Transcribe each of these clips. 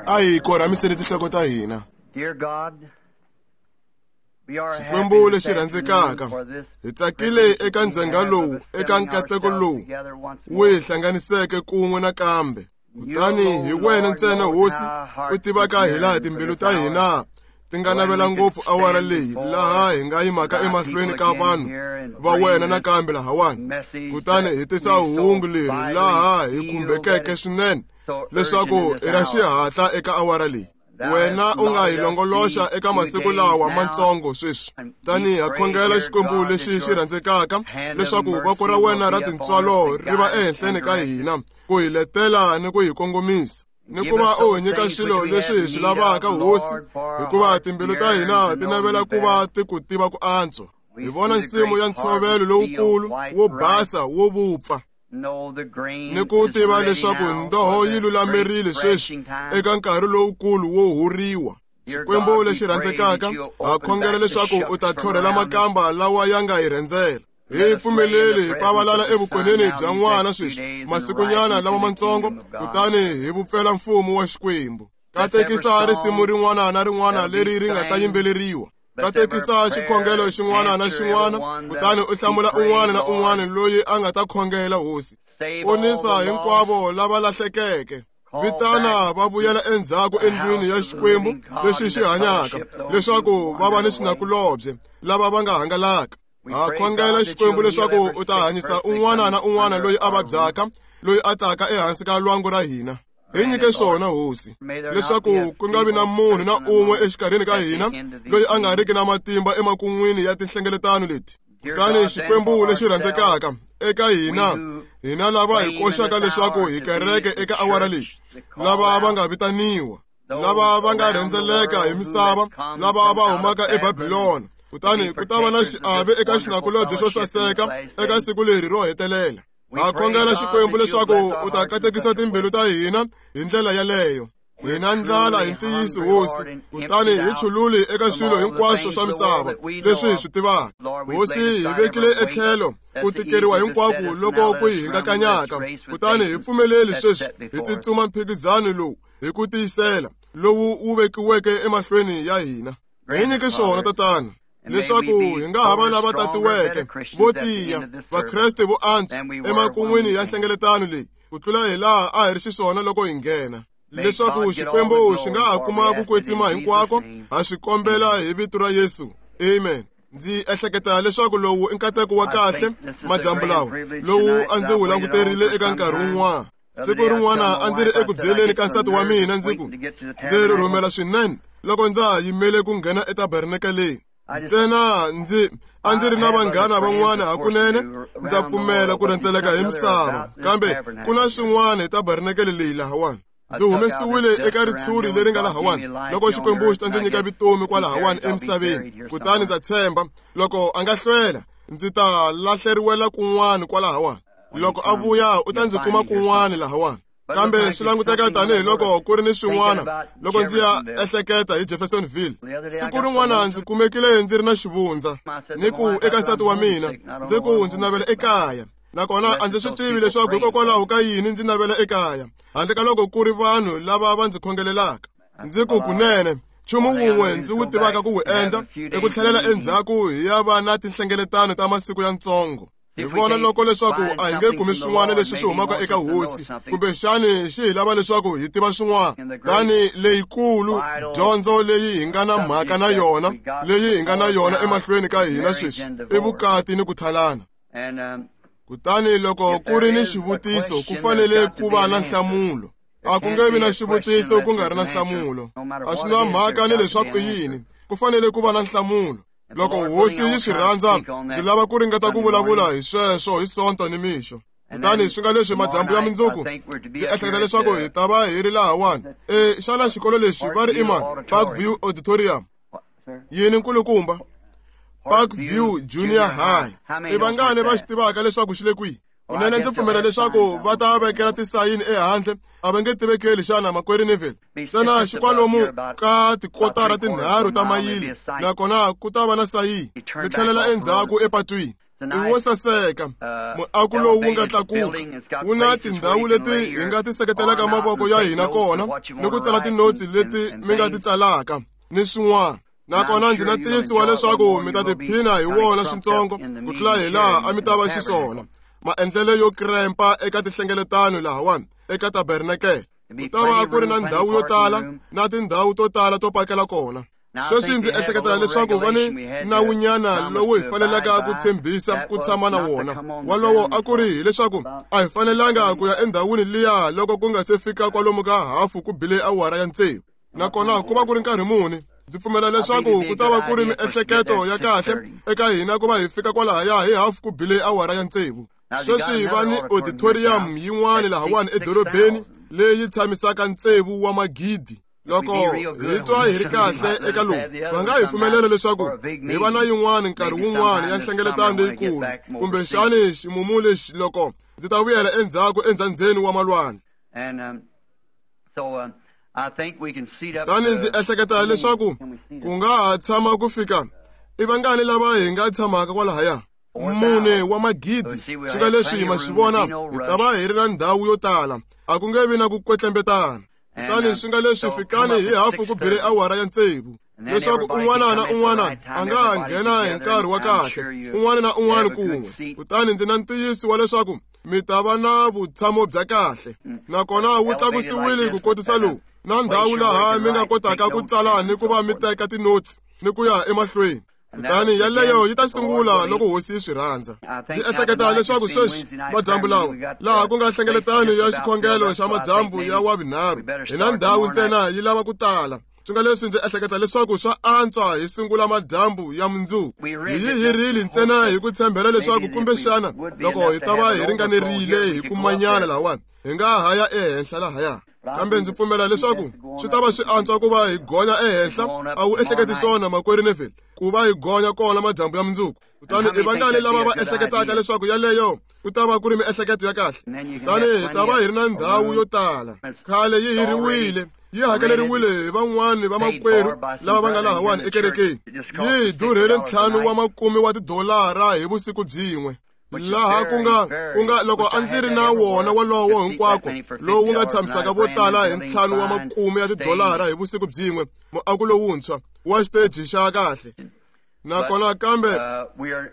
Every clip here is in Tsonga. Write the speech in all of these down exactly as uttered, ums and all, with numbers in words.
A hi korhamiseni tinhloko ta hina. Xikwembu lexi rhandzekaka, hi tsakile eka ndzhenga lowu, eka nkateko lowu wu hi hlanganiseke kun'we nakambe. Kutani hi wena ntsena Hosi u tivaka hilaha timbilu ta hina ti nga navela ngopfu awara leyi laha hi nga yimaka emahlweni ka vanhu va wena nakambe lahawani. Kutani hi tisa hungu leri laha hi khumbekeke swinene leswaku i ra xihatla eka awara leyi. Wena u nga hi longoloxa eka masiku lawa matsongo sweswi. Tani ha khongela Xikwembu lexi xi rhandzekaka leswaku voko ra wena ra tintswalo ri va ehenhleni ka hina ku hi letela ni ku hi kongomisa, ni ku va u hi nyika swilo leswi hi swi lavaka Hosi, hikuva timbilu ta hina ti navela ku va ti ku tiva ku antswa. Hi vona nsimu ya ntshovelo lowukulu wo basa wo vupfa, ni ku tiva leswaku ndoho yi lulamerile sweswi eka nkarhi lowukulu wo huriwa. Xikwembu lexi rhandzekaka, ha khongela leswaku u ta tlhorhela makamba lawa ya nga hi rhendzela. Hi pfumeleli hi pavalala evukoneni bya n'wana sweswi masikunyana lawa matsongo, kutani hi vupfela mfumo wa Xikwembu. Katekisa risimu rin'wana na rin'wana leri ri nga ta yimbeleriwa. Katekisa xikhongelo xin'wana na xin'wana, kutani u hlamula un'wana na un'wana loyi a nga ta khongela Hosi. Ponisa hinkwavo lava lahlekeke. Vitana va vuyela endzhaku endlwini ya Xikwembu lexi xi hanyaka, leswaku va va ni xinakulobye lava va nga hangalaka. Ha khongela Xikwembu leswaku u ta hanyisa un'wana na un'wana loyi a vabyaka, loyi a taka ehansi ka lwangu ra hina. Hi nyike swona Hosi, leswaku ku nga vi na munhu na un'we exikarhini ka hina loyi a nga riki na matimba emakun'wini ya tinhlengeletano leti. Kutani Xikwembu lexi rhandzekaka, eka hina, hina lava hi koxaka leswaku hi kereke eka awara leyi, lava va nga vitaniwa, lava va nga rhendzeleka hi misava, lava va humaka eBabilona, kutani ku ta va na xiave eka xinakulobye xo saseka eka siku leri ro hetelela. Ha khongela Xikwembu leswaku u ta katekisa timbilu ta hina hi ndlela yaleyo. Hi na ndlala hi ntiyiso Hosi, kutani hi chululi eka swilo hinkwaswo swa misava leswi hi swi tivaka. Hosi, hi vekile etlhelo ku tikeriwa hinkwako loko ku hi hingakanyaka, kutani hi pfumeleli sweswi hi tsutsuma mphikizano lowu hi ku tiyisela lowu wu vekiweke emahlweni ya hina. Hi nyike swona Tatana, leswaku hi nga ha va lava tatiweke vo tiya, Vakreste vo antswa emakun'wini ya nhlengeletano leyi ku tlula hi laha a hi ri xiswona loko hi nghena, leswaku Xikwembu xi nga ha kuma ku kwetsima hinkwako. Ha swi kombela hi vito ra Yesu, amen. Ndzi ehleketa leswaku lowu i nkateko wa kahle madyambu lawa lowu a ndzi wu languterile eka nkarhi wun'wana. Siku rin'wana a ndzi ri eku byeleni ka nsati wa mina ndzi ku ndzi rhumela swinene loko ndza ha yimele ku nghena etabernakeleni. Ntsena ndzi a ndzi ri na vanghana van'wana hakunene, ndza pfumela ku rhendzeleka hi misava, kambe ku na swin'wana hi tabernakele leyi lahawani. Ndzi humesiwile eka ritshuri leri nga lahawani loko Xikwembu xi ta ndzi nyika vutomi kwalahawani emisaveni, kutani ndza tshemba loko a nga hlwela ndzi ta lahleriwela kun'wana kwalahawani. Loko a vuya u ta ndzi kuma kun'wana lahawani. Kambe swi languteka tanihiloko ku ri ni swin'wana loko ndzi ya ehleketa hi Jeffersonville. Siku rin'wana ndzi kumekile ndzi ri na xivundza, ni ku eka nsati wa mina ndzi ku ndzi navela ekaya, nakona a ndzi swi tivi leswaku hikokwalaho ka yini ndzi navela ekaya, handle ka loko ku ri vanhu lava va ndzi khongelelaka. Ndzi ku kunene nchumu wun'we ndzi wu tivaka ku wu endla i ku tlhelela endzhaku hi ya va na tinhlengeletano ta masiku yantsongo. Hi vona loko leswaku a hi nge kumi swin'wana leswi swi humaka eka Hosi, kumbexani xi hi lava leswaku hi tiva swin'wana. Tani leyikulu dyondzo leyi hi nga na mhaka na yona, leyi hi nga na yona emahlweni ka hina sweswi, i vukati ni ku thalana. Kutani loko ku ri ni xivutiso, ku fanele ku va na nhlamulo. A ku nge vi na xivutiso ku nga ri na nhlamulo. A swi na mhaka ni leswaku i yini, ku fanele ku va na nhlamulo. Loko Hosi yi swi rhandza, ndzi lava ku ringeta ku vulavula hi sweswo hi Sonto ni mixo. Kutani swi nga leswi madyambu ya mundzuku, ndzi ehleketa leswaku hi ta va hi ri lahawani. E xana xikolo lexi va ri i mani? Parkview Auditorium. Yini nkulukumba? Parkview Junior High. I vangani va xi tivaka leswaku xi le kwihi? Kunene ndzi pfumela leswaku va ta vekela tisayini ehandle, a va nge tivekeli xana makwerhu Neville. Ntsena xikwalomu ka tikotara tinharhu ta mayili, nakona ku ta va na sayini. Mi tlhelela endzhaku epatwini. I wo saseka muako lowu wu nga tlakuka wu na tindhawu leti hi nga ti seketelaka mavoko ya hina kona ni ku tsala tinotsi leti mi nga ti tsalaka ni swin'wana. Nakona ndzi na tiyisiwa leswaku mi ta tiphina hi wona swintsongo ku tlula hi laha a mi ta va xiswona maendlelo yo krempa eka tihlengeletano lahawani eka tabernakele. Ku ta va ku ri na ndhawu yo tala na tindhawu to tala to pakela kona. Sweswi ndzi ehleketa leswaku va ni nawunyana lowu hi fanelaka ku tshembisa ku tshama na wona. Walowo a ku ri hileswaku a hi fanelanga ku ya endhawini liya loko ku nga se fika kwalomu ka hafu ku bile awara ya tsevu. Nakona ku va ku ri nkarhi muni? Ndzi pfumela leswaku ku ta va ku ri miehleketo ya kahle eka hina ku va hi fika kwalahaya hi hafu ku bile awara ya tsevu. Sweswi va ni auditorium yin'wana lahawani edorobeni leyi tshamisaka tsevu wa magidi. Loko hi twa hi ri kahle eka lowu, va nga hi pfumelela leswaku hi va na yin'wana nkarhi wun'wana ya nhlengeletano leyikulu, kumbexani ximumu lexi loko ndzi ta vuyela endzhaku endzhandzeni wa malwandle. Tani ndzi ehleketa leswaku ku nga ha tshama ku fika i vangani lava hi nga tshamaka kwalahaya? Mune wa magidi. Swi nga leswi ma swi vona, hi ta va hi ri na ndhawu yo tala, a ku nge vi na ku kwetlembetana. Kutani swi nga leswi fikani hi hafu ku bile awara ya tsevu, leswaku un'wana na un'wana a nga ha nghena hi nkarhi wa kahle, un'wana na un'wana kun'we. Kutani ndzi na ntiyiso wa leswaku mi ta va na vutshamo bya kahle. Nakona wu tlakusiwile ku kotisa lowu na ndhawu laha mi nga kotaka ku tsala ni ku va mi teka tinotsi ni ku ya emahlweni. Kutani yaleyo yi ta sungula loko hosi yi swi rhandza. Ndzi ehleketa leswaku sweswi madyambu lawa laha ku nga hlengeletano ya xikhongelo xa madyambu ya wavunharhu, hi na ndhawu ntsena yi lava ku tala. Swi nga leswi ndzi ehleketa leswaku swa antswa hi sungula madyambu ya mundzuku. Hi yi hirile ntsena hi ku tshembela leswaku kumbexana loko hi ta va hi ringanerile hi kumanyana lahawani, hi nga ha ya ehenhla lahaya. Kambe ndzi pfumela leswaku swi ta va swi antswa ku va hi gonya ehenhla. A wu ehleketi swona, makwerhu Neville, ku va hi gonya kona madyambu ya mundzuku? Kutani i vangani lava va ehleketaka leswaku yaleyo ku ta va ku ri miehleketo ya kahle? Kutani hi ta va hi ri na ndhawu yo tala. Khale yi hiriwile, yi hakeleriwile hi van'wani va makwerhu lava va nga lahawani ekerekeni. Yi hi durhele ntlhanu wa makume wa tidolara hi vusiku byin'we. Laha ku nga ku nga loko a ndzi ri na wona wolowo hinkwako lowu nga tshamisaka vo tala hi ntlhanu wa makume ya tidolara hi vusiku byin'we, muako lowuntshwa wa xiteji xa kahle. Nakona kambe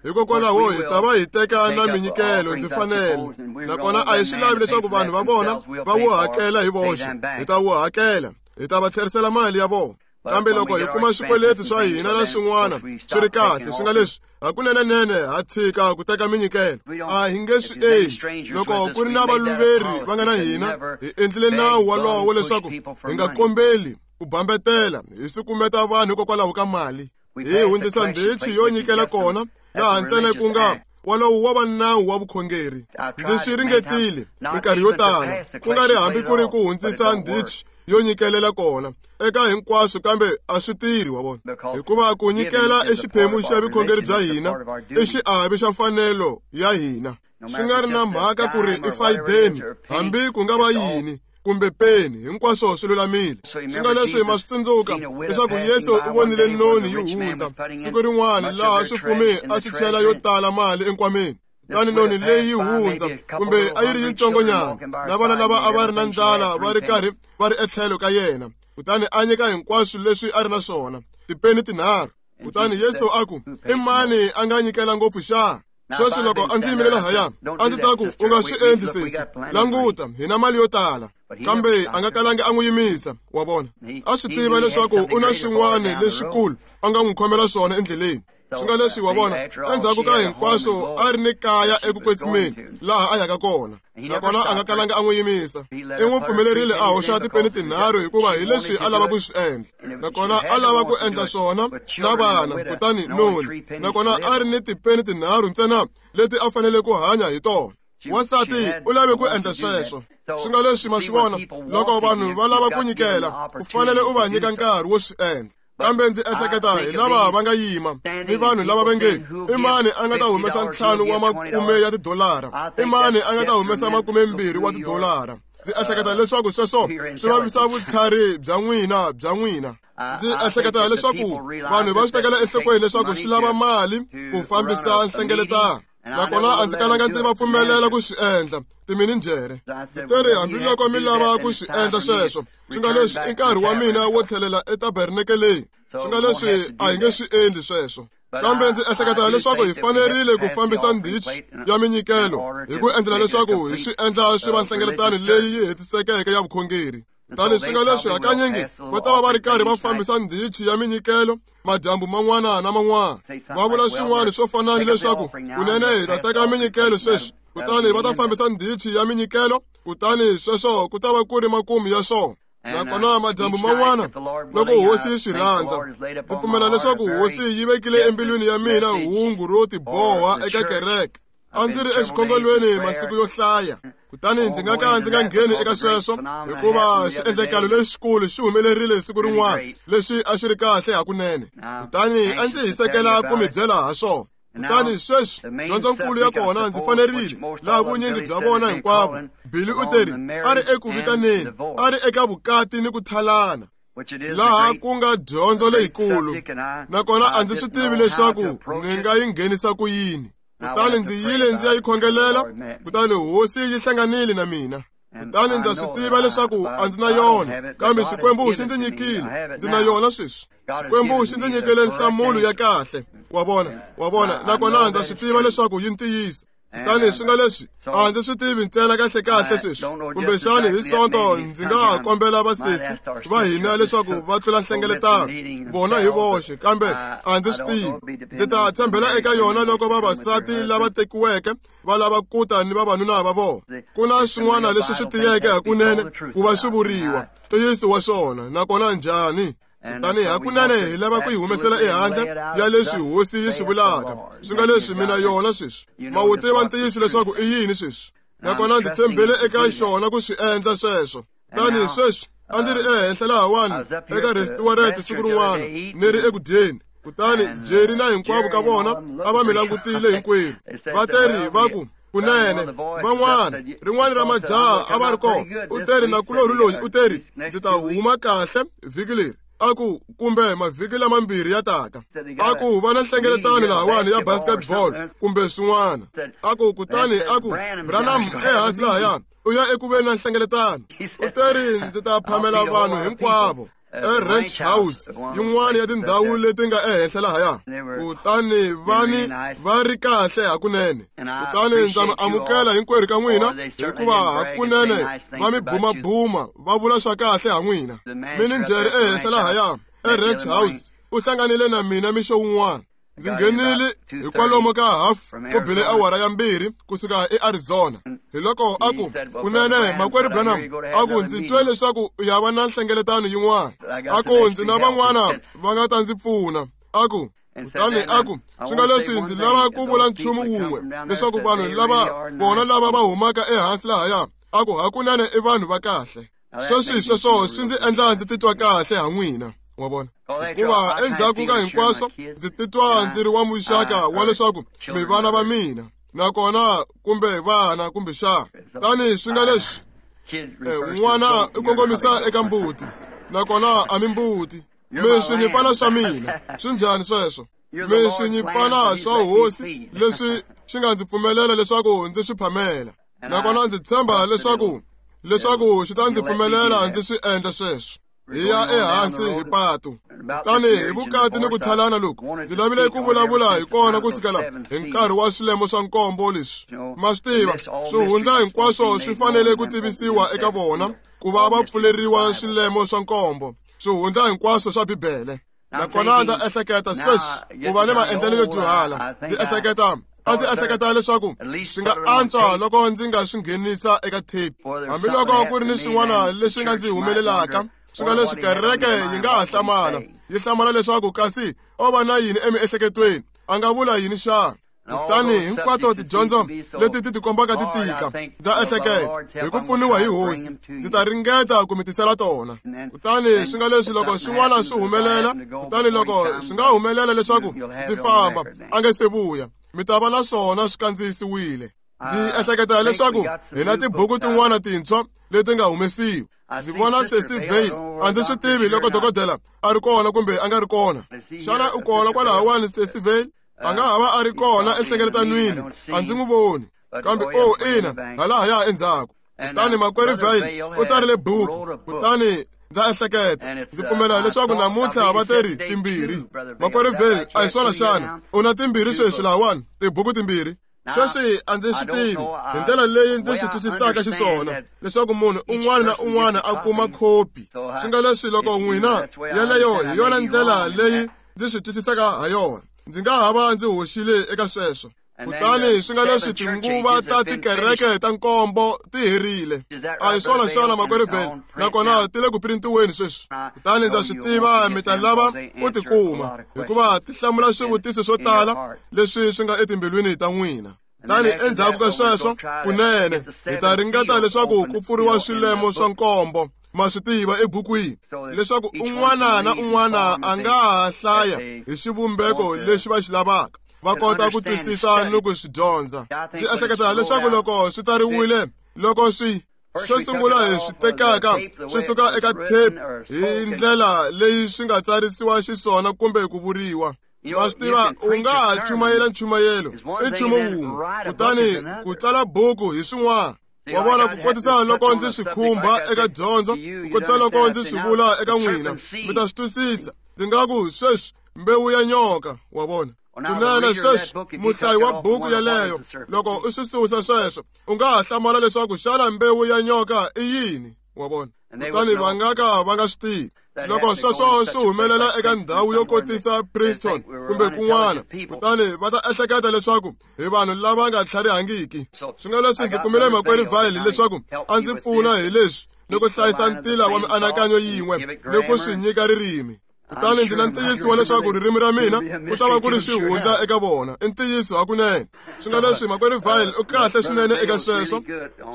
hikokwalaho hi ta va hi teka na minyikelo ndzi fanele. Nakona a hi swi lavi leswaku vanhu va vona va wu hakela hi voxe. Hi ta wu hakela, hi ta va tlherisela mali ya vona. Kambe loko hi kuma swikweleti swa hina na swin'wana swi ri kahle, swi nga leswi hakunenenene ha tshika ku teka minyikelo. A hi nge swi endli. Loko ku ri na valuveri va nga na hina, hi endlile nawu walowo leswaku hi nga kombeli ku bambetela hi sukumeta vanhu hikokwalaho ka mali. Hi hundzisa ndhichi yo nyikela kona laha ntsena ku nga walowo wa va nawu wa vukhongeri. Ndzi swi ringetile minkarhi yo tala, ku nga ri hambi ku ri ku hundzisa ndhichi yo nyikelela kona eka hinkwaswo, kambe a swi tirhi, wa vona, hikuva ku nyikela i xiphemu xa vukhongeri bya hina, i xiave xa mfanelo ya hina. Swi nga ri na mhaka ku ri i fayideni, hambi ku nga va yini kumbe peni, hinkwaswo swi lulamile. Swi nga leswi ma swi tsundzuka leswaku Yesu u vonile noni yi hundza siku rin'wana laha swifumi a swi chela yo tala mali enkwameni. Kutani noni leyi yi hundza, kumbe a yi ri yitsongonyana, na vana lava a va ri na ndlala va ri karhi va ri etlhelo ka yena. Kutani a nyika hinkwaswo leswi a ri na swona, tipeni tinharhu. Kutani Yesu a ku, i mani a nga nyikela ngopfu xa? Sweswi loko a ndzi yimile lahaya, a ndzi ta ku, u nga swi endli sesi, languta, hi na mali yo tala. Kambe a nga kalangi a n'wi yimisa, wa vona. A swi tiva leswaku u na swin'wana leswikulu a nga n'wi khomela swona endleleni. Swi nga leswi, wa vona, endzhaku ka hinkwaswo a ri ni kaya eku kwetsimeni laha a yaka kona. Nakona a nga kalanga a n'wi yimisa. I n'wi pfumelerile a hoxa tipeni tinharhu hikuva hi leswi a lava ku swi endla. Nakona a lava ku endla swona na vana, kutani noni. Nakona a ri ni tipeni tinharhu ntsena leti a fanele ku hanya hi tona. Wansati u lave ku endla sweswo. Swi nga leswi ma swi vona, loko vanhu va lava ku nyikela, u fanele u va nyika nkarhi wo swi endla. Kambe ndzi ehleketa hi lava va nga yima ni vanhu lava va nge, i mani a nga ta humesa ntlhanu wa makume ya tidolara? I mani a nga ta humesa makumembirhi wa tidolara? Ndzi ehleketa leswaku sweswo swi vavisa vutlhari bya n'wina bya n'wina. Ndzi ehleketa leswaku vanhu va swi tekela enhlokweni leswaku swi lava mali ku fambisa nhlengeletano. Nakona a ndzi kalanga ndzi va pfumelela ku swi endla timininjhere. Ndzi teri hambiloko mi lava ku swi endla sweswo, swi nga leswi i nkarhi wa mina wo tlhelela etabernakeleni. Swi nga leswi a hi nge swi endli sweswo. Kambe ndzi ehleketa leswaku hi fanerile ku fambisa ndhichi ya minyikelo hi ku endlela leswaku hi swi endla swi va nhlengeletano leyi yi hetisekeke ya vukhongeri. Kutani swi nga leswi hakanyingi va ta va va ri karhi va fambisa ndhichi ya minyikelo madyambu man'wana na man'wana. Va vula swin'wana swo fana ni leswaku kunene hi ta teka minyikelo sweswi, kutani va ta fambisa ndhichi ya minyikelo, kutani sweswo ku ta va ku ri makumu ya swona. Nakona madyambu man'wana loko hosi yi swi rhandza, ndzi pfumela leswaku hosi yi vekile embilwini ya mina hungu ro tiboha eka kereke. A ndzi ri exikhongelweni masiku yo hlaya, kutani ndzi nga ka ndzi nga ngheni eka sweswo hikuva xiendlakalo lexikulu xi humelerile siku rin'wana lexi a xi ri kahle hakunene. Kutani a ndzi hisekela ku mi byela ha swona. Kutani sweswi dyondzonkulu ya kona ndzi fanerile laha vunyingi bya vona hinkwavo. Billy u teri a ri eku vitaneni, a ri eka vukati ni ku thalana, laha ku nga dyondzo leyikulu. Nakona a ndzi swi tivi leswaku ni nga yi nghenisa ku yini. Kutani ndzi yile ndzi ya yi khongelela, kutani hosi yi hlanganile na mina. Kutani ndza swi tiva leswaku a ndzi na yona, kambe Xikwembu xi ndzi nyikile, ndzi na yona sweswi. Xikwembu xi ndzi nyikile nhlamulo ya kahle. Wa vona, wa vona, nakona ndza swi tiva leswaku yi ntiyiso. Kutani swi nga leswi a ndzi swi tivi ntsena kahle kahle sweswi. Kumbexani hi Sonto ndzi nga ha kombela vasesi va hina leswaku va tlula nhlengeletano vona hi voxe, kambe a ndzi swi tivi. Ndzi ta tshembela eka yona loko vavasati lava tekiweke va lava ku ta ni vavanuna va vona. Ku na swin'wana leswi swi tiyeke hakunene ku va swi vuriwa ntiyiso wa swona, nakona njhani. Kutani hakunene hi lava ku yi humesela ehandle ya leswi hosi yi swi vulaka. Swi nga leswi mina yona sweswi. Ma wu tiva ntiyiso leswaku i yini sweswi. Nakona ndzi tshembele eka xona ku swi endla sweswo. Tani sweswi a ndzi ri ehenhla lahawani eka restaurant siku rin'wana ni ri eku dyeni. Kutani Jerry na hinkwavo ka vona a va mi langutile hinkwerhu. Va teri va ku kunene van'wana rin'wana ra majaha a va ri kona. U teri nakulorhi loyi u teri ndzi ta huma kahle vhiki leri. A ku kumbe mavhiki lamambirhi ya taka. A ku va na nhlengeletano lahawani ya basketball kumbe swin'wana. A ku kutani a ku Branham ehansi lahaya u ya eku veni na nhlengeletano. U teri ndzi ta phamela vanhu hinkwavo e-Ranch House, yin'wana ya tindhawu leti nga ehenhla lahaya. Kutani vani va ri kahle hakunene. Kutani ndza mi amukela hinkwerhu ka n'wina, hikuva hakunene va mi bumabuma va vula swa kahle ha n'wina. Mininjhere ehenhla lahaya e-Ranch House u hlanganile na mina mixo wun'wana. Ndzi nghenile hi kwalomu ka half ku bile awara ya mbirhi kusuka eArizona. Hi loko a ku kunene makwerhu Branham, a ku ndzi twe leswaku u ya va na nhlengeletano yin'wana. A ku ndzi na van'wana va nga ta ndzi pfuna. A ku kutani a ku swi nga leswi ndzi lava ku vula nchumu wun'we leswaku vanhu lava vona lava va humaka ehansi lahaya, a ku hakunene i vanhu va kahle. Sweswi sweswo swi ndzi endla ndzi titwa kahle ha n'wina. Wa vona, hikuva endzhaku ka hinkwaswo ndzi titwa ndzi ri wa muxaka wa leswaku mi vana va mina, nakona kumbe vana kumbe xana. Tani swi nga leswi n'wana u kongomisa eka mbuti, nakona a mi mbuti. Mi swinyimpfana swa mina. Swi njhani sweswo? Mi swinyimpfana swa hosi leswi swi nga ndzi pfumelela leswaku ndzi swi phamela, nakona ndzi tshemba leswaku leswaku xi ta ndzi pfumelela ndzi swi endla sweswo. Hi ya ehansi hi patu. Kutani hi vukati ni ku thalana loku ndzi lavile ku vulavula hi kona ku sukela hi nkarhi wa swilemo swa nkombo leswi. Ma swi tiva, swihundla hinkwaswo swi fanele ku tivisiwa eka vona ku va va pfuleriwa swilemo swa nkombo, swihundla hinkwaswo swa Bibele. Nakona ndza ehleketa sweswi ku va ni maendlelo yo dyuhala. Ndzi ehleketa a ndzi ehleketa leswaku swi nga antswa loko ndzi nga swi nghenisa eka tape, hambiloko ku ri ni swin'wana leswi nga ndzi humelelaka. Swi nga leswi kereke yi nga ha hlamala, yi hlamala leswaku kasi o va na yini emiehleketweni, a nga vula yini xana. Kutani hinkwato tidyondzo leti ti tikombaka ti tika, ndza ehleketa hi ku pfuniwa hi hosi ndzi ta ringeta ku mi tisela tona. Kutani swi nga leswi loko swin'wana swi humelela, kutani loko swi nga humelela leswaku ndzi famba a nge se vuya, mi ta va na swona swi kandziyisiwile. Ndzi ehleketa leswaku hi na tibuku tin'wana tintshwa leti nga humesiwa. Ndzi vona Sesi Vale, a ndzi swi tivi loko dokodela a ri kona kumbe a nga ri kona. Xana u kona kwalahawani Sesi Vale? A nga ha va a ri kona enhlengeletanweni, a ndzi n'wi voni. Kambe o ina, halahaya endzhaku. Kutani makwerhu Vayle u tsarile buku, kutani ndza ehleketa ndzi pfumela leswaku namuntlha va teri timbirhi. Makwerhu Vayle, a hi swona xana? U na timbirhi sweswi lahawani, tibuku timbirhi. Sweswi a ndzi swi tivi hi ndlela leyi ndzi swi twisisaka xiswona leswaku munhu un'wana na un'wana a kuma khopi. Swi nga leswi loko n'wina yeleyo hi yona ndlela leyi ndzi swi twisisaka ha yona. Ndzi nga ha va ndzi hoxile eka sweswo. Kutani swi nga leswi tinguva ta tikereke ta nkombo ti herile. A hi swona xana makwerhu Vayle? Nakona ti le ku printiweni sweswi. Kutani ndza swi tiva mi ta lava ku ti kuma, hikuva ti hlamula swivutiso swo tala leswi swi nga etimbilwini ta n'wina. Kutani endzhaku ka sweswo kunene hi ta ringeta leswaku ku pfuriwa swilemo swa nkombo, ma swi tiva, ebukwini, leswaku un'wana na un'wana a nga ha hlaya hi xivumbeko lexi va xi lavaka, va kota ku twisisa ni ku swi dyondza. Ndzi ehleketa leswaku loko swi tsariwile, loko swi xo sungula hi swi tekaka swi suka eka tape hi ndlela leyi swi nga tsarisiwa xiswona kumbe ku vuriwa. Ma swi tiva, u nga ha chumayela nchumayelo i nchumu wun'we, kutani ku tsala buku hi swin'wana. Wa vona, ku kotisa loko ndzi swi khumba eka dyondzo, ku kotisa loko ndzi swi vula eka n'wina, mi ta swi twisisa. Ndzi nga ku sweswi mbewu ya nyoka, wa vona. Kunene sweswi muhlayi wa buku yeleyo, loko u swi susa sweswo, u nga ha hlamala leswaku xana mbewu ya nyoka i yini, wa vona. Kutani va nga ka va nga swi tivi. Loko sweswo swi humelela eka ndhawu yo kotisa Princeton kumbe kun'wana, kutani va ta ehleketa leswaku hi vanhu lava nga tlharihangiki. Swi nga leswi ndzi kumile makwerhu Vayle leswaku a ndzi pfuna hi leswi ni ku hlayisa ntila wa mianakanyo yin'we ni ku swi nyika ririmi. Kutani ndzi na ntiyiso wa leswaku ririmi ra mina ku ta va ku ri xihundla eka vona. I ntiyiso hakunene. Swi nga leswi makwerhu Vayle u kahle swinene eka sweswo.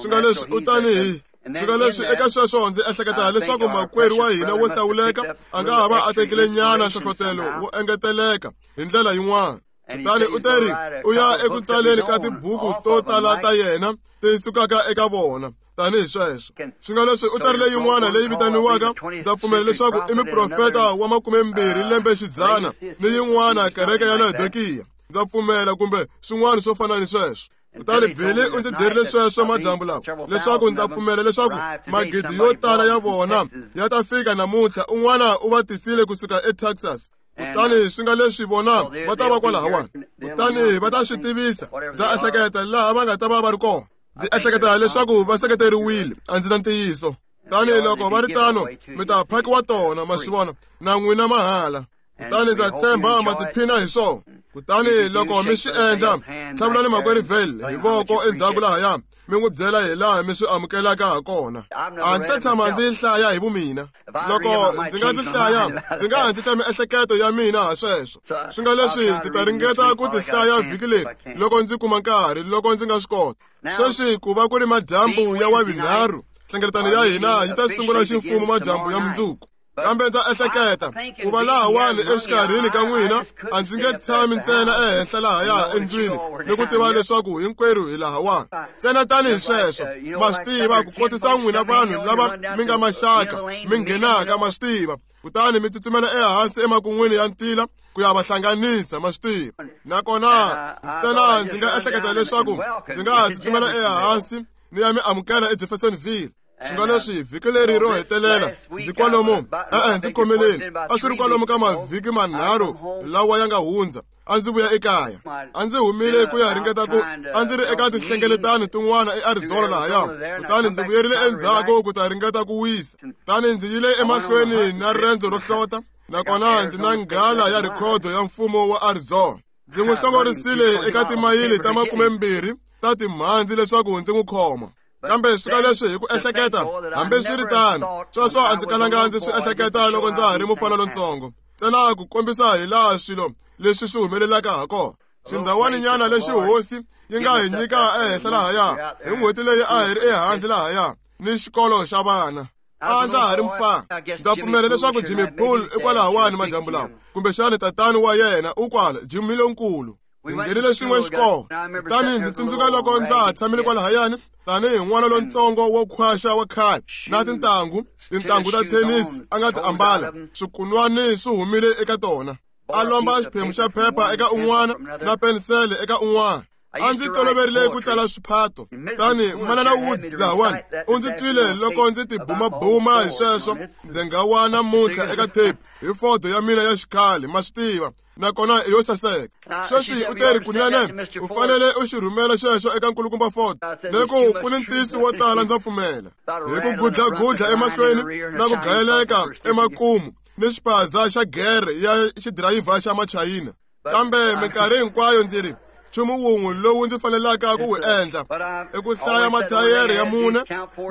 Swi nga leswi u tanihi swi nga leswi eka sweswo ndzi ehleketa leswaku makwerhu wa hina wo hlawuleka a nga ha va a tekile nyana nhlohlotelo wo engeteleka hi ndlela yin'wana. Kutani u teri u ya eku tsaleni ka tibuku to tala ta yena ti sukaka eka vona tanihi sweswo. Swi nga leswi u tsarile yin'wana leyi vitaniwaka, ndza pfumela leswaku i muprofeta wa makumembirhi lembe xidzana, ni yin'wana kereke ya Laodikiya, ndza pfumela, kumbe swin'wana swo fana ni sweswo. Kutani Billy u ndzi byerile sweswo madyambu lawa leswaku ndza pfumela leswaku magidi yo tala ya vona ya ta fika namuntlha. Un'wana u va tisile kusuka eTexas. Kutani swi nga leswi vona va ta va kwalahawani, kutani va ta swi tivisa. Ndza ehleketa laha va nga ta va va ri kona. Ndzi ehleketa leswaku va seketeriwile, a ndzi na ntiyiso. Kutani loko va ri tano, mi ta phakiwa tona, ma swi vona, na n'wina mahala. Kutani ndza tshemba ma tiphina hi swona. Kutani loko mi swi endla, tlhavulani makwerhu Vayle hi voko endzhaku lahaya, mi n'wi byela hi laha mi swi amukelaka ha kona. A ndzi se tshama ndzi hlaya hi vumina. Loko ndzi nga ti hlaya, ndzi nga ha cinca miehleketo ya mina ha sweswo. Swi nga leswi ndzi ta ringeta ku ti hlaya vhiki leri loko ndzi kuma nkarhi, loko ndzi nga swi kota. Sweswi ku va ku ri madyambu ya wavunharhu, nhlengeletano ya hina yi ta sungula ximfumo madyambu ya mundzuku. Kambe ndza ehleketa ku va lahawani exikarhini ka n'wina, a ndzi nge tshami ntsena ehenhla lahaya endlwini ni ku tiva leswaku hinkwerhu hi lahawani. Ntsena tanihi sweswo, ma swi tiva, ku kotisa n'wina vanhu lava mi nga maxaka mi nghenaka, ma swi tiva, kutani mi tsutsumela ehansi emakun'wini ya ntila ku ya va hlanganisa, ma swi tiva. Nakona ntsena ndzi nga ehleketa leswaku ndzi nga ha tsutsumela ehansi ni ya mi amukela eJeffersonville. Swi nga leswi vhiki leri ro hetelela ndzi kwalomu, e-e ndzi khomeleni, a swi ri kwalomu ka mavhiki manharhu lawa ya nga hundza, a ndzi vuya ekaya. A ndzi humile ku ya ringeta ku a ndzi ri eka tinhlengeletano tin'wana eArizona lahaya, kutani ndzi vuyerile endzhaku ku ta ringeta ku wisa. Kutani ndzi yile emahlweni na riendzo ro hlota, nakona ndzi na nghala ya rhikhodo ya mfumo wa Arizona. Ndzi n'wi hlongorisile eka timayili ta makumembirhi ta timhandzi leswaku ndzi n'wi khoma. Kambe swi nga leswi hi ku ehleketa, hambi swi ri tano, sweswo a ndzi kalanga ndzi swi ehleketa loko ndza ha ri mufana lontsongo. Ntsena ku kombisa hi laha swilo leswi swi humelelaka ha kona. Xindhawaninyana lexi hosi yi nga hi nyika ehenhla lahaya hi n'hweti leyi a hi ri ehandle lahaya ni xikolo xa vana. A ndza ha ri mufana. Ndza pfumela leswaku Jimmy Poole i kwalahawani madyambu lawa, kumbexana tatani wa yena u kwala, Jimmy lonkulu. Hi nghenile xin'we xikolo. Kutani ndzi tsundzuka loko ndza ha tshamile kwalahayani tanihi n'wana lontsongo wo khwaxa wa khale na tintangu, tintangu ta thenisi a nga ti ambala, swikunwani swi humile eka tona. a lomba xiphemu xa phepha eka un'wana na penisele eka un'wana. A ndzi toloverile ku tsala swiphato. Tani Manana Woods lahawani u ndzi twile loko ndzi tibumabuma hi sweswo ndzi nga wa namuntlha eka tape hi foto ya mina ya xikhale, ma swi tiva, nakona i yo saseka. Sweswi u teri kunene u fanele u xi rhumela xexo eka nkulukumba Ford, leku ku ni ntiyiso wo tala ndza pfumela. Hi ku gudlagudla emahlweni na ku gayeleka emakumu ni xipaza xa gere ya xidirayivha xa machayina. Kambe minkarhi hinkwayo ndzi ri nchumu wun'we lowu ndzi fanelaka ku wu endla i ku hlaya mathayere ya mune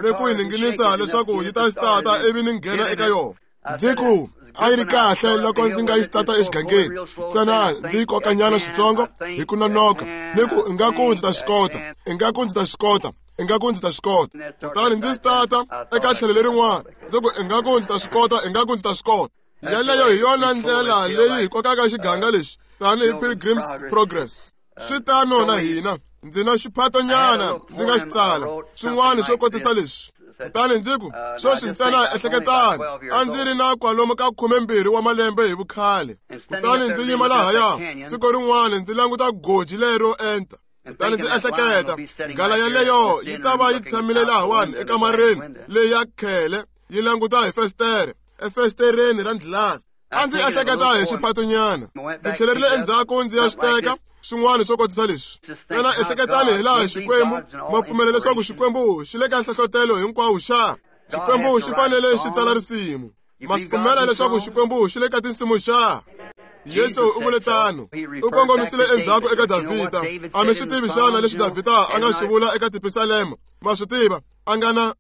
ni ku yi ninginisa leswaku yi ta stata ivi ni nghena eka yona. Ndzi ku a yi ri kahle loko ndzi nga yi stata exigangeni, ntsena ndzi yi kokanyana switsongo hi ku nonoka, ni ku ingaku ndzi ta swi kota, ingaku ndzi ta swi kota, ingaku ndzi ta swi kota. Kutani ndzi stata eka tlhelo lerin'wana, ndzi ku ingaku ndzi ta swi kota, ingaku ndzi ta swi kota. Yeleyo hi yona ndlela leyi hi kokaka xiganga lexi tanihi Pilgrim's Progress. Swi tano na hina. Ndzi na xiphatonyana ndzi nga xi tsala swin'wana swo kotisa leswi. Kutani ndzi ku sweswi ntsena ehleketani, a ndzi ri na kwalomu ka khumembirhi wa malembe hi vukhale. Kutani ndzi yima lahaya siku rin'wana ndzi languta goji lero enta. Kutani ndzi ehleketa nghala yeleyo yi ta va yi tshamile lahawani ekamareni leyi ya khele yi languta hi festere, efestereni ra dlilasi. A ndzi ehleketa hi xiphatonyana. Ndzi tlhelerile endzhaku ndzi ya swi teka swin'wana swo kotisa leswi. Ntsena ehleketani hi laha Xikwembu ma pfumela leswaku Xikwembu xi le ka nhlohlotelo hinkwawo xa. Xikwembu xi fanele xi tsala risimu. Ma swi pfumela leswaku Xikwembu xi le ka tinsimu xa. Yesu u vule tano. U kongomisile endzhaku eka Davhida. A mi swi tivi xana leswi Davhida a nga swi vula eka tipisalema? Ma swi tiva, a nga na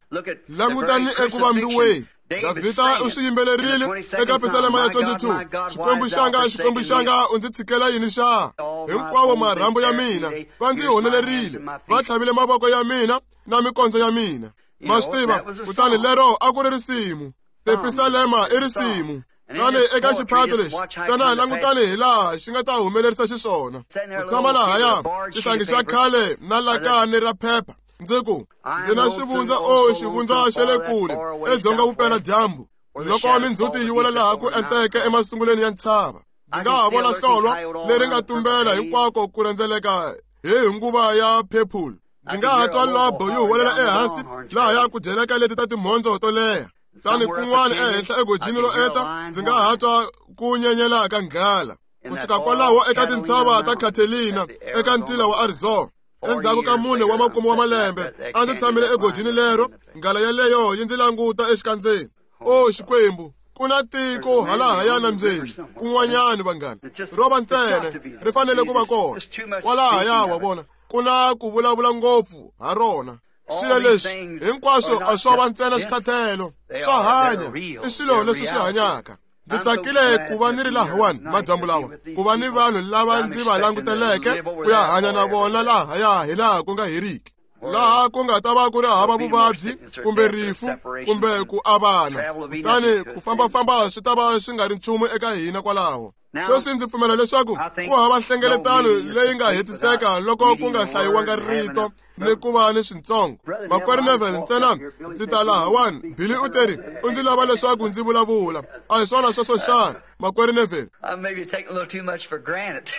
langutani eku vambiweni. Davhida u swi yimbelerile eka pisalema ya twenty-two. Xikwembu xanga, Xikwembu xanga, u ndzi tshikela yini xa? Hinkwawo marhambu ya mina va ndzi honelerile, va tlhavile mavoko ya mina na mikondzo ya mina. Ma swi tiva, kutani lero a ku ri risimu. Tipisalema i risimu. Tani eka xiphato lexi, ntsena langutani hi laha xi nga ta humelerisa xiswona. Ku tshama lahaya xihlangi xa khale na lakani ra phepha. Ndzi ku ndzi na xivundza, o xivundza xa le kule edzonga vupeladyambu, loko mindzhuti yi wela laha ku enteke emasungulweni ya ntshava. Ndzi nga ha vona hlolwa leri nga tumbela hinkwako ku rhendzeleka hi nguva ya phephulu. Ndzi nga ha twa lobo yi huwelela ehansi lahaya ku dyeleka leti ta timhondzo to leha. Tani kun'wana ehenhla egojini ro enta ndzi nga ha twa ku nyenyela ka nghala. Kusuka kwalaho eka tintshava ta Catalina eka ntila wa Arizona. Endzhaku ka mune wa makume wa malembe a ndzi tshamile egojini lero, nghala yeleyo yi ndzi languta exikandzeni. O Xikwembu, ku na tiko halahaya nambyeni kun'wanyana vanghana, ro va ntsena ri fanele ku va kona kwalahaya. Wa vona, ku na ku vulavula ngopfu ha rona. Swilo leswi hinkwaswo a swo va ntsena swithathelo swa hanya, i swilo leswi swi hanyaka. Ndzi tsakile ku va ni ri lahawani madyambu lawa, ku va ni vanhu lava ndzi va languteleke ku ya hanya na vona lahaya hi laha ku nga heriki, laha ku nga ta va ku ri hava vuvabyi kumbe rifu kumbe ku avana. Kutani ku fambafamba swi ta va swi nga ri nchumu eka hina kwalaho. Sweswi ndzi pfumela leswaku ku hava nhlengeletano leyi nga hetiseka loko ku nga hlayiwanga rito ni ku va ni swintsongo. Makwerhu Neville, ntsena ndzi ta lahawani. Billy u teri u ndzi lava leswaku ndzi vulavula. A hi swona sweswo xana, makwerhu Neville?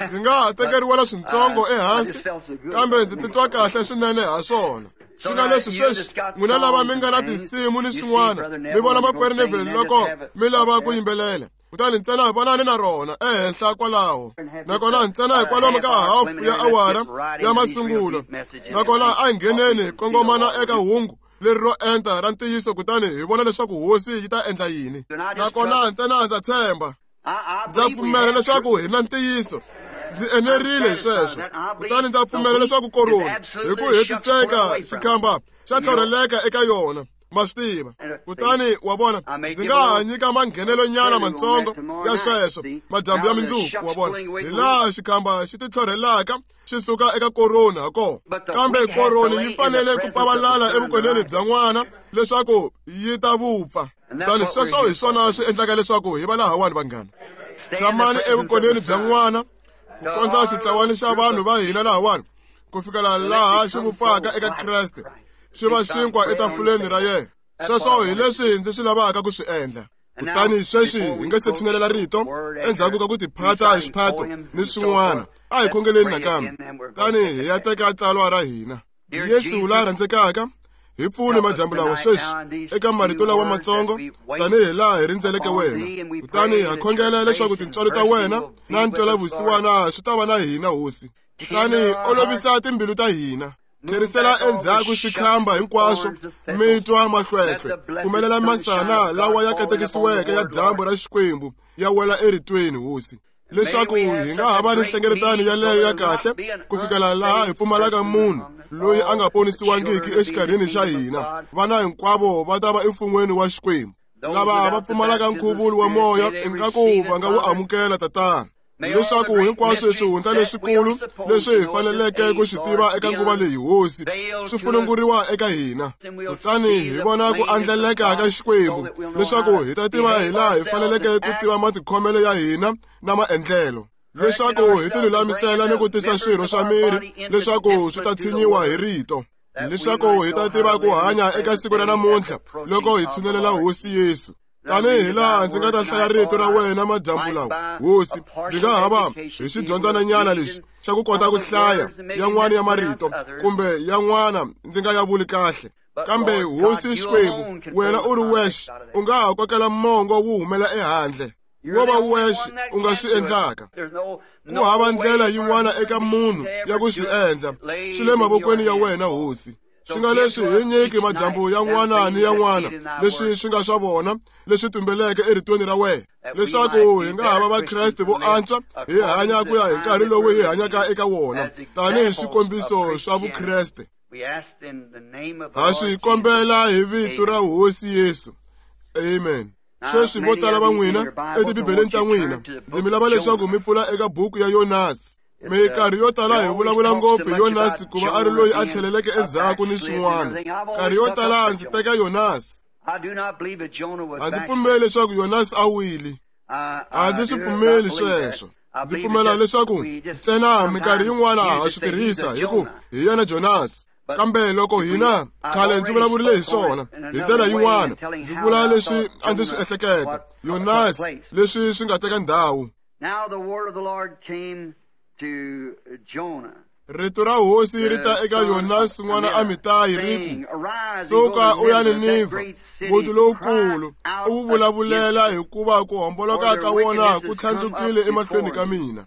Ndzi nga ha tekeriwela swintsongo ehansi, kambe ndzi titwa kahle swinene ha swona. Swi nga leswi sweswi n'wina lava mi nga na tinsimu ni swin'wana, mi vona makwerhu Neville loko mi lava ku yimbelela. Kutani ntsena vonani na rona ehenhla kwalaho. Nakona ntsena hikwalomu ka hafu ya awara ya masungulo. Nakona a hi ngheneni hi kongomana eka hungu leri ro enta ra ntiyiso, kutani hi vona leswaku hosi yi ta endla yini. Nakona ntsena ndza tshemba, ndza pfumela leswaku hi na ntiyiso. Ndzi enerile hi sweswo. Kutani ndza pfumela leswaku koroni hi ku hetiseka xikhamba xa tlhorheleka eka yona. Ma swi tiva. Kutani wa vona, ndzi nga ha nyika manghenelonyana mantsongo ya sweswo madyambu ya mindzuku. Wa vona, hi laha xikhamba xi titlhorhelaka xi suka eka koroni ha kona. Kambe koroni yi fanele ku pavalala evukoneni bya n'wana leswaku yi ta vupfa. Kutani sweswo hi swona swi endlaka leswaku hi va lahawani vanghana. Tshamani evukoneni bya n'wana ku kondza xitlawani xa vanhu va hina lahawani ku fikela laha xi vupfaka eka Kreste, xi va xinkwa etafuleni ra yena. Sweswo hi leswi ndzi swi lavaka ku swi endla. Kutani sweswi hi nga se tshinelela rito endzhaku ka ku tiphata hi xiphato ni swin'wana, a hi khongeleni nakambe. Kutani hi ya teka tsalwa ra hina. Yesu la rhandzekaka, hi pfune madyambu lawa sweswi eka marito lawa matsongo tanihi laha hi rindzeleke wena. Kutani ha khongela leswaku tintswalo ta wena na ntwelavusiwana swi ta va na hina, Hosi. Kutani olovisa timbilu ta hina, tlherisela endzhaku xikhamba hinkwaswo, mitwa mahlwehlwe, pfumelela masana lawa ya katekisiweke ya dyambu ra Xikwembu ya wela eritweni, Hosi, leswaku hi nga ha va ni nhlengeletano yaleyo ya kahle ku fikela laha hi pfumalaka munhu loyi a nga ponisiwangiki exikarhini xa hina. Vana hinkwavo va ta va emfun'weni wa Xikwembu. Lava va pfumalaka nkhuvulo wa moya ingaku va nga wu amukela, Tatana, leswaku hinkwaswo swihundla leswikulu leswi hi faneleke ku swi tiva eka nguva leyi, Hosi, swi fununguriwa eka hina. Kutani hi vona ku andlaleka ka Xikwembu, leswaku hi ta tiva hi laha hi faneleke ku tiva matikhomelo ya hina na maendlelo, leswaku hi tilulamisela ni ku tisa swirho swa miri leswaku swi ta tshinyiwa hi rito, leswaku hi ta tiva ku hanya eka siku ra namuntlha loko hi tshinelela Hosi Yesu. Tanihi laha ndzi nga ta hlaya rito ra wena madyambu lawa, Hosi, ndzi nga ha va hi xidyondzananyana lexi xa ku kota ku hlaya yan'wana ya marito kumbe yan'wana ndzi nga ya vuli kahle. Kambe Hosi Xikwembu, wena u ri wexe u nga ha kokela mongo wu humela ehandle, wo va wexe u nga swi endlaka. Ku hava ndlela yin'wana eka munhu ya ku swi endla, swi le mavokweni ya wena, Hosi. Swi nga leswi hi nyiki madyambu yan'wana ni yan'wana leswi swi nga swa vona leswi tumbeleke eritweni ra wena, leswaku hi nga ha va Vakreste vo antswa, hi hanya ku ya hi nkarhi lowu hi hanyaka eka wona tanihi swikombiso swa Vukreste. Ha swi kombela hi vito ra Hosi Yesu. Amen. Sweswi vo tala va n'wina etibibeleni ta n'wina, ndzi mi lava leswaku mi pfula eka buku ya Yonasi. Minkarhi yo tala hi vulavula ngopfu hi Yonasi ku va a ri loyi a tlheleleke endzhaku ni swin'wana. Nkarhi yo tala ndzi teka Yonasi. A ndzi pfumeli leswaku Yonasi a wile. A ndzi swi pfumeli sweswo. Ndzi pfumela leswaku ntsena minkarhi yin'wana ha swi tirhisa hi ku hi yena Jonasi. Kambe loko hina khale ndzi vulavurile hi swona hi ndlela yin'wana, ndzi vula leswi a ndzi swi ehleketa Yonasi leswi swi nga teka ndhawu. Rito ra Hosi ri ta eka Yonasi n'wana Amitayi ri ku, suka u ya Ninivha, muti lowukulu, u wu vulavulela hikuva ku homboloka ka wona ku tlhandlukile emahlweni ka mina.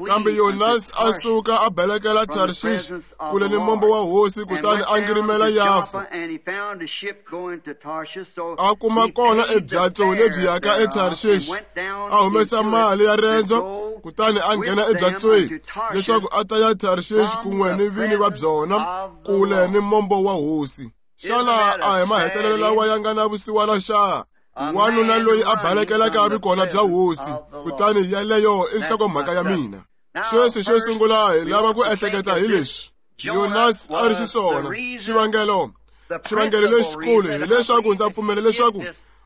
Kambe Yonasi a suka a balekela Tarshish kule ni mombo wa Hosi, kutani a ngirimela Yafa. A kuma kona ebyatso lebyi yaka eTarshish, a humesa mali ya rendzo, kutani a nghena ebyatsweni leswaku a ta ya Tarshish kun'we ni vini va byona kule ni mombo wa Hosi. Xana a hi mahetelelo lawa ya nga na vusiwana xa? Wanuna loyi a balekelaka vikona bya Hosi, kutani yaleyo i nhlokomhaka ya mina. Sweswi xo sungula hi lava ku ehleketa hi leswi Yonasi a ri xiswona. Xivangelo xivangelo lexikulu hileswaku ndza pfumela leswaku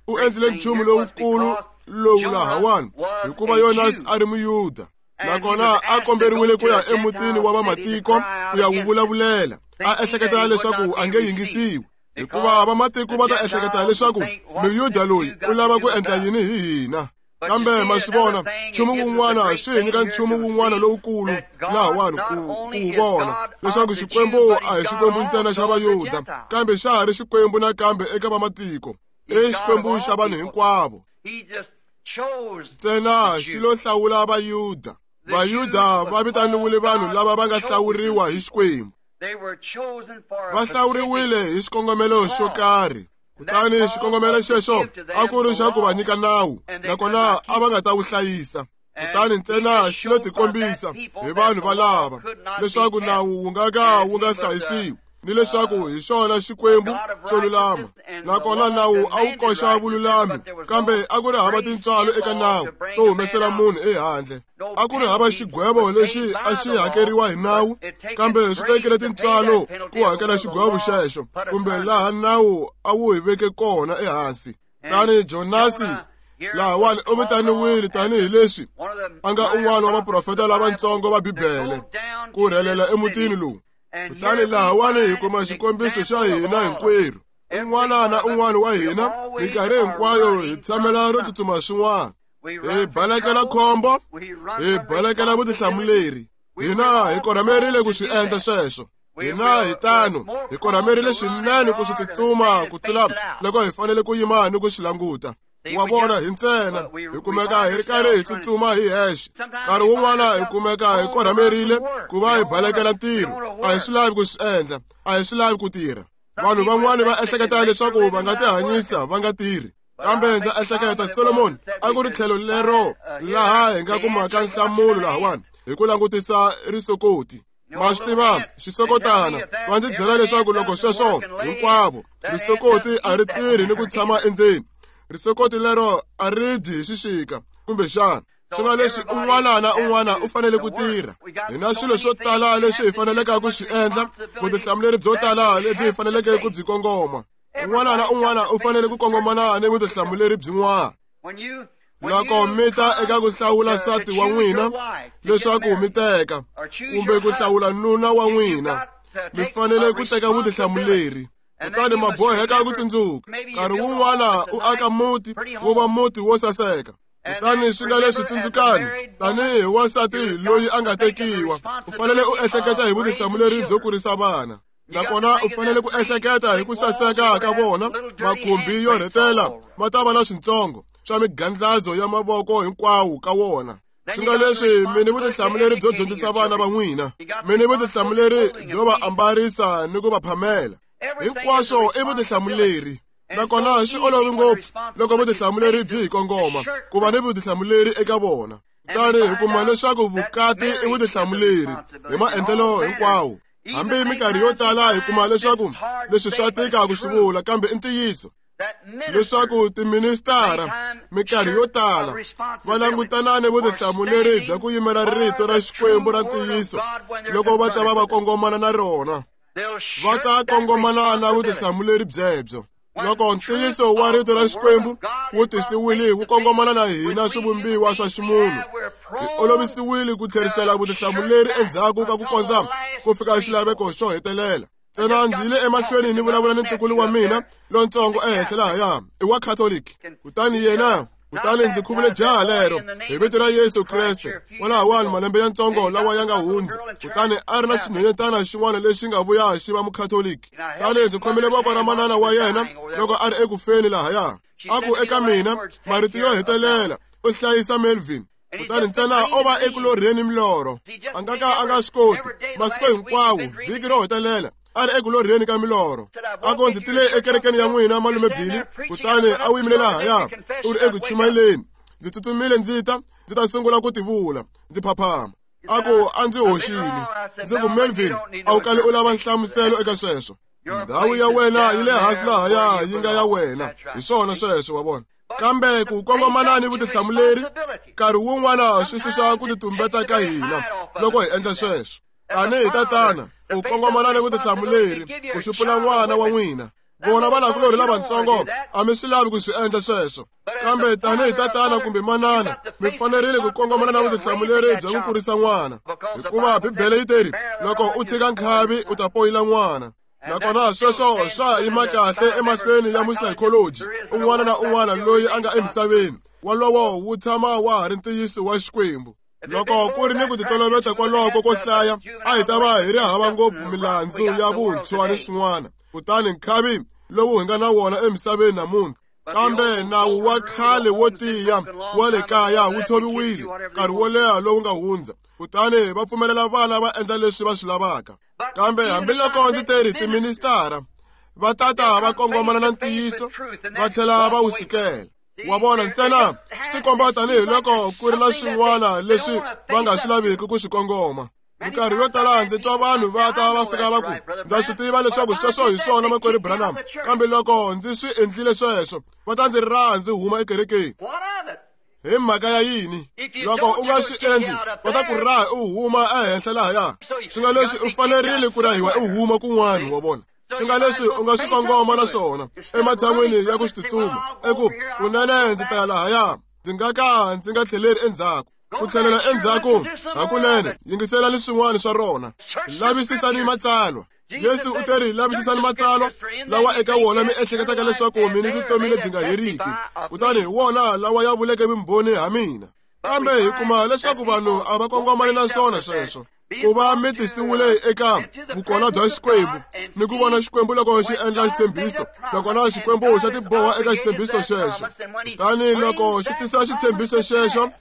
u endlile nchumu lowukulu lowu lahawani, hikuva Yonasi a ri Muyuda, nakona a komberiwile ku ya emutini wa vamatiko ku ya wu vulavulela, a ehleketa leswaku a nge yingisiwi, hikuva vamatiko va ta ehleketa leswaku Muyuda loyi u lava ku endla yini hi hina. Kambe ma swi vona, nchumu wun'wana swi hi nyika nchumu wun'wana lowukulu lahawani ku ku vona leswaku Xikwembu a hi Xikwembu ntsena xa Vayuda, kambe xa ha ri Xikwembu nakambe eka vamatiko, i Xikwembu xa vanhu hinkwavo. Ntsena xi lo hlawula Vayuda. Vayuda va vitaniwile vanhu lava va nga hlawuriwa hi Xikwembu. Va hlawuriwile hi xikongomelo xo karhi. Kutani xikongomelo xexo a ku ri xa ku va nyika nawu, nakona a va nga ta wu hlayisa. Kutani ntsena xi lo tikombisa hi vanhu valava leswaku nawu wu nga ka wu nga hlayisiwi, ni leswaku hi xona Xikwembu xo lulama. Nakona nawu a wu koxa vululami, kambe a ku ri hava tintswalo eka nawu to humesela munhu ehandle. A ku ri hava xigwevo lexi a xi hakeriwa hi nawu, kambe swi tekile tintswalo ku hakela xigwevo xexo, kumbe laha nawu a wu hi veke kona ehansi. Tani Jonasi lahawani u vitaniwile tanihi leswi a nga un'wana wa vaprofeta lavatsongo va Bibele ku rhelela emutini lowu. Kutani lahawani hi kuma xikombiso xa hina hinkwerhu. Un'wana na un'wana wa hina Minkarhi hinkwayo hi tshamela ro tsutsuma swin'wana. Hi balekela khombo, hi balekela vutihlamuleri. Hina hi korhamerile ku swi endla sweswo. Hina hi tano hi korhamerile swinene ku swi tsutsuma ku tlula loko hi fanele ku yima ni ku swi languta. Wa vona, hi ntsena hi kumeka hi ri karhi hi tsutsuma hi hexe. Nkarhi wun'wana hi kumeka hi korhamerile ku va hi balekela ntirho. A hi swi lavi ku swi endla, a hi swi lavi ku tirha. Vanhu van'wani va ehleketa leswaku va nga tihanyisa va nga tirhi. Kambe ndza ehleketa Solomon a ku ri tlhelo lero laha hi nga kumaka nhlamulo lahawani hi ku langutisa risokoti. Ma swi tiva xisokotana va ndzi byela leswaku loko sweswo hinkwavo risokoti a ri tirhi ni ku tshama endzeni. Risokoti lero a ri dyi hi xixika kumbexana. Swi nga leswi un'wana na un'wana u fanele ku tirha. Hi na swilo swo tala leswi hi faneleke ku swi endla, vutihlamuleri byo tala lebyi hi faneleke ku byi kongoma. Un'wana na un'wana u fanele ku kongomana ni vutihlamuleri byin'wana. Loko mi ta eka ku hlawula nsati wa n'wina leswaku mi teka kumbe ku hlawula nuna wa n'wina, mi fanele ku teka vutihlamuleri. Kutani ma boheka ku tsundzuka nkarhi wun'wana u aka muti wu va muti wo saseka. Kutani swi nga leswi tsundzukani tanihi wansati loyi a nga tekiwa, u fanele u ehleketa hi vutihlamuleri byo kurisa vana. Nakona u fanele ku ehleketa hi ku saseka ka vona. Makhumbi yo rhetela ma ta va na swintsongo swa migandlazo ya mavoko hinkwawo ka wona. Swi nga leswi mi ni vutihlamuleri byo dyondzisa vana va n'wina, mi ni vutihlamuleri byo va ambarisa ni ku va phamela. Hinkwaswo i vutihlamuleri. Nakona swi olovi ngopfu loko vutihlamuleri byi hi kongoma ku va ni vutihlamuleri eka vona. Kutani hi kuma leswaku vukati i vutihlamuleri hi maendlelo hinkwawo. Hambi minkarhi yo tala hi kuma leswaku leswi swa tika ku swi vula, kambe i ntiyiso leswaku tiministara minkarhi yo tala va langutana ni vutihlamuleri bya ku yimela rito ra Xikwembu ra ntiyiso loko va ta va va kongomana na rona. Va ta kongomana na vutihlamuleri byebyo. Loko ntiyiso wa rito ra Xikwembu wu tisiwile wu kongomana na hina swivumbiwa swa ximunhu, hi olovisiwile ku tlherisela vutihlamuleri endzhaku ka ku kondza ku fika xilaveko xo hetelela. Ntsena ndzi yile emahlweni ni vulavula ni ntukulu wa mina lontsongo ehenhla lahaya, i wa Catholic. Kutani yena kutani ndzi khuvule jaha lero hi vito ra Yesu Kreste kwalahawani malembe ya ntsongo lawa ya nga hundza. Kutani a ri na xinhwanyetana xin'wana lexi nga vuya xi va mukhatoliki. Kutani ndzi khomile voko ra manana wa yena loko a ri ekufeni lahaya. A ku eka mina marito yo hetelela, u hlayisa Melvin. Kutani ntsena o va eku lorheni milorho, a nga ka a nga swi koti masiku hinkwawo vhiki ro hetelela a ri eku lorheni ka milorho. A ku ndzi tile ekerekeni ya n'wina malume Billy, kutani a wu yimile lahaya u ri eku chumayeleni. Ndzi tsutsumile ndzi ta ndzi ta sungula ku tivula ndzi phaphama. A ku a ndzi hoxile. Ndzi ku Melvin, a wu kali u lava nhlamuselo eka sweswo. Ndhawu ya wena yi le hansi lahaya yi nga ya wena. Hi swona sweswo, wa vona. Kambe ku kongomana ni vutihlamuleri nkarhi wun'wana swi susa ku titumbeta ka hina loko hi endla sweswo. Tanihi tatana u kongomana ni vutihlamuleri ku xupula n'wana wa n'wina. Vona vanakulorhi lavatsongo a mi swi lavi ku swi endla sweswo, kambe tanihi tatana kumbe manana mi fanerile ku kongomana na vutihlamuleri bya ku kurisa n'wana, hikuva Bibele yi teri loko u tshika nkhavi u ta poyila n'wana. Nakona sweswo swa yima kahle emahlweni ya musayikoloji un'wana na un'wana loyi a nga emisaveni. Wolowo wu tshama wa ha ri ntiyiso wa Xikwembu. Loko ku ri ni ku titoloveta kwaloko ko hlaya, a hi ta va hi ri hava ngopfu milandzu ya vuntshwa ni swin'wana. Kutani nkhavi lowu hi nga na wona emisaveni namuntlha, kambe nawu wa khale wo tiya wa le kaya wu tshoviwile nkarhi wo leha lowu nga hundza, kutani va pfumelela vana va endla leswi va swi lavaka. Kambe hambiloko ndzi teri tiministara va tata va kongomana na ntiyiso va tlhela va wu sukela. Wa vona, ntsena swi tikomba tanihiloko ku ri na swin'wana leswi va nga swi laviki ku swi kongoma. Minkarhi yo tala ndzi twa vanhu va ta va fika va ku ndza swi tiva leswaku sweswo hi swona makwerhu Branham, kambe loko ndzi swi endlile sweswo va ta ndzi raha ndzi huma ekerekeni. Hi mhaka ya yini? Loko u nga swi endli va ta ku raha u huma ehenhla lahaya. Swi nga leswi u fanerile ku rahiwa u huma kun'wana, wa vona. Swi nga leswi u nga swi kongoma na swona ematshan'wini ya ku swi tsutsuma eku kunene ndzi ta ya lahaya, ndzi nga ka ndzi nga tlheleri endzhaku. Ku tlhelela endzhaku hakunene yingiselani swin'wana swa rona, lavisisani matsalwa. Yesu u teri lavisisani matsalwa lawa eka wona mi ehleketaka leswaku mi ni vutomi lebyi nga heriki, kutani hi wona lawa ya vuleke vumbhoni ha mina. Kambe hi kuma leswaku vanhu a va kongomani na swona sweswo. Ku va mi tisiwile eka vukona bya Xikwembu ni ku vona Xikwembu loko xi endla xitshembiso, nakona Xikwembu xa tiboha eka xitshembiso xexo. Kutani loko xi tisa xitshembiso xexo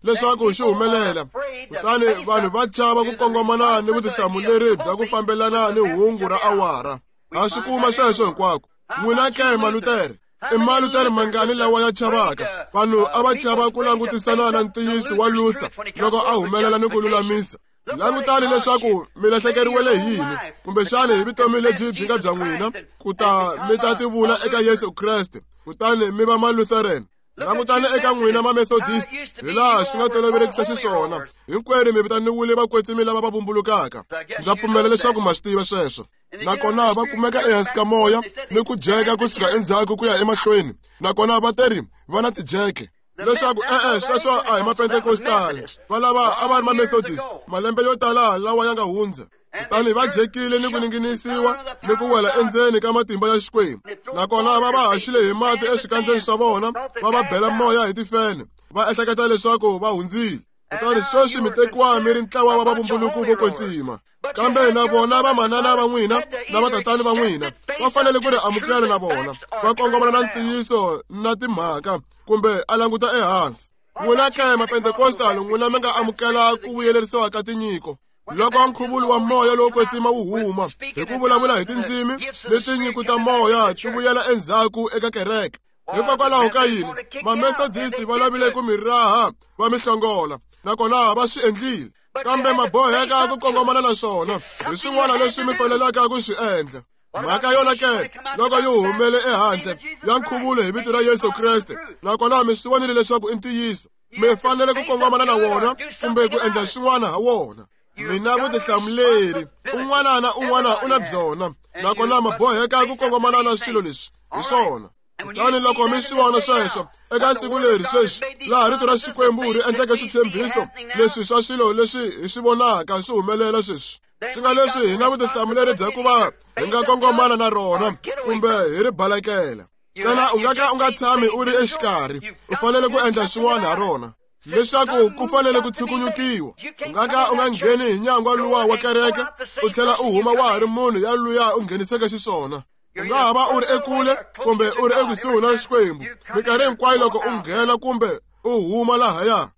leswaku xi humelela, kutani vanhu va chava ku kongomana ni vutihlamuleri bya ku fambelana ni hungu ra awara. Ha swi kuma sweswo hinkwako. N'wina ke Malutere, i Malutere mangani lawa ya chavaka? Vanhu a va chava ku langutisana na ntiyiso wa Luther loko a humelela ni ku lulamisa. Langutani leswaku mi lahlekeriwele hi yini, kumbexani hi vutomi lebyi byi nga bya n'wina, ku ta mi ta tivula eka Yesu Kreste, kutani mi va Malutheran. Langutani eka n'wina ma-Methodist, hi laha swi nga tolovelekisa xiswona. Hinkwenu mi vitaniwile vakwetsimi lava va vumbulukaka. Ndza pfumela leswaku ma swi tiva sweswo. Nakona va kumeka ehansi ka moya ni ku jeka kusuka endzhaku ku ya emahlweni, nakona va teri va na tijeke. Leswaku e-e sweswo a hi mapentekostali, va lava a va ri ma-Methodist malembe yo tala lawa ya nga hundza. Kutani va jekile ni ku ninginisiwa ni ku wela endzeni ka matimba ya Xikwembu, nakona va va haxile hi mati eswikandzeni swa vona, va va bela moya hi tifene, va ehleketa leswaku va hundzile. Kutani sweswi mi tekiwa mi ri ntlawa wa vavumbuluku vo kwetsima. Kambe na vona vamanana va n'wina na vatatani va n'wina va fanele ku ri amukela na vona, va kongomana na ntiyiso na timhaka, kumbe a languta ehansi. N'wina ke mapentekostal, n'wina mi nga amukela ku vuyelerisiwa ka tinyiko. Loko nkhuvulo wa moya lowo kwetsima wu huma hi ku vulavula hi tindzimi ni tinyiko ta moya ti vuyela endzhaku eka kereke. Hikokwalaho ka yini ma-Methodist va lavile ku mi raha va mi hlongola, nakona va swi endlile. Kambe ma boheka ku kongomana na swona, hi swin'wana leswi mi fanelaka ku swi endla. Mhaka yona ke loko yi humele ehandle ya nkhuvulo hi vito ra Yesu Kreste, nakona mi swi vonile leswaku i ntiyiso, mi fanele ku kongomana na wona kumbe ku endla swin'wana ha wona. Mina vutihlamuleri un'wana na un'wana u na byona, nakona ma boheka ku kongomana na swilo leswi hi swona. Kutani loko mi swi vona sweswo eka siku leri sweswi, laha rito ra Xikwembu ri endleke switshembiso leswi swa swilo leswi hi swi vonaka swi humelela sweswi, swi nga leswi hi na vutihlamuleri bya ku va hi nga kongomana na rona kumbe hi ri balekela. Ntsena u nga ka u nga tshami u ri exikarhi, u fanele ku endla swin'wana ha rona, leswaku ku fanele ku tshukunyukiwa. U nga ka u nga ngheni hi nyangwa luwa wa kereke u tlhela u huma wa ha ri munhu ya luya u ngheniseke xiswona. U nga ha va u ri ekule kumbe u ri ekusuhi na Xikwembu minkarhi hinkwayo loko u nghena kumbe u huma lahaya.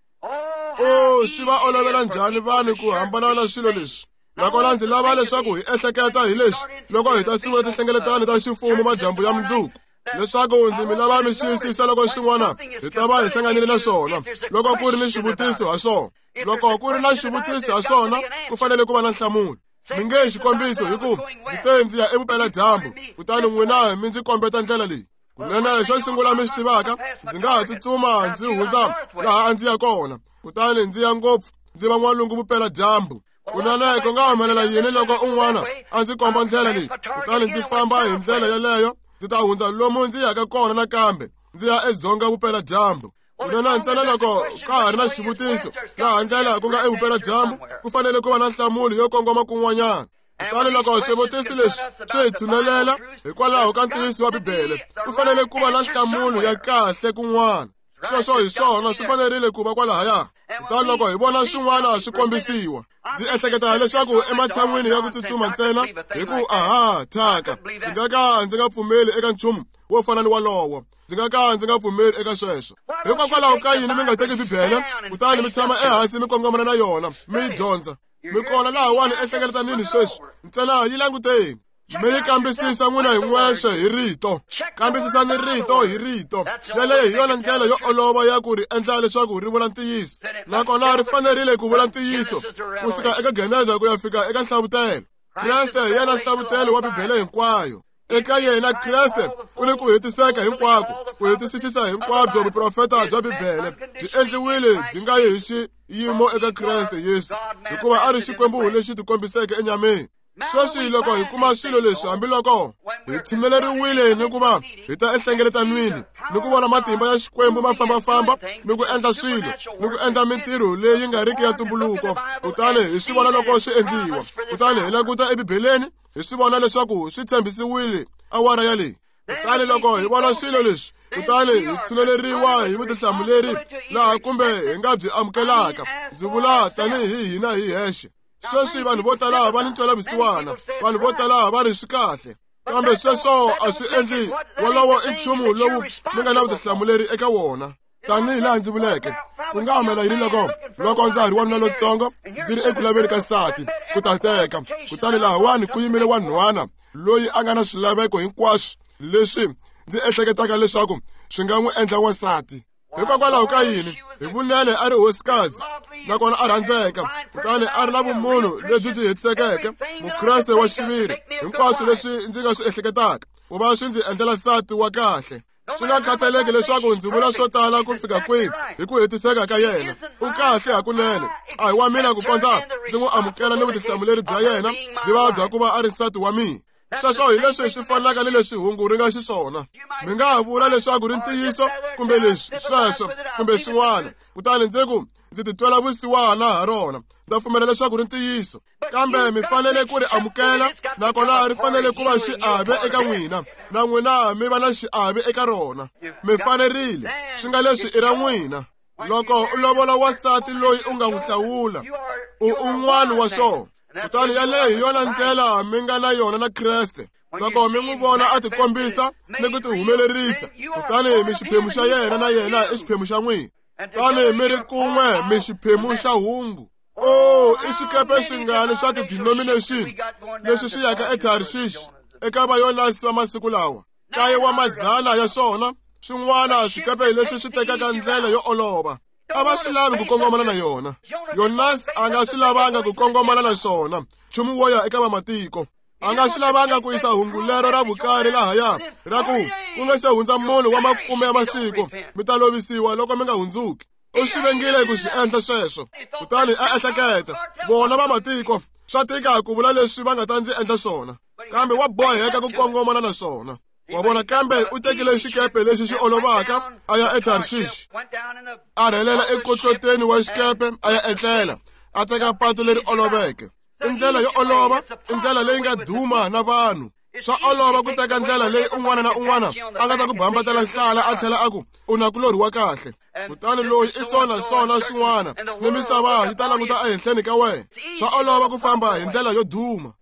O swi va olovela njhani vanhu ku hambana na swilo leswi? Nakona ndzi lava leswaku hi ehleketa hi leswi loko hi ta sungula tinhlengeletano ta ximfumo madyambu ya mundzuku, leswaku ndzi mi lava mi xiyisisa loko xin'wana hi ta va hi hlanganile na swona, loko ku ri ni xivutiso ha swona. Loko ku ri na xivutiso ha swona, ku fanele ku va na nhlamulo. Mi nge xikombiso hi ku ndzi te ndzi ya evupeladyambu, kutani n'wina mi ndzi kombeta ndlela leyi. Kunene xo sungula mi swi tivaka, ndzi nga ha tsutsuma ndzi hundza laha a ndzi ya kona, kutani ndzi ya ngopfu ndzi va n'walungu vupeladyambu. Kunene ku nga humelela yini loko un'wana a ndzi komba ndlela leyi, kutani ndzi famba hi ndlela yeleyo, ndzi ta hundza lomu ndzi yaka kona nakambe ndzi ya edzonga vupeladyambu. Kunene ntsena loko ka ha ri na xivutiso laha ndlela ku nga evupeladyambu, ku fanele ku va na nhlamulo yo kongoma kun'wanyana. Kutani loko xivutiso lexi xi hi tshunelela hikwalaho ka ntiyiso wa Bibele, ku fanele ku va na nhlamulo ya kahle kun'wana. Sweswo hi swona swi fanerile ku va kwalahaya. Kutani loko hi vona swin'wana swi kombisiwa, ndzi ehleketa leswaku ematshan'wini ya ku tsutsuma ntsena hi ku aha thyaka, ndzi nga ka ndzi nga pfumeli eka nchumu wo fana ni walowo. Ndzi nga ka ndzi nga pfumeli eka sweswo. Hikokwalaho ka yini mi nga teki Bibele kutani mi tshama ehansi mi kongomana na yona mi yi dyondza? Mi kona lahawani ehlekeletanini sweswi, ntsena yi languteni. Mi yi kambisisa n'wina hi n'wexe hi rito. Kambisisani rito hi rito. Yaleyo hi yona ndlela yo olova ya ku ri endla leswaku ri vula ntiyiso, nakona ri fanerile ku vula ntiyiso kusuka eka Geneza ku ya fika eka Nhlavutelo. Kreste hi yena nhlavutelo wa Bibele hinkwayo. Eka yena Kreste ku ni ku hetiseka hinkwako, ku hetisisisa hinkwabyo vuprofeta bya Bibele byi endliwile byi nga yi hi xiyimo eka Kreste Yesu, hikuva a ri Xikwembu lexi tikombiseke enyameni. Sweswi loko hi kuma swilo leswi, hambiloko hi tshimeleriwile ni ku va hi ta ehlengeletanwini ni ku vona matimba ya Xikwembu ma fambafamba ni ku endla swilo ni ku endla mintirho leyi nga riki ya ntumbuluko, kutani hi swi vona loko swi endliwa, kutani hi languta eBibeleni Hi swi vona leswaku swi tshembisiwile awara yaleyi. Kutani loko hi vona swilo leswi, kutani hi tshuneleriwa hi vutihlamuleri laha kumbe hi nga byi amukelaka. Ndzi vula tanihi hina hi hexe. Sweswi vanhu vo tala va ni ntwelavusiwana, vanhu vo tala va ri swi kahle. Kambe sweswo a swi endli wolowo i nchumu lowu mi nga na vutihlamuleri eka wona. Tanihi laha ndzi vuleke, ku nga humela yini loko loko ndza ha ri wanuna lontsongo ndzi ri eku laveni ka nsati ku ta teka, kutani lahawani ku yimile wanhwana loyi a nga na swilaveko hinkwaswo leswi ndzi ehleketaka leswaku swi nga n'wi endla wansati. Hikokwalaho ka yini? Hi vunene a ri hosikazi, nakona a rhandzeka, kutani a ri na vumunhu lebyi byi hetisekeke, Mukreste wa xiviri, hinkwaswo leswi ndzi nga swi ehleketaka ku va swi ndzi endlela nsati wa kahle. Swi nga khathaleki leswaku ndzi vula swo tala ku fika kwihi hi ku hetiseka ka yena, u kahle hakunene. A hi wa mina ku kondza ndzi n'wi amukela ni vutihlamuleri bya yena byi va bya ku va a ri nsati wa mina. Sweswo hi leswi swi fanaka ni leswi hungu ri nga xiswona. Mi nga ha vula leswaku ri ntiyiso kumbe leswi sweswo kumbe swin'wana, kutani ndzi ku ndzi titwela vusiwana ha rona, ndza pfumela leswaku ri ntiyiso. Kambe mi fanele ku ri amukela, nakona ri fanele ku va xiave eka n'wina, na n'wina mi va na xiave eka rona. Mi fanerile, swi nga leswi i ra n'wina. Loko u lovola wansati loyi u nga n'wi hlawula, u un'wana wa swona. Kutani yaleyo hi yona ndlela mi nga na yona na Kreste. Loko mi n'wi vona a tikombisa ni ku tihumelerisa, kutani mi xiphemu xa yena na yena i xiphemu xa n'wina. Kutani mi ri kun'we mi xiphemu xa hungu. Oh, i xikepe xingani xa ti-denomination leswi swi yaka eTarshish eka vayonasi va masiku lawa. Kaye wa mazana ya swona, swin'wana swikepe leswi swi tekaka ndlela yo olova. A va swi lavi ku kongomana na yona. Yonasi a nga swi lavanga ku kongomana na swona, nchumu wo ya eka vamatiko. A nga swi lavanga ku yisa hungu lero ra vukari lahaya ra ku ku nga se hundza munhu wa makume ya masiku mi ta lovisiwa loko mi nga hundzuki. U swi vengile ku swi endla sweswo. Kutani a ehleketa, vona vamatiko swa tika ku vula leswi va nga ta ndzi endla swona, kambe wa boheka ku kongomana na swona. Wa vona, kambe u tekile xikepe lexi xi olovaka a ya eTarshish. A rhelela ekotloteni wa xikepe a ya etlela, a teka patu leri oloveke. I ndlela yo olova, i ndlela leyi nga duma na vanhu. Swa olova ku teka ndlela leyi un'wana na un'wana a nga ta ku bambatela nhlala a tlhela a ku u na kulorhi wa kahle. Kutani loyi i sona sona swin'wana, ni misava yi ta languta ehenhleni ka wena. Swa olova ku famba hi ndlela yo duma.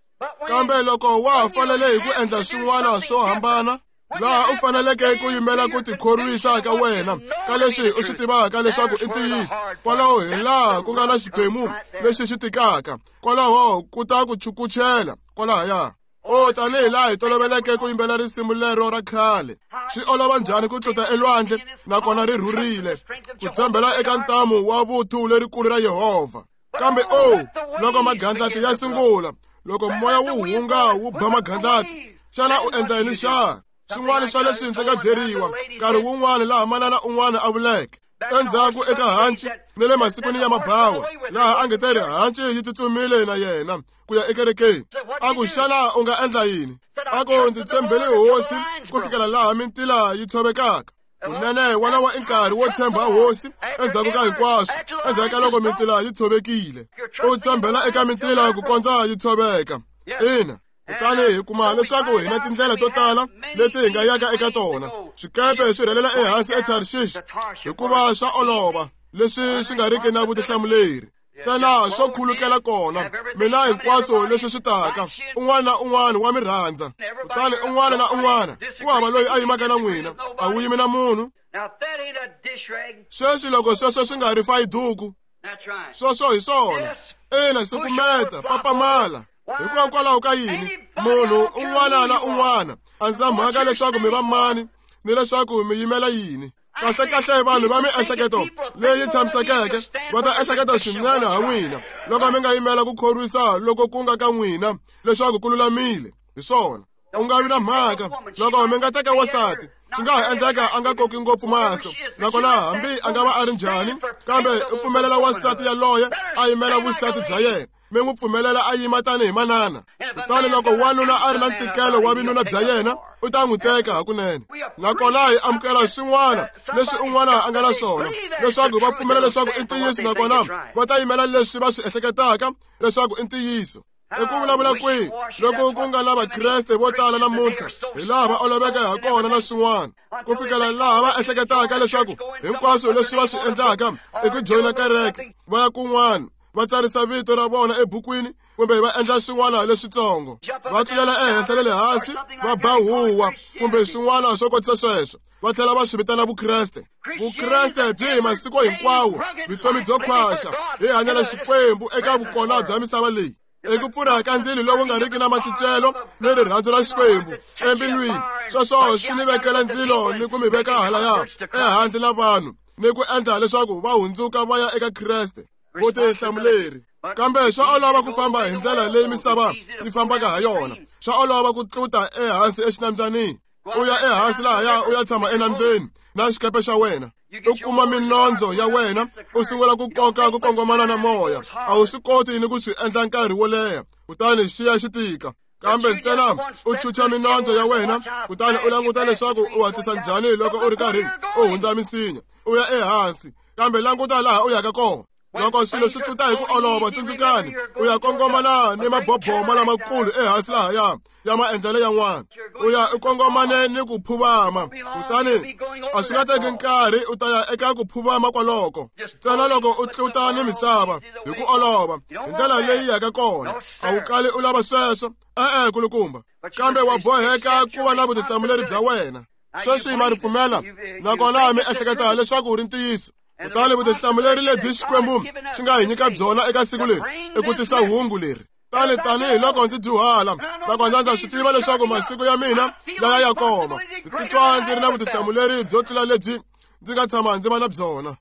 Kambe loko wa ha fanele hi ku endla swin'wana swo hambana, laha u faneleke ku yimela ku tikhorwisa ka wena ka leswi u swi tivaka leswaku i ntiyiso, kwalaho hi laha ku nga na xiphemu lexi xi tikaka, kwalaho ku ta ku chukuchela kwalahaya. O tanihi laha hi toloveleke ku yimbela risimu lero ra khale, swi olova njhani ku tluta elwandle nakona ri rhurile, ku tshembela eka ntamu wa vuthu lerikulu ra Yehovha. Kambe o loko magandlati ya sungula, loko moya wu hunga wu ba magandlati, xana u endla yini xa? Swin'wana swa leswi ndzi nga byeriwa nkarhi wun'wana laha manana un'wana a vuleke endzhaku eka hanci ni le masikwini ya mabawa, laha a nge te ri hanci yi tsutsumile na yena ku ya ekerekeni. A ku, xana u nga endla yini? A ku, ndzi tshembele hosi ku fikela laha mintila yi tshovekaka. Kunene wolowo i nkarhi wo tshemba hosi endzhaku ka hinkwaswo, endzhaku ka loko mintila yi tshovekile. U tshembela eka mintila ku kondza yi tshoveka. Ina. Kutani hi kuma leswaku hi na tindlela to tala leti hi nga yaka eka tona. Swikepe swi rhelela ehansi eTarshish hikuva swa olova, leswi swi nga riki na vutihlamuleri. Ntsena swo khulukela kona, mina hinkwaswo leswi swi taka, un'wana na un'wana wa mi rhandza. Kutani un'wana na un'wana, ku hava loyi a yimaka na n'wina, a wu yimi na munhu. Sweswi loko sweswo swi nga ri fayiduku, sweswo hi swona. Ina, sukumeta, papamala. Hikokwalaho ka yini? Munhu un'wana na un'wana a ndzi na mhaka leswaku mi va mani ni leswaku mi yimela yini. Kahle kahle vanhu va miehleketo leyi tshamisekeke va ta ehleketa swinene ha n'wina loko mi nga yimela ku khorwisa loko ku nga ka n'wina leswaku ku lulamile. Hi swona. U nga vi na mhaka loko mi nga teka wansati, swi nga ha endleka a nga koki ngopfu mahlo, nakona hambi a nga va a ri njhani, kambe u pfumelela wansati yaloye a yimela vusati bya yena. Mi n'wi pfumelela a yima tanihi manana. Kutani loko wanuna a ri na ntikelo wa vinuna bya yena, u ta n'wi teka hakunene. Nakona hi amukela swin'wana leswi un'wana a nga na swona, leswaku va pfumela leswaku i ntiyiso, nakona va ta yimela leswi va swi ehleketaka leswaku i ntiyiso. I ku vulavula kwihi loko ku nga na Vakreste vo tala namuntlha hi laha va oloveke ha kona na swin'wana, ku fikela laha va ehleketaka leswaku hinkwaswo leswi va swi endlaka i ku joyina kereke, va ya kun'wana va tsarisa vito ra vona ebukwini kumbe va endla swin'wana leswitsongo, va tlulela ehenhla na le hansi, va ba huwa kumbe swin'wana swo kotisa sweswo, va tlhela va swi vitana Vukreste. Vukreste byi hi masiku hinkwawo, vutomi byo khwaxa, hi hanyela Xikwembu eka vukona bya misava leyi. I ku pfurha ka ndzilo lowu nga riki na macincelo ni rirhandzu ra Xikwembu embilwini, sweswo swi ni vekela ndzilo ni ku mi veka halaya ehandle na vanhu ni ku endla leswaku va hundzuka va ya eka Kreste. Vutihlamuleri. Kambe swa olova ku famba hi ndlela leyi misava yi fambaka ha yona. Swa olova ku tluta ehansi exinambyanini, u ya ehansi lahaya u ya tshama enambyeni na xikepe xa wena, u kuma minondzo ya wena, u sungula ku koka ku kongomana na moya. A wu swi koti ni ku swi endla nkarhi wo leha, kutani xi ya xi tika. Kambe ntsena u chucha minondzo ya wena, kutani u languta leswaku u hatlisa njhani loko u ri karhi u hundza misinya, u ya ehansi. Kambe languta laha u yaka kona. Loko swilo swi tluta hi ku olova, tsundzukani, u ya kongomana ni maboboma lamakulu ehansi lahaya ya maendlelo yan'wana, u ya u kongomane ni ku phuvama. Kutani a swi nga teki nkarhi u ta ya eka ku phuvama kwaloko, ntsena loko u tluta ni misava hi ku olova hi ndlela leyi yaka kona. A wu kali u lava sweswo, e-e kulukumba, kambe wa boheka ku va na vutihlamuleri bya wena. Sweswi ma ri pfumela, nakona mi ehleketa leswaku ri ntiyiso. Kutani vutihlamuleri lebyi Xikwembu xi nga hi nyika byona eka siku leri i ku tisa hungu leri. Tani tanihiloko ndzi dyuhala, nakona ndza swi tiva leswaku masiku ya mina ya ya koma, ndzi titwa ndzi ri na vutihlamuleri byo tlula lebyi ndzi nga tshama ndzi va na byona.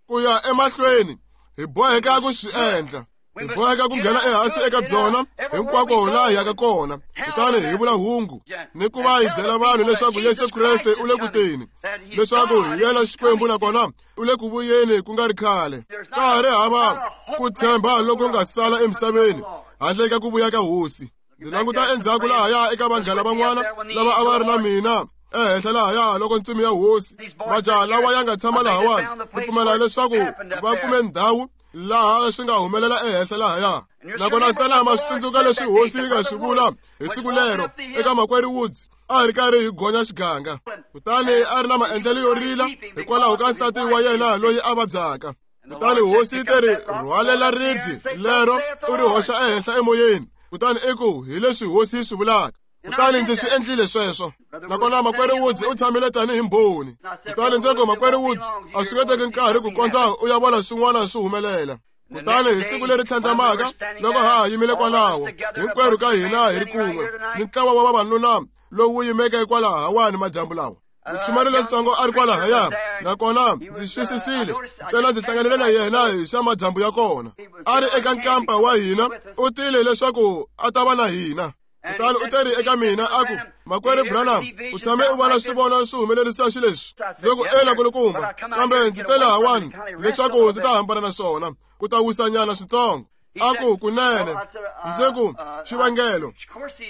Ku ya emahlweni hi boheka ku swi endla, hi boheka ku nghena ehansi eka byona hinkwako laha hi yaka kona, kutani hi vula hungu ni ku va hi byela vanhu leswaku Yesu Kreste u le ku teni, leswaku hi yena Xikwembu nakona u le ku vuyeni ku nga ri khale. Ka ha ri hava ku tshemba loko nga sala emisaveni handle ka ku vuya ka Hosi. Ndzi languta endzhaku lahaya eka vanghana van'wana lava a va ri na mina ehenhla lahaya loko ntsumi ya Hosi, majaha lawa ya nga tshama lahawani, ndzi pfumela leswaku va kume ndhawu laha swi nga humelela ehenhla lahaya. Nakona ntsena ma swi tsundzuka leswi Hosi yi nga swi vula hi siku lero eka makwerhu Woods, a hi ri karhi hi gonya xiganga, kutani a ri na maendlelo yo rila hikwalaho ka nsati wa yena loyi a vabyaka. Kutani Hosi yi te ri rhwalela ribye lero u ri hoxa ehenhla emoyeni, kutani i ku hi leswi Hosi yi swi vulaka. Kutani ndzi swi endlile sweswo. Nakona makwerhu Woods u tshamile tanihi mbhoni. Kutani ndzi ku, makwerhu Woods, a swi nge teki nkarhi ku kondza u ya vona swin'wana swi humelela. Kutani hi siku leri tlhandlamaka loko ha ha yimile kwalaho hinkwerhu ka hina hi ri kun'we ni ntlawa wa vavanuna lowu yimeke kwalahawani madyambu lawa, muchumayeri lontsongo a ri kwalahaya, nakona ndzi xisisile ntsena ndzi hlanganile na yena hi xa madyambu ya kona. A ri eka nkampa wa hina, u tile leswaku a ta va na hina. Kutani u teri eka mina a ku, makwerhu Branham, u tshame u vona swivono swi humelerisa xileswi? Ndzi ku, ena kulukumba, kambe ndzi tele hawani leswaku ndzi ta hambana na swona, ku ta wisanyana switsongo. A ku, kunene. Ndzi ku, xivangelo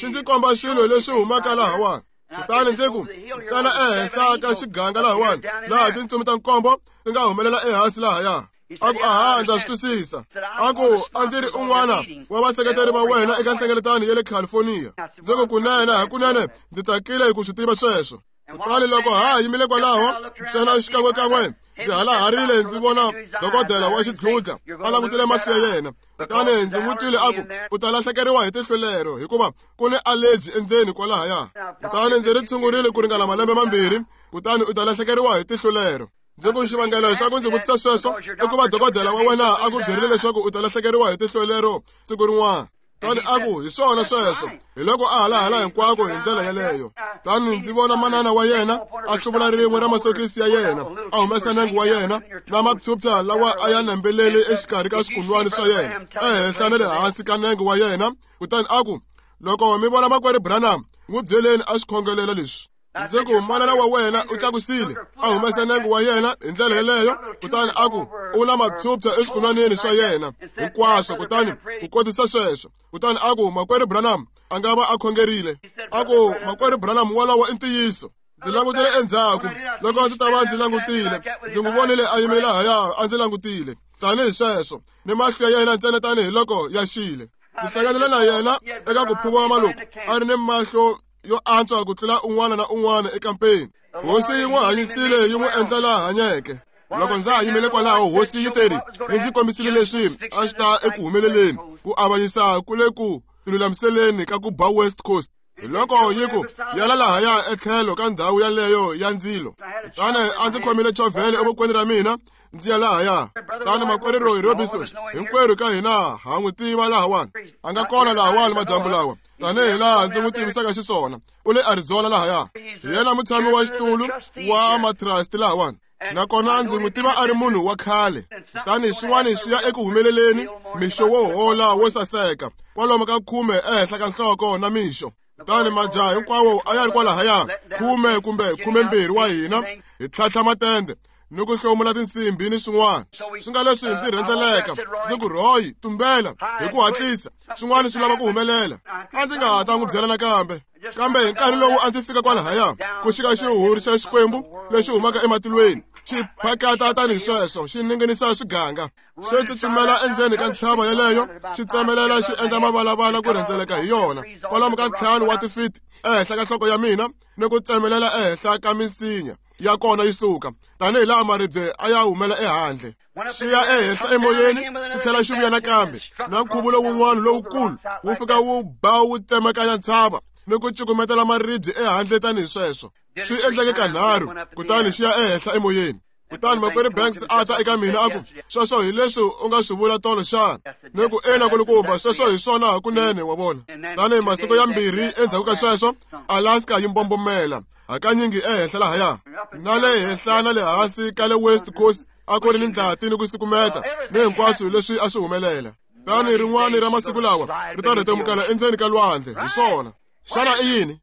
xi ndzi komba swilo leswi humaka lahawani. Kutani ndzi ku, ntsena ehenhla ka xiganga lahawani, laha tintsumi ta nkombo ti nga humelela ehansi lahaya. A ku, aha, ndza swi twisisa. A ku, a ndzi ri un'wana wa vaseketeri va wena eka nhlengeletano ya le California. Ndzi ku, kunene, hakunene ndzi tsakile hi ku swi tiva sweswo. Kutani loko ha yimile kwalaho ntsena xikan'wekan'we ndzi halaharile ndzi vona dokodela wa xidludla a langutile mahlo ya yena. Kutani ndzi n'wi twile a ku, u ta lahlekeriwa hi tihlo lero hikuva ku ni allergy endzeni kwalahaya. Kutani ndzi ri tshungurile ku ringana malembe mambirhi, kutani u ta lahlekeriwa hi tihlo lero. Ndzi ku, xivangelo xa ku ndzi vutisa sweswo i ku va dokodela wa wena a ku byerile leswaku u ta lahlekeriwa hi tihlo lero siku rin'wana. Kutani a ku, hi swona sweswo. Hi loko a halahala hinkwako hi ndlela yeleyo. Kutani ndzi vona manana wa yena a hluvula rin'we ra masokisi ya yena, a humesa nenge wa yena na mapyupya lawa a ya nembelele exikarhi ka swikunwani swa yena, ehenhla na le hansi ka nenge wa yena. Kutani a ku, loko mi vona makwerhu Branham, n'wi byeleni a swi khongelela leswi. Ndzi ku, manana wa wena u tlakusile a humesa nenge wa yena hi ndlela yeleyo. Kutani a ku, u na mapyupya eswikunwanini swa yena hinkwaswo, kutani ku kotisa sweswo. Kutani a ku, makwerhu Branham a nga va a khongerile. A ku, makwerhu Branham wolowo i ntiyiso. Ndzi langutile endzhaku loko ndzi ta va ndzi langutile, ndzi n'wi vonile a yimile lahaya a ndzi langutile. tanihi sweswo ni mahlo ya yena ntsena tanihiloko ya xile. Ndzi hlanganile na yena eka ku phuva loku a ri ni mahlo yo antswa ku tlula un'wana na un'wana ekampeni. Hosi yi n'wi hanyisile yi n'wi endla laha hanyeke. Loko ndza ha yimele kwalaho hosi yi teri yi ndzi kombisile leswi a swi ta eku humeleleni ku avanyisa ku le ku tilulamiseleni ka ku ba West Coast. Hi loko yi ku yala lahaya etlhelo ka ndhawu yaleyo ya ndzilo. Kutani a ndzi khomile chovhele evokweni ra mina ndzi ya lahaya. Tani makwerhu Roy Robinson hinkwerhu ka hina ha n'wi tiva lahawani. A nga kona lahawani madyambu lawa tanihi laha ndzi n'wi tivisaka xiswona. U le Arizona lahaya. Hi yena mutshami wa xitulu wa matrust lahawani. Nakona ndzi n'wi tiva a ri munhu wa khale. Tani swin'wana swi ya eku humeleleni mixo wo hola wo saseka kwalomu ka khume ehenhla ka nhloko na mixo. Kutani majaha hinkwawo a ya ri kwalahaya khume kumbe khumembirhi wa hina hi tlhantlha matende ni ku hlomula tinsimbhi ni swin'wana. Swi nga leswi ndzi rhendzeleka ndzi ku Roy tumbela hi ku hatlisa swin'wana swi lava ku humelela. A ndzi nga ha ta n'wi byela nakambe. Kambe hi nkarhi lowu a ndzi fika kwalahaya ku xika xihuhuri xa Xikwembu lexi humaka ematilweni xi phakata tanihi sweswo xi ninginisa swiganga. Xi tsutsumela endzeni ka ntshava yeleyo xi tsemelela xi endla mavalavala ku rhendzeleka hi yona kwalomu ka ntlhanu wa tifiti ehenhla ka nhloko ya mina ni ku tsemelela ehenhla ka minsinya ya kona yi suka tanihi laha maribye a ya humela ehandle. Xi ya ehenhla emoyeni xi tlhela xi vuya nakambe na nkhuvulo wun'wana lowukulu wu fika wu ba wu tsemakanya ntshava ni ku cukumetela maribye ehandle tanihi sweswo. Swi endleke kanharhu kutani xi ya ehenhla emoyeni. Kutani makwerhu Banks a ta eka mina a ku sweswo hi leswi u nga swi vula tolo xana? Ni ku ina kulukumba sweswo hi swona hakunene wa vona. Tanihi masiku ya mbirhi endzhaku ka sweswo Alaska yi mbombomela hakanyingi ehenhla lahaya na le henhla na le hansi ka le West Coast a ku ri ni ndlati ni ku sukumeta ni hinkwaswo leswi a swi humelela. Tani rin'wana ra masiku lawa ri ta rhetemukela endzeni ka lwandle hi swona. Xana i yini?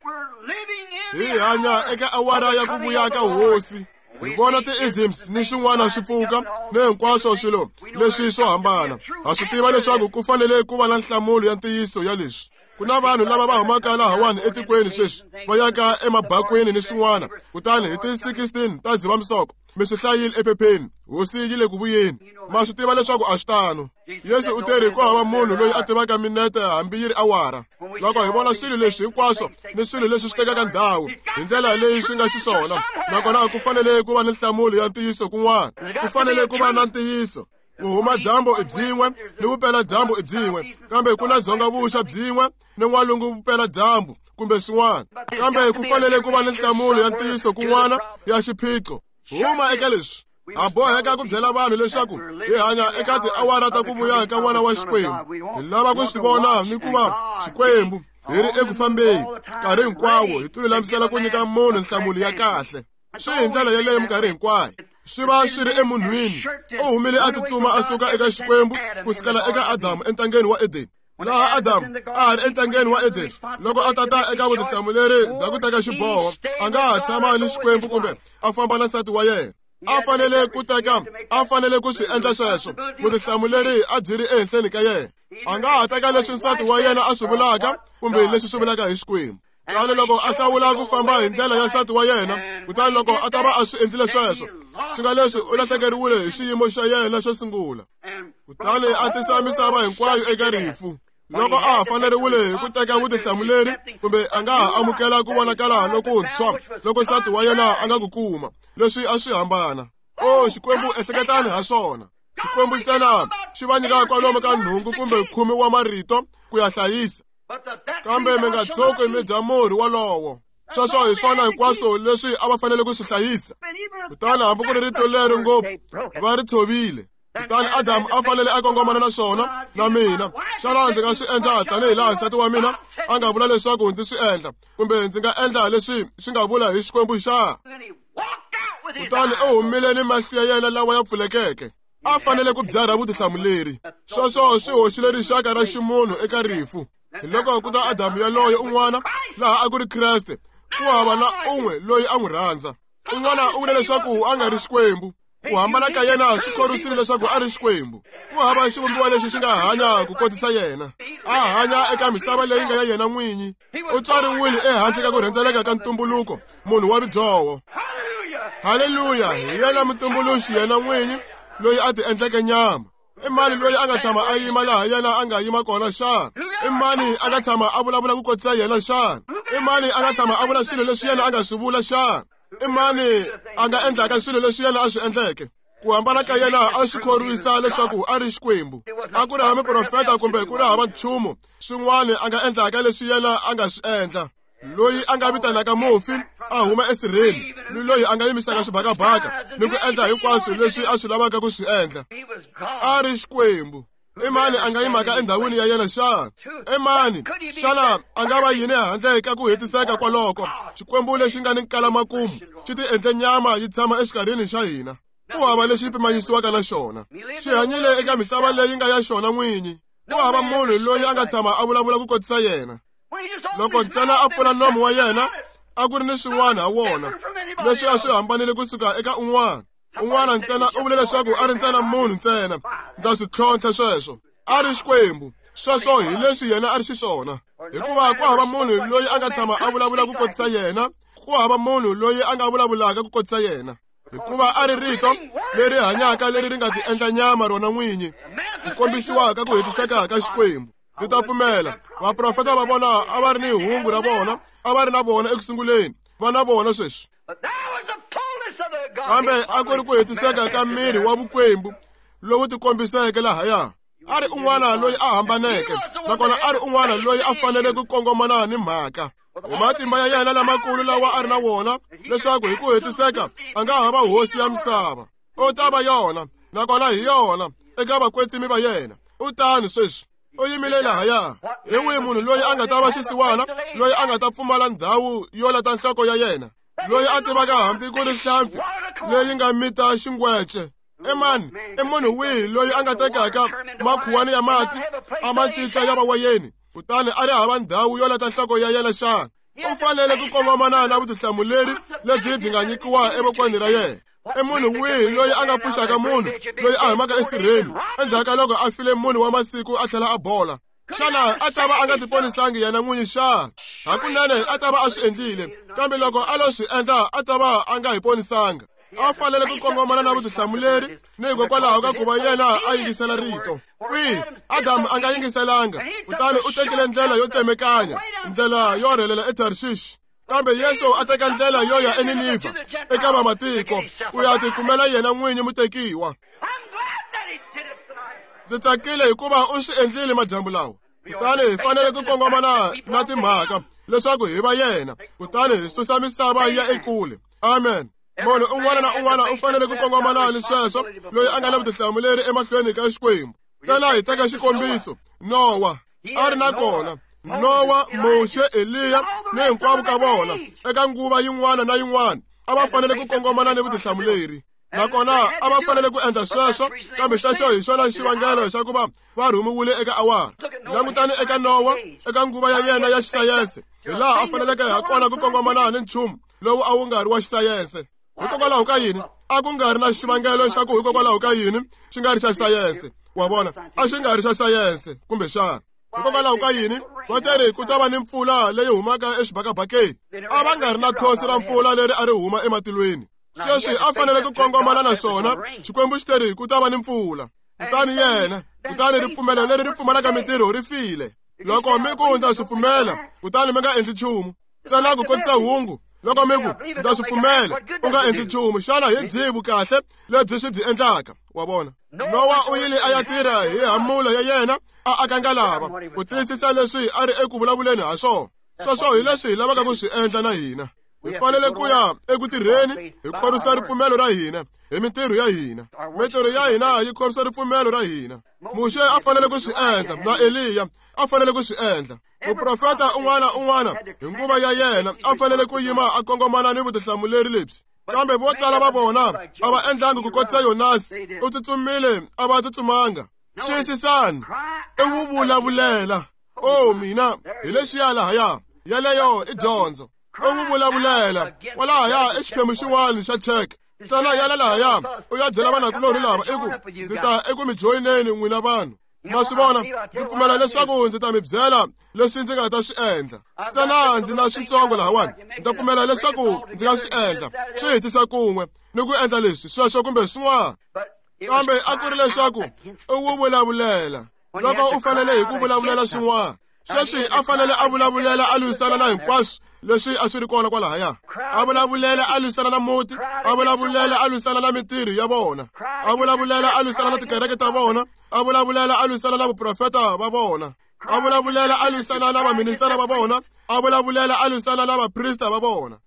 Hi hanya eka awara ya ku vuya ka hosi. Hi vona ti-isms ni swin'wana swi pfuka ni hinkwaswo swilo leswi swo hambana. Ha swi tiva leswaku ku fanele ku va na nhlamulo ya ntiyiso ya leswi. Ku na vanhu lava va humaka lahawani etikweni sweswi va yaka emabakwini ni swin'wana. Kutani hi ti sixteen ta Dzivamisoko mi swi hlayile ephepheni hosi yi le ku vuyeni. Ma swi tiva leswaku a swi tano. Yesu u teri ku hava munhu loyi a tivaka minete hambi yi ri awara. Loko hi vona swilo leswi hinkwaswo ni swilo leswi swi tekaka ndhawu hi ndlela leyi swi nga xiswona nakona ku fanele ku va ni nhlamulo ya ntiyiso kun'wana. Ku fanele ku va na ntiyiso. Ku huma dyambu i byin'we ni vupela dyambu i byin'we kambe ku na dzonga vuxa byin'we ni n'walungu vupela dyambu kumbe swin'wana. Kambe ku fanele ku va ni nhlamulo ya ntiyiso kun'wana ya xiphiqo. Huma eka leswi. Ha boheka ku byela vanhu leswaku hi hanya eka tiawara ta ku vuya ka n'wana wa Xikwembu. Hi lava ku swi vona ni ku va Xikwembu hi ri eku fambeni nkarhi hinkwawo hi tilulamisela ku nyika munhu nhlamulo ya kahle. Swi hi ndlela yeleyo minkarhi hinkwayo. Swi va swi ri emunhwini. U humile a tsutsuma a suka eka Xikwembu ku sukela eka Adamu entangeni wa Edeni. Laha Adamu a ha ri entangeni wa Edeni loko a tata eka vutihlamuleri bya ku teka xiboho a nga ha tshama ni Xikwembu kumbe a famba na nsati wa yena. A fanele ku teka a fanele ku swi endla sweswo. Vutihlamuleri a byi ri ehenhleni ka yena. A nga ha teka leswi nsati wa yena a swi vulaka kumbe leswi swi vulaka hi Xikwembu. Kutani loko a hlawula ku famba hi ndlela ya nsati wa yena kutani loko a ta va a swi endlile sweswo swi nga leswi u lahlekeriwile hi xiyimo xa yena xo sungula. Kutani a tisa misava hinkwayo eka rifu. Loko a ha faneriwile hi ku teka vutihlamuleri kumbe a nga ha amukela ku vonakala lokuntshwa loko nsati wa yena a nga ku kuma leswi a swi hambana. O Xikwembu ehleketani ha swona. Xikwembu ntsena xi va nyika kwalomu ka nhungu kumbe khume wa marito ku ya hlayisa. Kambe mi nga tshuki mi dya murhi wolowo. Sweswo hi swona hinkwaswo leswi a va fanele ku swi hlayisa. Kutani hambi ku ri rito leri ngopfu va ri tshovile. Kutani Adamu a fanele a kongomana na swona na mina. Xana ndzi nga swi endla tanihi laha nsati wa mina a nga vula leswaku ndzi swi endla kumbe ndzi nga endla leswi swi nga vula hi Xikwembu xa? Kutani u humile ni mahlo ya yena lawa ya pfulekeke. A fanele ku byarha vutihlamuleri. Sweswo swi hoxile rixaka ra ximunhu eka rifu. Hi loko ku ta Adamu yaloye un'wana laha a ku ri Kreste ku hava na un'we loyi a n'wi rhandza. Un'wana u vule leswaku a nga ri Xikwembu. Ku hambana ka yena swi khorwisile leswaku a ri Xikwembu. Ku hava xivumbiwa lexi xi nga hanya ku kotisa yena. A hanya eka misava leyi nga ya yena n'winyi. U tswariwile ehandle ka ku rhendzeleka ka ntumbuluko munhu wa vudyoho. Haleluya! Hi yena mutumbuluxi yena n'winyi loyi a ti endleke nyama? I mani loyi a nga tshama a yima laha yena a nga yima kona xana? I mani a nga tshama a vulavula ku kotisa yena xana? I mani a nga tshama a vula swilo leswi yena a nga swi vula xana? I mani a nga endlaka swilo leswi yena a swi endleke? Ku hambana ka yena a swi khorwisa leswaku a ri Xikwembu. A ku ri hava muprofeta kumbe ku ri hava nchumu swin'wana a nga endlaka leswi yena a nga swi endla. Loyi a nga vitanaka mufi a huma esirheni, ni loyi a nga yimisaka xibakabaka ni ku endla hinkwaswo leswi a swi lavaka ku swi endla. A ri Xikwembu. I mani a nga yimaka endhawini ya yena xana? I mani xana a nga va yini handle ka ku hetiseka kwaloko? Xikwembu lexi nga ni nkalamakumu xi ti endle nyama yi tshama exikarhini xa hina. Ku hava lexi pimanyisiwaka na xona. Xi hanyile eka misava leyi nga ya xona n'winyi. Ku hava munhu loyi a nga tshama a vulavula ku kotisa yena. Loko ntsena a pfula nomu wa yena, a ku ri ni swin'wana ha wona leswi a swi hambanile kusuka eka un'wana. Un'wana ntsena u vule leswaku a ri ntsena munhu ntsena. Ndza swi tlhontlha sweswo. A ri Xikwembu. Sweswo hi leswi yena a ri xiswona. Hikuva ku hava munhu loyi a nga tshama a vulavula ku kotisa yena. Ku hava munhu loyi a nga vulavulaka ku kotisa yena. Hikuva a ri rito leri hanyaka leri ri nga ti endla nyama rona n'winyi, ku kombisiwaka ku hetiseka ka Xikwembu. Ndzi ta pfumela vaprofeta va vona a va ri ni hungu ra vona, a va ri na vona eku sunguleni, va na vona sweswi. Kambe a ku ri ku hetiseka ka miri wa vukwembu lowu tikombiseke lahaya. A ri un'wana loyi a hambaneke, nakona a ri un'wana loyi a fanele ku kongomana ni mhaka. Hi matimba ya yena lamakulu lawa a ri na wona, leswaku hi ku hetiseka a nga ha va hosi ya misava. U ta va yona, nakona hi yona eka vakwetsimi va yena. U tani sweswi. U yimile lahaya. Hi wihi munhu loyi a nga ta va xisiwana, loyi a nga ta pfumala ndhawu yo lata nhloko ya yena, loyi a tivaka hambi ku ri hlampfi leyi nga mita xingwece? I mani? I munhu wihi loyi a nga tekaka makhuwani ya mati a ma cinca ya va wayeni, kutani a ri hava ndhawu yo lata nhloko ya yena xana? U fanele ku kongomana na vutihlamuleri lebyi byi nga nyikiwa evokweni ra yena. I munhu wihi loyi a nga pfuxaka munhu loyi a humaka esirheni endzhaku ka loko a file munhu wa masiku a tlhela a bola? Xana a ta va a nga tiponisangi yena n'winyi xana? Hakunene a ta va a swi endlile, kambe loko a lo swi endla a ta va a nga hi ponisanga. A fanele ku kongomana na vutihlamuleri ni hikokwalaho ka ku va yena a yingisela rito. Kwihi? Adamu a nga yingiselanga, kutani u tekile ndlela yo tsemekanya, ndlela yo rhelela eTarshish. Kambe Yesu a teka ndlela yo ya eNinivha eka vamatiko ku ya tikumela yena n'winyi mutekiwa. Ndzi tsakile hikuva u swi endlile madyambu lawa. Kutani hi fanele ku kongomana na timhaka leswaku hi va yena, kutani hi susa misava yi ya ekule. Amen. Munhu un'wana na un'wana u fanele ku kongomana ni sweswo, loyi a nga na vutihlamuleri emahlweni ka Xikwembu. Ntsena hi teka xikombiso, Nowa a ri na kona. Nowa, Muxe, Eliya ni hinkwavo ka vona eka nguva yin'wana na yin'wana a va fanele ku kongomana ni vutihlamuleri. Nakona a va fanele ku endla sweswo, kambe xexo hi xona xivangelo xa ku va va rhumiwile eka awara. Langutani eka Nowa, eka nguva ya yena ya xisayense, hi laha a faneleke ha kona ku kongomana ni nchumu lowu a wu nga ri wa xisayense. Hikokwalaho ka yini? A ku nga ri na xivangelo xa ku hikokwalaho ka yini xi nga ri xa sayense. Wa vona, a xi nga ri xa sayense kumbexana. Hikokwalaho ka yini? Va teri ku ta va ni mpfula leyi humaka exibakabakeni. A va nga ri na thosi ra mpfula leri a ri huma ematilweni. Sweswi a fanele ku kongomana na swona. Xikwembu xi teri ku ta va ni mpfula. Kutani yena, kutani ripfumelo leri ri pfumalaka mintirho ri file. Loko mi ku ndza swi pfumela, kutani mi nga endli nchumu. Ntsena ku kotisa hungu. Loko mi ku ndza swi pfumela, u nga endli nchumu, xana hi byihi vukahle lebyi swi byi endlaka? Wa vona? Nowa u yile a ya tirha hi hamula ya yena, a aka ngalava ku tiyisisa leswi a ri eku vulavuleni ha swona. Sweswo hi leswi hi lavaka ku swi endla na hina. Hi fanele ku ya eku tirheni hi khorwisa ripfumelo ra hina hi mintirho ya hina. Mintirho ya hina yi khorwisa ripfumelo ra hina. Muxe a fanele ku swi endla, na Eliya a fanele ku swi endla. Muprofeta un'wana un'wana hi nguva ya yena a fanele ku yima a kongomana ni vutihlamuleri lebyi. Kambe vo tala va vona a va endlangi ku kotisa Yonasi, u tsutsumile a va tsutsumanga. Xiyisisani, i wu vulavulela. Oh mina, hi lexiya lahaya, yeleyo i dyondzo. U wu vulavulela kwalahaya i xiphemu xin'wana xa cheke. Ntsena yala lahaya u ya byela vanakulorhi lava i ku ndzi ta eku mi joyineni n'wina vanhu. Ma swi vona, ndzi pfumela leswaku ndzi ta mi byela leswi ndzi nga ta swi endla. Ntsena ndzi na switsongo lahawani, ndza pfumela leswaku ndzi nga swi endla, swi hetisa kun'we ni ku endla leswi, sweswo kumbe swin'wana. Kambe a ku ri leswaku u wu vulavulela. Loko u fanele hi ku vulavulela swin'wana, sweswi a fanele a vulavulela a lwisana na hinkwaswo leswi a swi ri kona kwalahaya. A vulavulela a lwisana na muti, a vulavulela a lwisana na mintirho ya vona, a vulavulela a lwisana na tikereke ta vona, a vulavulela a lwisana na vaprofeta va vona, a vulavulela a lwisana na vaministara va vona, a vulavulela a lwisana na vaprista va vona.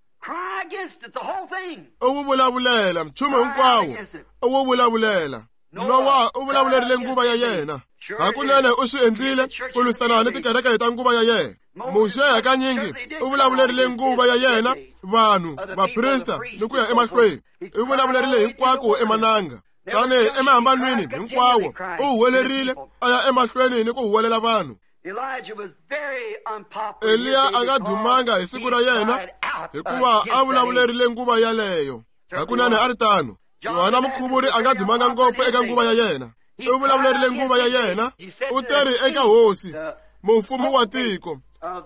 U wu vulavulela nchumu hinkwawo, u wu vulavulela. Nowa u vulavulerile nguva ya yena. Hakunene u swi endlile ku lwisana ni tikereke ta nguva ya yena. Muxe hakanyingi u vulavulerile nguva ya yena, vanhu, vaprista ni ku ya emahlweni. U vulavulerile hinkwako emananga. Tani emahambanweni hinkwawo u huwelerile a ya emahlweni ni ku huwelela vanhu. Eliya a nga dumanga hi siku ra yena hikuva a vulavulerile nguva yaleyo. Hakunene a ri tano. Yohana Mukhuvuri a nga dumanga ngopfu eka nguva ya yena. U vulavulerile nguva ya yena. U teri eka hosi, mufumi wa tiko,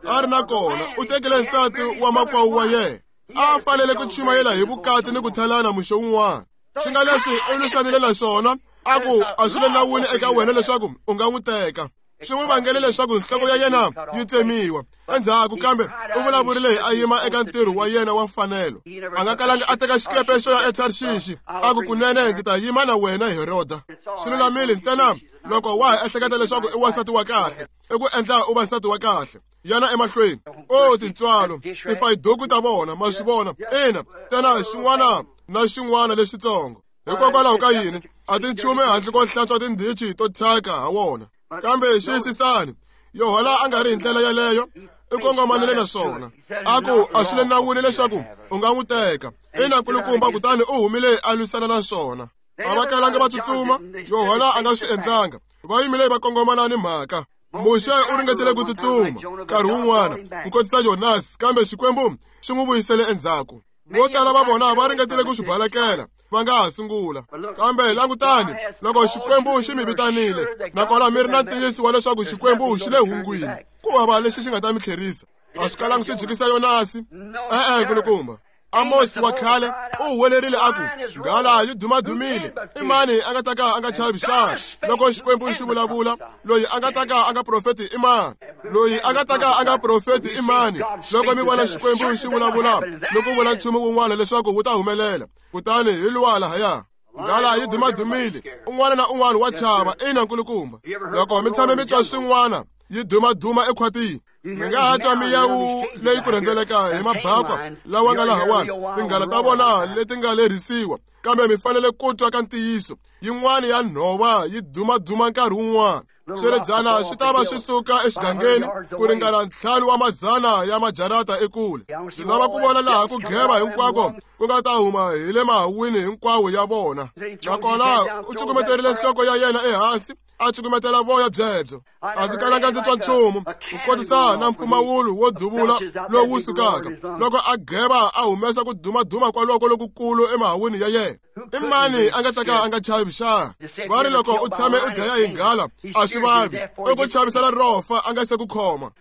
a ri na kona u tekile nsati wa makwavo wa yena. A fanele ku chumayela hi vukati ni ku thalana muxo wun'wana. Swi nga leswi u lwisanile na swona, a ku a swi le nawini eka wena leswaku u nga n'wi teka. Swi n'wi vangele leswaku nhloko ya yena yi tsemiwa endzhaku, kambe u vulavurile a yima eka ntirho wa yena wa mfanelo. A nga kalanga a teka xikepe xo ya eTarshishi, a ku kunene ndzi ta yima na wena Heroda. Swi lulamile ntsena loko wa ha ehleketa leswaku i wansati wa kahle, i ku endla u va nsati wa kahle. Yana emahlweni. O tintswalo, tifayiduku ta vona, ma swi vona. Ina, ntsena xin'wana na xin'wana lexitsongo. Hikokwalaho ka yini a ti nchumu handle ko hlantswa tindhichi to thyaka ha wona. Kambe xiyisisani, Yohana a nga ri hi ndlela yaleyo, i kongomanile na swona. A ku a swi le nawini leswaku u nga n'wi teka. Ina nkulukumba, kutani u humile a lwisana na swona. A va kalanga va tsutsuma, Yohana a nga swi endlanga. Va yimile va kongomana ni mhaka. Muxe u ringetile ku tsutsuma nkarhi wun'wana ku kotisa Yonasi, kambe Xikwembu xi n'wi vuyisele endzhaku. Vo tala va vona va ringetile ku swi balekela, va nga ha sungula. Kambe langutani, loko Xikwembu xi mi vitanile, nakona mi ri na ntiyiso wa leswaku Xikwembu xi le hungwini, ku hava lexi xi nga ta mi tlherisa. A swi kalangi swi jikisa Yonasi. E-e, nkulukumba. Amosi wa khale u huwelerile a ku, nghala yi dumadumile, i mani a nga ta ka a nga chavi xana? Loko Xikwembu xi vulavula, loyi a nga ta ka a nga profeti i mani? Loyi a nga ta ka a nga profeti i mani? Loko mi vona Xikwembu xi vulavula ni ku vula nchumu wun'wana leswaku wu ta humelela, kutani hi luwa lahaya. Nghala yi dumadumile, un'wana na un'wana wa chava. Ina nkulukumba. Loko mi tshame mi twa swin'wana yi dumaduma ekhwatini, mi nga ha twa miyawu leyi ku rhendzeleka hi mabakwa lawa nga lahawani, tinghala ta vona leti nga lerhisiwa, kambe mi fanele ku twa ka ntiyiso. Yin'wana ya nhova yi dumaduma nkarhi wun'wana. Swiribyana swi ta va swi suka exigangeni ku ringana ntlhanu wa mazana ya majarata ekule. Ndzi lava ku vona laha ku geva hinkwako ku nga ta huma hi le mahawini hinkwawo ya vona. Nakona u cukumeterile nhloko ya yena ehansi, a cukumetela voya byebyo. A ndzi kalanga ndzi twa nchumu ku kotisa na mpfumawulo wo duvula lowu sukaka loko a geva a humesa ku dumaduma kwaloko lokukulu emahawini ya yena. I mani a nga ta ka a nga chavi xana? Va ri loko u tshame u dlaya hi nghala a swi vavi, i ku chavisela rofa a nga se ku khoma.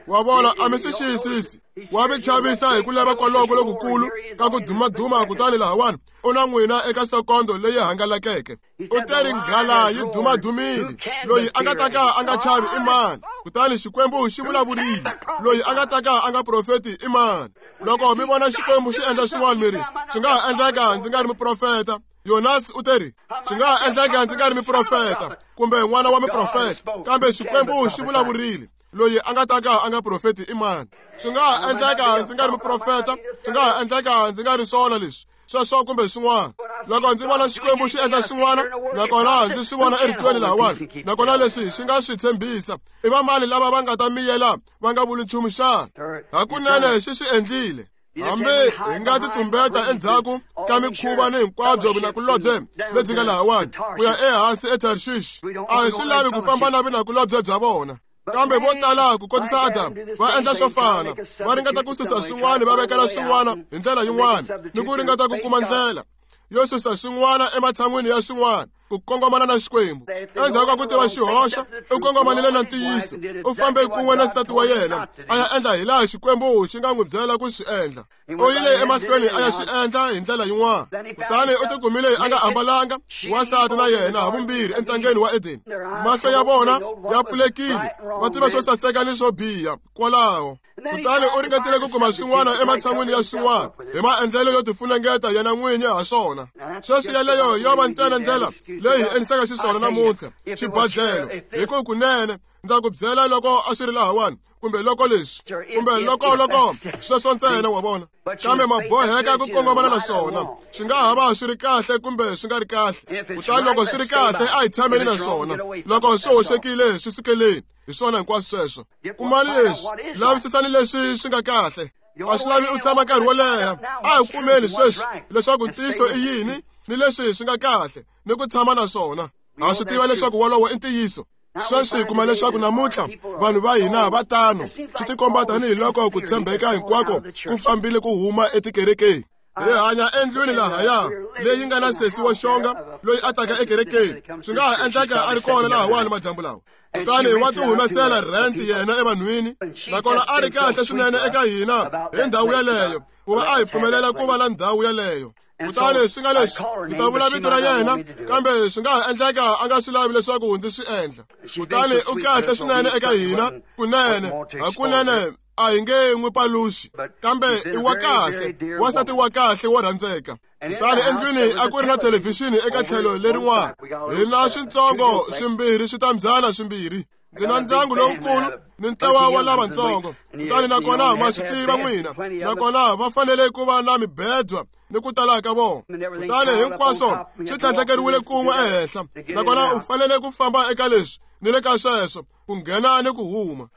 Wa vona, a mi swi xiyisisi. Wa mi chavisa hi ku lava kwaloko lokukulu ka ku dumaduma, kutani lahawani u na n'wina eka sekondo leyi hangalakeke. U teri nghala yi dumadumile, loyi a nga ta ka a nga chavi i mani? Kutani Xikwembu xi vulavurile, loyi a nga ta ka a nga profeti i mani? Loko mi vona Xikwembu xi endla swin'wana, mi ri swi nga ha endleka ndzi nga ri muprofeta. Yonasi u teri swi nga ha endleka ndzi nga ri muprofeta kumbe n'wana wa muprofeta, kambe Xikwembu xi vulavurile, loyi a nga ta ka a nga profeti i mani? Swi nga ha endleka ndzi nga ri muprofeta, swi nga ha endleka ndzi nga ri swona leswi sweswo kumbe swin'wana. Loko ndzi vona Xikwembu xi endla swin'wana, nakona ndzi swi vona eritweni lahawani, nakona leswi xi nga swi tshembisa, i vamani lava va nga ta miyela va nga vuli nchumu xana? Hakunene xi swi endlile. Hambi hi nga ti tumbeta endzhaku ka mikhuva ni hinkwabyo vinakulobye lebyi nga lahawani ku ya ehansi eTarshish, a hi swi lavi ku famba na vinakulobye bya vona. Kambe vo tala ku kotisa Adamu va endla swo fana, va ringeta ku susa swin'wana va vekela swin'wana hi ndlela yin'wana, ni ku ringeta ku kuma ndlela yo susa swin'wana ematshan'wini ya swin'wana. ku kongomana na Xikwembu. Endzhaku ka ku tiva xihoxo, u kongomanile na ntiyiso, u fambe kun'we na nsati wa yena, a ya endla hi laha Xikwembu xi nga n'wi byela ku swi endla. U yile emahlweni a ya swi endla hi ndlela yin'wana. Kutani u tikumile a nga ambalanga, wansati na yena havumbirhi entangeni wa Edeni. Mahlo ya vona ya pfulekile, va tiva swo saseka ni swo biha kwalaho. Kutani u ringetile ku kuma swin'wana ematshan'wini ya swin'wana hi maendlelo yo tifunengeta yena n'winyi ha swona. Sweswi yeleyo yo va ntsena ndlela leyi hi endlisaka xiswona namuntlha, xibadlelo. Hi ku kunene ndza ku byela loko a swi ri lahawani, kumbe loko leswi, kumbe loko loko sweswo ntsena, wa vona. Kambe ma boheka ku kongomana na swona. Swi nga ha va swi ri kahle kumbe swi nga ri kahle. Kutani loko swi ri kahle, a hi tshameni na swona. Loko swi hoxekile, swi sukeleni. Hi swona hinkwaswo sweswo. Kumani leswi, lavisisani leswi swi nga kahle. A swi lavi u tshama nkarhi wo leha. A hi kumeni sweswi leswaku ntiyiso i yini ni leswi swi nga kahle ni ku tshama na swona. Ha swi tiva leswaku wolowo i ntiyiso. Sweswi hi kuma leswaku namuntlha vanhu va hina va tano. Swi tikomba tanihiloko ku tshembeka hinkwako ku fambile ku huma etikerekeni. Hi hanya endlwini lahaya leyi nga na sesi wa xonga loyi a taka ekerekeni. Swi nga ha endleka a ri kona lahawani madyambu lawa. Kutani wa ti humesela rent yena evanhwini, nakona a ri kahle swinene eka hina hi ndhawu yeleyo, ku va a hi pfumelela ku va na ndhawu yeleyo. Kutani swi nga leswi, ndzi ta vula vito ra yena, kambe swi nga ha endleka a nga swi lavi leswaku ndzi swi endla. Kutani u kahle swinene eka hina, kunene, hakunene a hi nge n'wi paluxi, kambe i wa kahle, wansati wa kahle wo rhandzeka. Kutani endlwini a ku ri na thelevhixini eka tlhelo lerin'wana. Hi na switsongo swimbirhi switambyana swimbirhi. Ndzi na ndyangu lowukulu ni ntlawa wa lavatsongo. Kutani nakona ma swi tiva n'wina, nakona va fanele ku va na mibedwa ni ku tala ka vona. Kutani hinkwaswo swi tlhandlekeriwile kun'we ehenhla, nakona u fanele ku famba eka leswi ni le ka sweswo, ku nghena ni ku huma.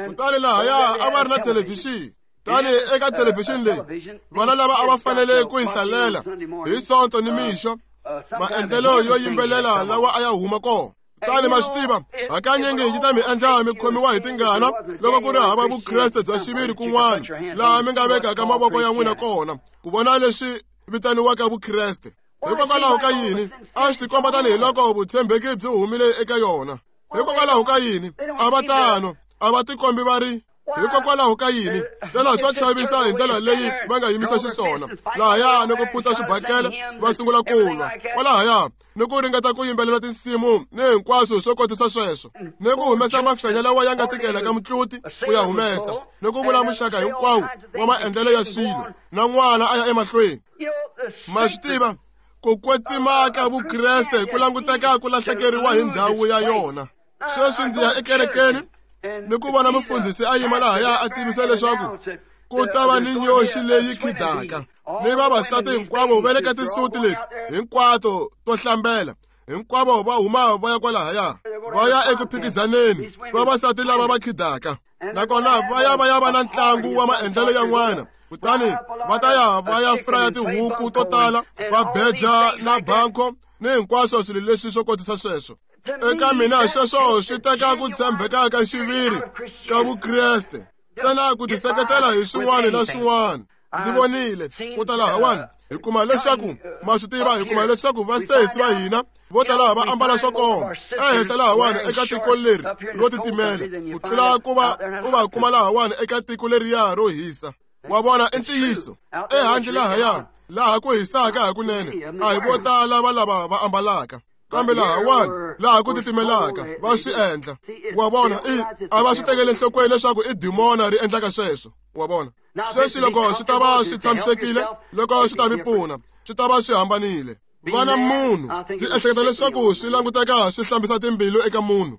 Kutani lahaya a va ri na thelevhixini. Tani eka thelevhixini leyi, vana lava a va fanele ku yi hlalela hi Sonto ni mixo, maendlelo yo yimbelela lawa a ya huma kona. Kutani ma swi tiva, hakanyingi yi ta mi endla mi khomiwa hi tingana loko ku ri hava vukreste bya xiviri kun'wana laha mi nga vekaka mavoko ya n'wina kona ku vona leswi vitaniwaka vukreste. Hikokwalaho ka yini a swi tikomba tanihiloko vutshembeki byi humile eka yona? Hikokwalaho ka yini a va tano, a va tikombi va ri? Hikokwalaho ka yini ntsena swa chavisa hi ndlela leyi va nga yimisa xiswona lahaya ni ku phutsa xibakele va sungula ku lwa kwalahaya ni ku ringeta ku yimbelela tinsimu ni hinkwaswo swo kotisa sweswo, ni ku humesa mafenya lawa ya nga tikelaka mutluti ku ya humesa, ni ku vula muxaka hinkwawo wa maendlelo ya swilo, na n'wana a ya emahlweni. Ma swi tiva, ku kwetsima ka vukreste ku languteka ku lahlekeriwa hi ndhawu ya yona. Sweswi ndzi ya ekerekeni ni ku vona mufundhisi a yima lahaya a tivisa leswaku ku ta va ni nyoxi leyi khidaka, ni vavasati hinkwavo va le ka tisuti leti hinkwato to hlambela, hinkwavo va huma va ya kwalahaya va ya eku phikizaneni, vavasati lava va khidaka. Nakona va ya va ya va na ntlangu wa maendlelo yan'wana. Kutani va ta ya va ya fraya tihuku to tala, va beja na banko ni hinkwaswo swilo leswi swo kotisa sweswo. Eka mina sweswo swi teka ku tshembeka ka xiviri ka vukreste, ntsena ku tiseketela hi swin'wana na swin'wana. Ndzi vonile ku ta lahawani, hi kuma leswaku ma swi tiva, hi kuma leswaku vasesi va hina vo tala va ambala swo koma ehenhla lahawani eka tiko leri ro titimela, ku tlula ku va u va kuma lahawani eka tiko leriya ro hisa. Wa vona, i ntiyiso. Ehandle lahaya laha ku hisaka hakunene, a hi vo tala va lava va ambalaka, kambe lahawani laha ku titimelaka va swi endla. Wa vona, i a va swi tekeli enhlokweni leswaku i dimona ri endlaka sweswo. Wa vona, sweswi loko swi ta va swi tshamisekile, loko swi ta mi pfuna, swi ta va swi hambanile. Vana munhu, ndzi ehleketa leswaku swi languteka swi hlambisa timbilu eka munhu,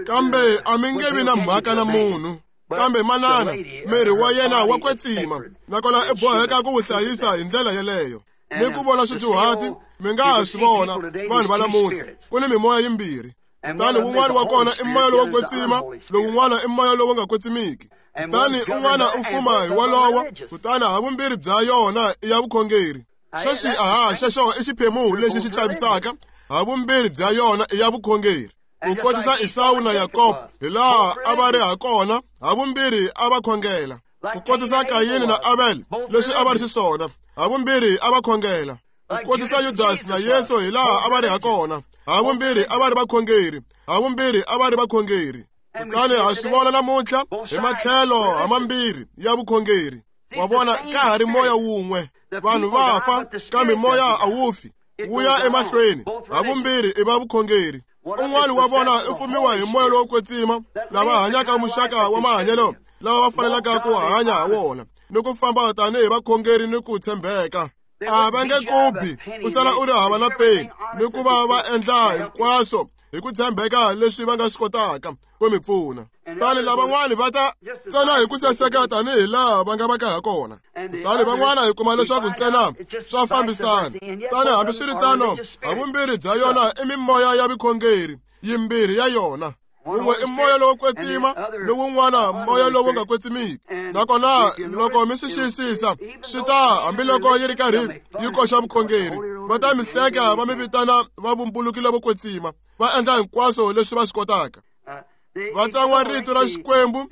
kambe a mi nge vi na mhaka na munhu. Kambe manana, miri wa yena wa kwetsima, nakona i boheka ku wu hlayisa hi ndlela yeleyo. Ni ku vona swidyuhati, mi nga ha swi vona vanhu va namuntlha, ku ni mimoya yimbirhi. Kutani wun'wana wa kona i moya lowo kwetsima, lowun'wana i moya lowu nga kwetsimiki. Kutani un'wana u fuma hi wolowo, kutani havumbirhi bya yona i ya vukhongeri. Sweswi aha, xexo i xiphemu lexi xi chavisaka, havumbirhi bya yona i ya vukhongeri. Ku kotisa Esawu na Yakobo, hi laha a va ri ha kona, havumbirhi a va khongela. Ku kotisa Kayini na Abel, leswi a va ri xiswona, havumbirhi a va khongela. Ku kotisa Yudasi na Yesu hi laha a va ri ha kona. Havumbirhi a va ri vakhongeri, havumbirhi a va ri vakhongeri. Kutani ha swi vona namuntlha hi matlhelo hamambirhi ya vukhongeri. Wa vona, ka ha ri moya wun'we. Vanhu va fa, kambe moya a wu fi, wu ya emahlweni. Havumbirhi i va vukhongeri. Un'wana wa vona u fumiwa hi moya lowo kwetsima, lava hanyaka muxaka wa mahanyelo lava va fanelaka ku hanya ha wona, ni ku famba tanihi vakhongeri ni ku tshembeka. A va nge kubi u sala u ri hava na peni, ni ku va va endla hinkwaswo hi ku tshembeka leswi va nga swi kotaka ku mi pfuna. Kutani lavan'wani va ta ntsena hi ku saseka tanihi laha va nga va ka ha kona. Kutani van'wana hi kuma leswaku ntsena swa fambisana. Kutani hambiswiritano, havumbirhi bya yona i mimoya ya vukhongeri, yimbirhi ya yona. Wun'we i moya lowo kwetsima, ni wun'wana moya lowu nga kwetsimiki. Nakona loko mi swi xiyisisa, swi ta hambiloko yi ri karhi yi koxa vukhongeri, va ta mi hleka va mi vitana va vumbuluki lovo kwetsima, va endla hinkwaswo leswi va swi kotaka. Va tsan'wa rito ra Xikwembu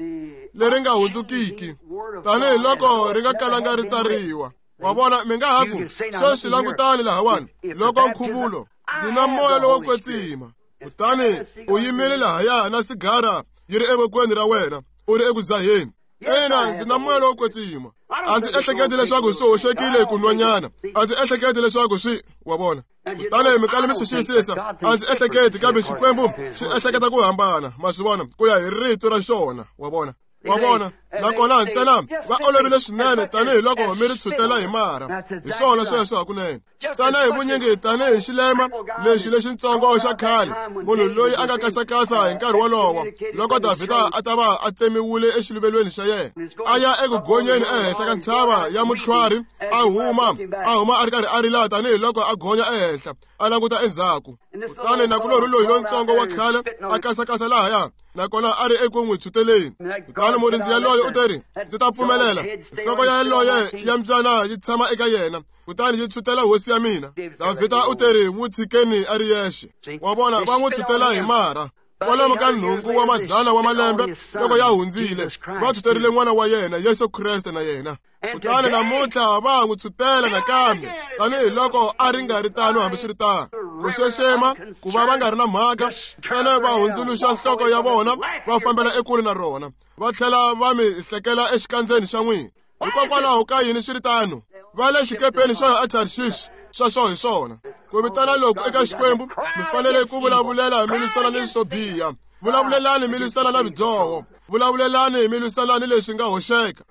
leri nga hundzukiki, tanihiloko ri nga kalanga ri tsariwa. Wa vona, mi nga ha ku, sweswi langutani lahawani, loko nkhuvulo, ndzi na moya lowo kwetsima. Kutani u yimile lahaya na sigara yi ri evokweni ra wena, u ri eku dzaheni. Ina, ndzi na moya lowo kwetsima. A ndzi ehleketi leswaku swi hoxekile ku nwanyana. A ndzi ehleketi leswaku swi, wa vona. Kutani mi kala mi swi xiyisisa, a ndzi ehleketi, kambe Xikwembu xi ehleketa ku hambana, ma swi vona, ku ya hi rito ra xona, wa vona. Wa vona, nakona ntsena va olovile swinene tanihiloko mi ri tshutela hi marha. Hi swona sweswo hakunene. Ntsena hi vunyingi tanihi xilema lexi lexitsongo xa khale, munhu loyi a nga kasakasa hi nkarhi wolowo, loko Davhida a ta va a tsemiwile exiluvelweni xa yena, a ya eku gonyeni ehenhla ka ntshava ya mutlhwari, a huma a huma a ri karhi a rila tanihiloko a gonya ehenhla, a languta endzhaku. Kutani nakulorhi loyi lontsongo wa khale a kasakasa lahaya, nakona a ri eku n'wi tshuteleni. Kutani murindzi yaloye u teri, ndzi ta pfumelela nhloko ya yaloye ya mbyana yi tshama eka yena, kutani yi tshutela hosi ya mina. Davhida u teri, n'wi tshikeni a ri yexe. Wa vona, va n'wi tshutela hi marha. Kwalomu ka nhungu wa mazana wa malembe loko ya hundzile, va tshuterile n'wana wa yena Yesu Kreste na yena. Kutani namuntlha va n'wi tshutela nakambe, tanihiloko a ri nga ri tano hambiswiritano. Ku xexema, ku va va nga ri na mhaka, ntsena va hundzuluxa nhloko ya vona va fambela ekule na rona, va tlhela va mi hlekela exikandzeni xa n'wina. Hikokwalaho ka yini swi ri tano? Va le xikepeni xo ya eTarshish, sweswo hi swona. Ku vitana loku eka Xikwembu, mi fanele ku vulavulela mi lwisana ni swo biha. Vulavulelani mi lwisana na vudyoho. Vulavulelani mi lwisana ni leswi nga hoxeka.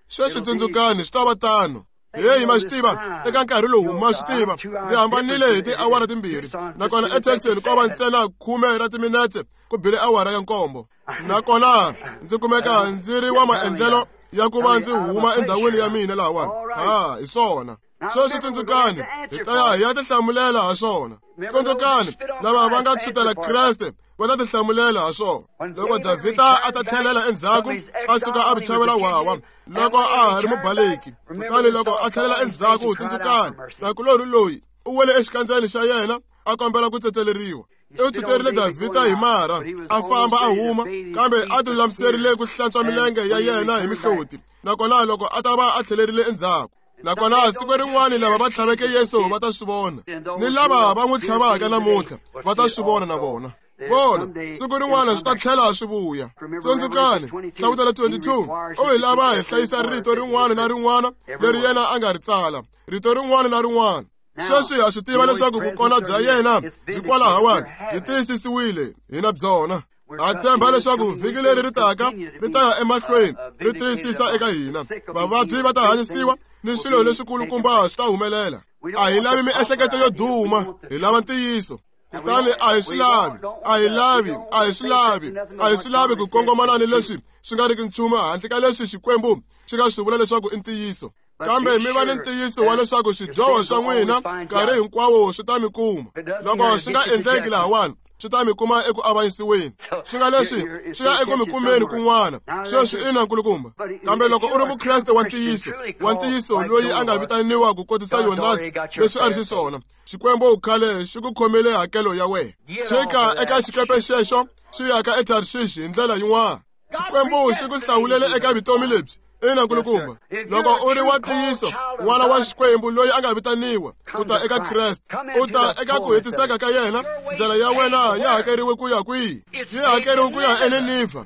Sweswi tsundzukani, swi ta va tano. Heyi, ma swi tiva, eka nkarhi lowu ma swi tiva, ndzi hambanile hi tiawara timbirhi. Nakona eTexeni ko va ntsena khume ra timinetse ku bile awara ya nkombo. Nakona ndzi kumeka ndzi ri wa maendlelo ya ku va ndzi huma endhawini ya mina lahawani. Ha, hi swona. Sweswi tsundzukani, hi ta ya hi ya tihlamulela ha swona. Tsundzukani, lava va nga tshutela Kreste va ta tihlamulela ha swona. Loko Davhida a ta tlhelela endzhaku, a suka a vuchavela wawa, loko a ha ri mubaleki. Kutani loko a tlhelela endzhaku, tsundzukani, nakulorhi loyi u wele exikandzeni xa yena a kombela ku tsetseleriwa. U tshuterile Davhida hi marha, a famba a huma, kambe a tilulamiserile ku hlantswa milenge ya yena hi mihloti. Nakona loko a ta va a tlhelerile endzhaku. Nakona siku rin'wana lava va tlhaveke Yesu va ta swi vona, ni lava va n'wi tlhavaka namuntlha va ta swi vona na vona. Vona, siku rin'wana swi ta tlhela swi vuya. Tsundzukani, Hlavutelo twenty-two, u hi lava hi hlayisa rito rin'wana na rin'wana leri yena a nga ri tsala, rito rin'wana na rin'wana. Sweswi ha swi tiva leswaku vukona bya yena byi kwalahawani, byi tiyisisiwile hina byona. Ha tshemba leswaku vhiki leri ri taka ri ta ya emahlweni ri tiyisisa eka hina. Vavabyi va ta hanyisiwa ni swilo leswikulukumba swi ta humelela. A hi lavi miehleketo yo duma, hi lava ntiyiso. Kutani a hi swi lavi, a hi lavi, a hi swi lavi, a hi swi lavi ku kongomana ni leswi swi nga riki nchumu handle ka leswi Xikwembu xi nga swi vula leswaku i ntiyiso. Kambe mi va ni ntiyiso wa leswaku swidyoho swa n'wina nkarhi hinkwawo swi ta mi kuma. Loko swi nga endleki lahawani, swi ta mi kuma eku avanyisiweni. Swi nga leswi swi ya eku mi kumeni kun'wana. Sweswi ina nkulukumba. Kambe loko u ri Mukreste wa ntiyiso, wa ntiyiso loyi a nga vitaniwa ku kotisa Yonasi leswi a ri xiswona, Xikwembu khale xi ku khomele hakelo ya wena. Chika eka xikepe xexo xi yaka eTarshish hi ndlela yin'wana. Xikwembu xi ku hlawulele eka vutomi lebyi Ina nkulukumba, loko u ri wa ntiyiso n'wana wa Xikwembu loyi a nga vitaniwa ku ta eka Kreste, u ta eka ku hetiseka ka yena, ndlela ya wena ya hakeriwe ku ya kwihi? Yi hakeriwe ku ya eNinivha,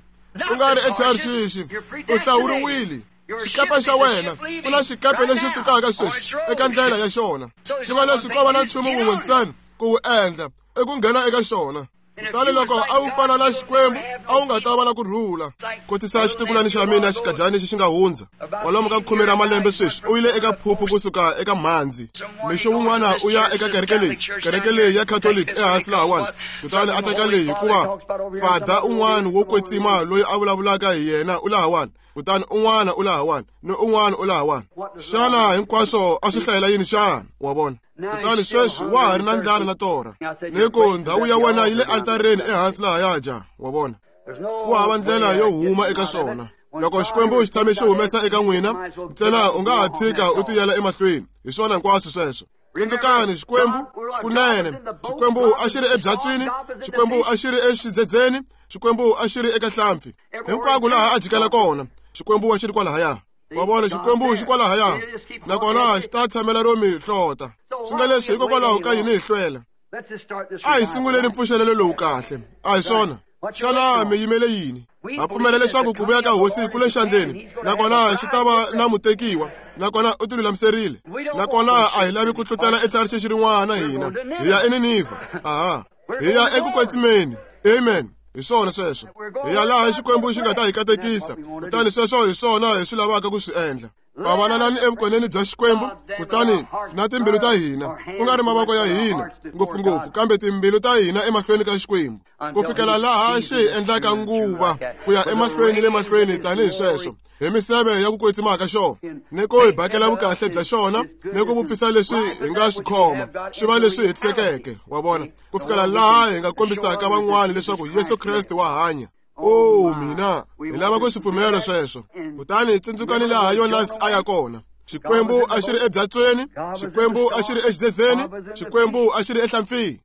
u nga ri eTarshishi. U hlawuriwile. Xikepe xa wena, ku na xikepe lexi sukaka sweswi eka ndlela ya xona. Xi va leswi ko va na nchumu wun'we ntsena ku wu endla, i ku nghena eka xona. Kutani loko a wu fana na Xikwembu, a wu nga ta va na ku rhula. Kotisa xitukulwana xa mina xikajani lexi xi nga hundza kwalomu ka khume ra malembe sweswi, u yile eka phuphu kusuka eka mhandzi. Mixo wun'wana u ya eka kereke leyi, kereke leyi ya Catholic ehansi lahawani. Kutani a teka leyi hikuva fada un'wana wo kwetsima loyi a vulavulaka hi yena u lahawani, kutani un'wana u lahawani, ni un'wana u lahawani. Xana hinkwaswo a swi hlayela yini xana? Wa vona? Kutani sweswi wa ha ri na ndlala na torha, ni ku ndhawu ya wena yi le altareni ehansi lahaya ja. Wa vona? Ku hava ndlela yo huma eka swona. Loko Xikwembu xi tshame xi humesa eka n'wina, ntsena u nga ha tshika u tiyela emahlweni. Hi swona hinkwaswo sweswo. Tsundzukani Xikwembu kunene. Xikwembu a xi ri ebyatswini, Xikwembu a xi ri exidzedzeni, Xikwembu a xi ri eka hlampfi. Hinkwako laha a jikela kona, Xikwembu a xi ri kwalahaya. Wa vona, Xikwembu xi kwalahaya, nakona xi ta tshamela ro mi hlota. Swi nga leswi hikokwalaho ka yini hi hlwela? A hi sunguleni mpfuxelelo lowu kahle. A hi swona? Xana mi yimele yini? Ha pfumela leswaku ku vuya ka hosi ku le xandleni, nakona xi ta va na mutekiwa, nakona u tilulamiserile. Nakona a hi lavi ku tlutela eTarshishi rin'wana hina. Hi ya eNinivha. Aha. Hi ya eku kwetsimeni. Amen. Hi swona sweswo. Hi ya laha Xikwembu xi nga ta hi katekisa. Kutani sweswo hi swona hi swi lavaka ku swi endla. Pavalalani evukoneni bya Xikwembu, kutani na timbilu ta hina, ku nga ri mavoko ya hina ngopfungopfu, kambe timbilu ta hina emahlweni ka Xikwembu, ku fikela laha xi hi endlaka nguva ku ya emahlweni le mahlweni tanihi sweswo, hi miseve ya ku kwetsima ka xona, ni ku hi bakela vukahle bya xona, ni ku vupfisa leswi hi nga swi khoma swi va leswi hetisekeke. Wa vona? Ku fikela laha hi nga kombisaka van'wana leswaku Yesu Kreste wa hanya. Oh mina, hi lava ku swi pfumela sweswo. Kutani tsundzukani laha Yonasi a ya kona. Xikwembu a xi ri ebyatsweni, Xikwembu a xi ri exidzedzeni, Xikwembu a xi ri ehlampfini.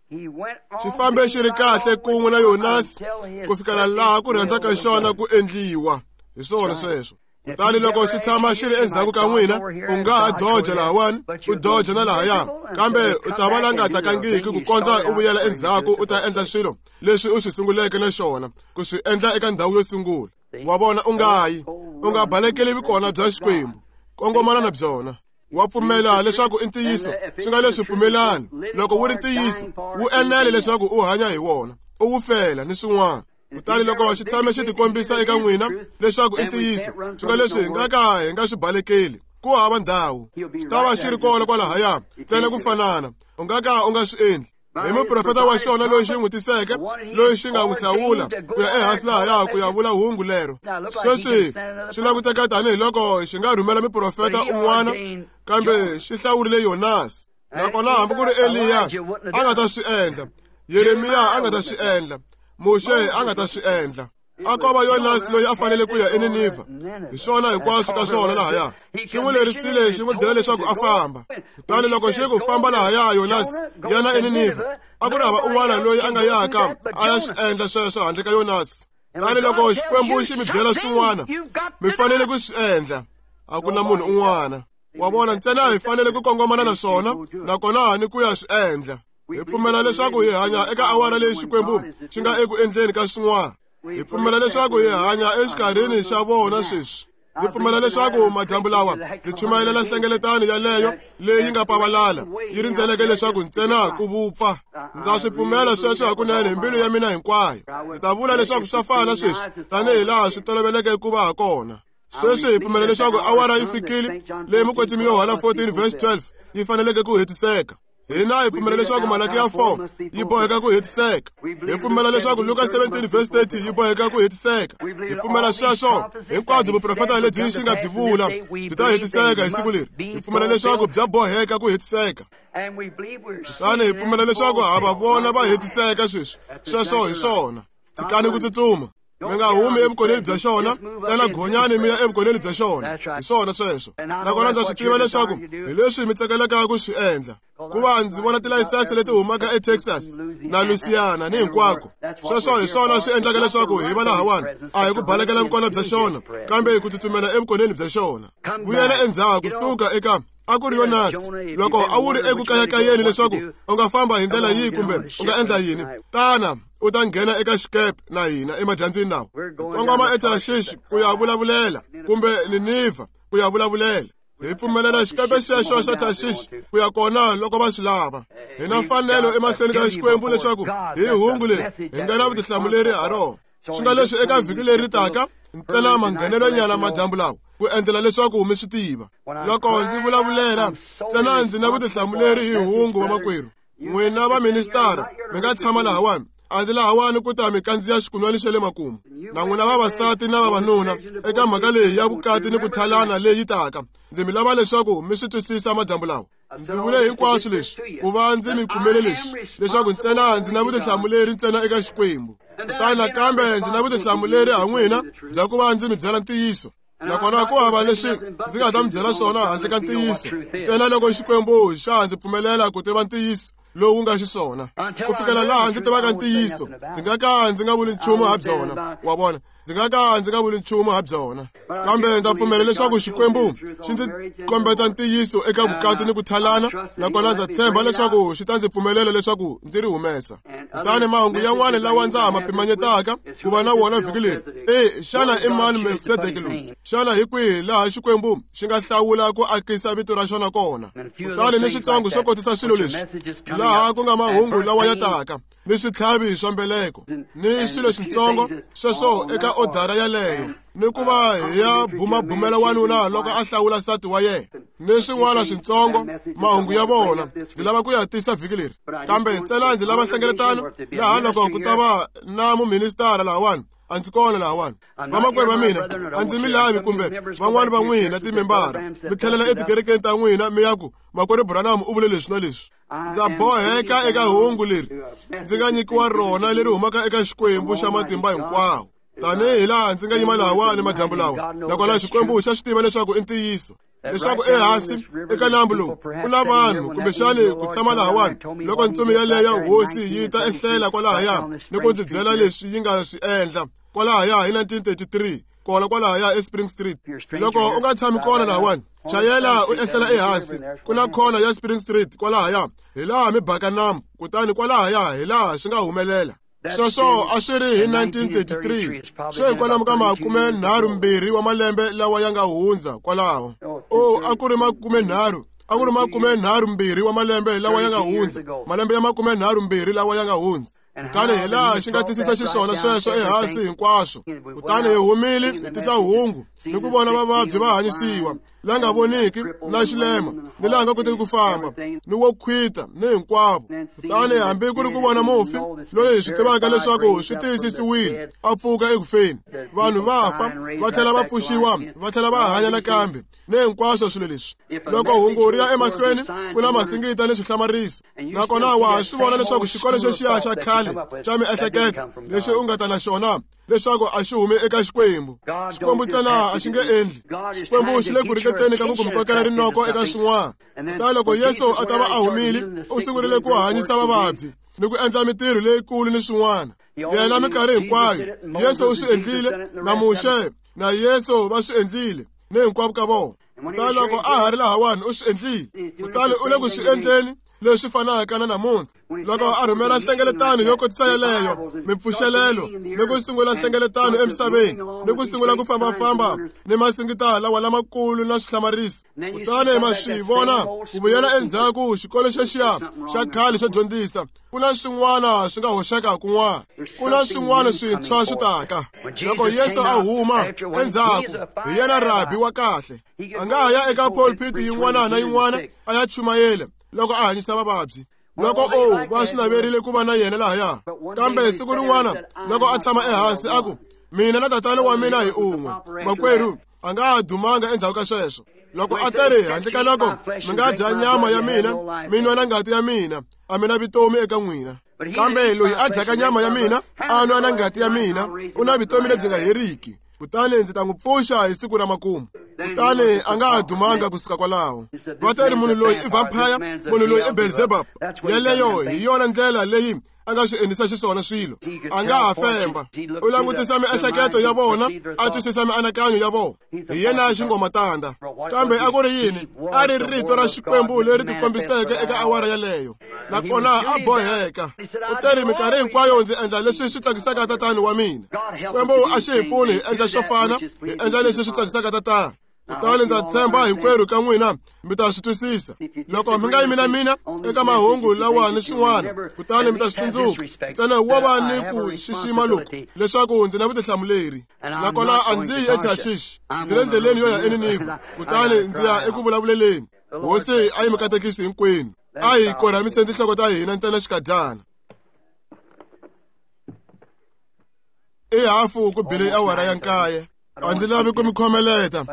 Xi fambe xi ri kahle kun'we na Yonasi ku fikela laha ku rhandza ka xona ku endliwa. Hi swona sweswo. Kutani loko xi tshama xi ri endzhaku ka n'wina, u nga ha doja lahawani, u doja na lahaya, kambe u ta va la nga tsakangiki ku kondza u vuyela endzhaku u ta endla swilo leswi u swi sunguleke na xona ku swi endla eka ndhawu yo sungula. Wa vona, u nga yi, u nga balekeli vukona bya Xikwembu, kongomana na byona. Wa pfumela leswaku i ntiyiso, swi nga leswi pfumelani. Loko wu ri ntiyiso, wu enele leswaku u hanya hi wona, u wu fela ni swin'wana. Kutani loko xi tshame xi tikombisa eka n'wina leswaku i ntiyiso, swi nga leswi hi nga ka hi nga swi balekeli, ku hava ndhawu. Xi ta va xi ri kona kwalahaya, ntsena ku fanana. U nga ka u nga swi endli. Hi muprofeta wa xona loyi xi n'wi tiseke, loyi xi nga n'wi hlawula ku ya ehansi lahaya ku ya vula hungu lero. Sweswi swi languteka tanihiloko xi nga rhumela muprofeta un'wana, kambe xi hlawurile Yonasi. Nakona hambi ku ri Eliya a nga ta swi endla, Yeremiya a nga ta swi endla, Muxe a nga ta swi endla. A ko va Yonasi loyi a fanele ku ya eNinivha. Hi swona hinkwaswo ka swona lahaya. Xi n'wi lerisile, xi n'wi byela leswaku a famba. Kutani loko xi ku famba lahaya Yonasi, yana eNinivha, a ku ri hava un'wana loyi a nga yaka a ya swi endla sweswo handle ka Yonasi. Kutani loko Xikwembu xi mi byela swin'wana, mi fanele ku swi endla. A ku na munhu un'wana. Wa vona, ntsena hi fanele ku kongomana na swona, nakona ni ku ya swi endla. Hi pfumela leswaku hi hanya eka awara leyi Xikwembu xi nga eku endleni ka swin'wana. Hi pfumela leswaku hi hanya exikarhini xa vona sweswi. Ndzi pfumela leswaku madyambu lawa ndzi chumayelela nhlengeletano yaleyo leyi nga pavalala, yi rindzeleke leswaku ntsena ku vupfa. Ndza swi pfumela sweswo hakunene hi mbilu ya mina hinkwayo. Ndzi ta vula leswaku swa fana sweswi tanihi laha swi toloveleke ku va ha kona. Sweswi hi pfumela leswaku awara yi fikile leyi mukwetsimi Yohana fourteen verse twelve yi faneleke ku hetiseka. Hina hi pfumela leswaku Malakiya four yi boheka ku hetiseka. Hi pfumela leswaku Luka seventeen verse thirty yi boheka ku hetiseka. Hi pfumela sweswo hinkwabyo vuprofeta lebyi xi nga byi vula byi ta hetiseka hi siku leri. Hi pfumela leswaku bya boheka ku hetiseka. Kutani hi pfumela leswaku ha va vona va hetiseka sweswi. Sweswo hi swona. Tshikani ku tsutsuma. Mi nga humi evukoneni bya xona, ntsena gonyani mi ya evukoneni bya xona. Hi swona sweswo. Nakona ndza swi tiva leswaku hi leswi mi tsakelaka ku swi endla. Ku va ndzi vona tilayisense leti humaka eTexas na Louisiana ni hinkwako. Sweswo hi swona swi endlaka leswaku hi va lahawani. A hi ku balekela vukona bya xona, kambe hi ku tsutsumela evukoneni bya xona. Vuyela endzhaku, suka eka a ku ri Yonasi. Loko a wu ri eku kayakayeni leswaku u nga famba hi ndlela yihi kumbe u nga endla yini, tana u ta nghena eka xikepe na hina emadyambyini lawa. Kongoma eTarshish ku ya vulavulela, kumbe Ninivha ku ya vulavulela. Hi pfumelela xikepe xexo xa Tarshish ku ya kona loko va swi lava. Hi na mfanelo emahlweni ka Xikwembu leswaku hi hungu leri hi nga na vutihlamuleri ha rona. Swi nga leswi eka vhiki leri taka ntsena manghenelonyana madyambu lawa ku endlela leswaku mi swi tiva. Loko ndzi vulavulela ntsena ndzi na vutihlamuleri hi hungu wa makwerhu. N'wina va ministara mi nga tshama lahawani. A ndzi lahawani ku ta mi kandziya xikunwani xa le makumu. Na n'wina vavasati na vavanuna eka mhaka leyi ya vukati ni ku thalana leyi taka, ndzi mi lava leswaku mi swi twisisa madyambu lawa. Ndzi vule hinkwaswo leswi ku va ndzi mi kumele leswi, leswaku ntsena ndzi na vutihlamuleri ntsena eka Xikwembu. Kutani nakambe ndzi na vutihlamuleri ha n'wina bya ku va ndzi mi byela ntiyiso. Nakona ku hava leswi ndzi nga ta mi byela swona handle ka ntiyiso, ntsena loko Xikwembu xa ndzi pfumelela ku tiva ntiyiso lowu nga xiswona. Ku fikela laha ndzi tivaka ntiyiso, ndzi nga ka ndzi nga vuli nchumu ha byona. Wa vona, ndzi nga ka ndzi nga vuli nchumu ha byona. Kambe ndza pfumela leswaku Xikwembu xi ndzi kombeta ntiyiso eka vukati ni ku thalana, nakona ndza tshemba leswaku xi ta ndzi pfumelela leswaku ndzi ri humesa. Kutani mahungu yan'wana lawa ndza ha ma pimanyetaka ku va na wona vhiki leri, e xana i mani Melkisedeke loyi? Xana hi kwihi laha Xikwembu xi nga hlawula ku akisa vito ra xona kona? Kutani ni switsongo swo kotisa swilo leswi, laha ku nga mahungu lawa ya taka, ni switlhavi swa mbeleko, ni swilo switsongo sweswo eka odara yaleyo, ni ku va hi ya bumabumela wanuna loko a hlawula nsati wa yena, ni swin'wana switsongo mahungu ya vona. Ndzi lava ku ya tisa vhiki leri, kambe ntsena ndzi lava nhlengeletano laha loko ku ta va na muministara lahawani. A ndzi kona lahawani. Vamakwerhu va mina, a ndzi mi lavi kumbe van'wani va n'wina timembara mi tlhelela etikerekeni ta n'wina mi ya ku makwerhu Branham u vule leswi na leswi. Ndza boheka eka hungu leri ndzi nga nyikiwa rona leri humaka eka Xikwembu xa matimba hinkwawo. Tanihi laha ndzi nga yima lahawani madyambu lawa, nakona Xikwembu xa swi tiva leswaku i ntiyiso, leswaku ehansi eka nambu lowu ku na vanhu kumbexani ku tshama lahawani. Loko ntsumi yaleyo hosi yi ta ehlela kwalahaya ni ku ndzi byela leswi yi nga swi endla kwalahaya hi nineteen thirty-three, kona kwalahaya eSpring Street. Loko u nga tshami kona lahawani, chayela u ehlela ehansi, ku na khona ya Spring Street kwalahaya, hi laha mi baka nambu, kutani kwalahaya hi laha swi nga humelela. Sweswo a swi ri hi nineteen thirty-three, swi hikwalamu ka makume nharhu mbirhi wa malembe lawa ya nga hundza kwalaho. O a ku ri makume nharhu, a ku ri makume nharhu mbirhi wa malembe lawa ya nga hundza, malembe ya makume nharhu mbirhi lawa ya nga hundza. Kutani hi laha xi nga tisisa xiswona sweswo ehansi hinkwaswo. Kutani hi humile hi tisa hungu ni ku vona vavabyi va hanyisiwa, la nga voniki, na xilema, ni laha nga koteki ku famba, ni wo khwita, ni hinkwavo. Kutani hambi ku ri ku vona mufi loyi hi swi tivaka leswaku swi tiyisisiwile a pfuka ekufeni, vanhu va fa va tlhela va pfuxiwa, va tlhela va hanya nakambe, ni hinkwaswo swilo leswi. Loko hungu ri ya emahlweni, ku na masingita ni swihlamariso. Nakona wa ha swi vona leswaku xikolo xexiya xa khale xa miehleketo lexi u nga ta na xona leswaku a xi humi eka Xikwembu. Xikwembu ntsena a xi nge endli. Xikwembu xi le ku ringeteni ka ku ku mi kokela rinoko eka swin'wana. Kutani loko Yesu a ta va a humile, u sungurile ku hanyisa vavabyi ni ku endla mintirho leyikulu ni swin'wana. Yena minkarhi hinkwayo Yesu u swi endlile, na Muxe na Yesu va swi endlile, ni hinkwavo ka vona. Kutani loko a ha ri lahawani u swi endlile, kutani u le ku swi endleni leswi fanaka na namuntlha. Loko a rhumela nhlengeletano yo kotisa yeleyo, mipfuxelelo, ni ku sungula nhlengeletano emisaveni, ni ku sungula ku fambafamba ni masingita lawa lamakulu na swihlamariso. Kutani ma swi vona ku vuyela endzhaku xikolo xexiya xa khale xo dyondzisa, ku na swin'wana swi nga hoxeka kun'wana, ku na swin'wana swintshwa swi taka. Loko Yesu a huma endzhaku, hi yena rabi wa kahle. A nga ha ya eka pulpit yin'wana na yin'wana a ya chumayela loko a hanyisa vavabyi. Loko o va swi naverile ku va na yena lahaya, kambe siku rin'wana loko a tshama ehansi a ku, mina na tatana wa mina hi un'we, makwerhu a nga ha dumanga endzhaku ka sweswo. Loko a teri handle ka loko mi nga dya nyama ya mina, mi nwa na ngati ya mina, a mi na vutomi eka n'wina. Kambe loyi a dyaka nyama ya mina a nwa na ngati ya mina u na vutomi lebyi nga heriki, kutani ndzi ta n'wi pfuxa hi siku ra makumu. Kutani a nga ha dumanga kusuka kwalaho. Va teri munhu loyi i vampire, munhu loyi i Beelzebub. Yeleyo hi yona ndlela leyi a nga swi endlisa xiswona swilo. A nga ha femba. U langutisa miehleketo ya vona, a twisisa mianakanyo ya vona. Hi yena xingomatanda. Kambe a ku ri yini? A ri rito ra Xikwembu leri tikombiseke eka awara yaleyo. Nakona a boheka. U teri minkarhi hinkwayo ndzi endla leswi swi tsakisaka tatani wa mina. Xikwembu a xi hi pfuni hi endla swo fana, hi endla leswi swi tsakisaka tatana. Kutani ndza tshemba hinkwerhu ka n'wina mi ta swi twisisa. Loko mi nga yimi na mina eka mahungu lawa ni swin'wana, kutani mi ta swi tsundzuka. Ntsena wo va ni ku xixima loku leswaku ndzi na vutihlamuleri. Nakona a ndzi yi eTarshish, ndzi le ndleleni yo ya eNinivha, kutani ndzi ya eku vulavuleleni. Hosi a yi mi katekisi hinkwenu. A hi korhamiseni tinhloko ta hina ntsena xikadyana. I hafu ku bile awara ya nkaye. A ndzi lavi ku mi khomeleta,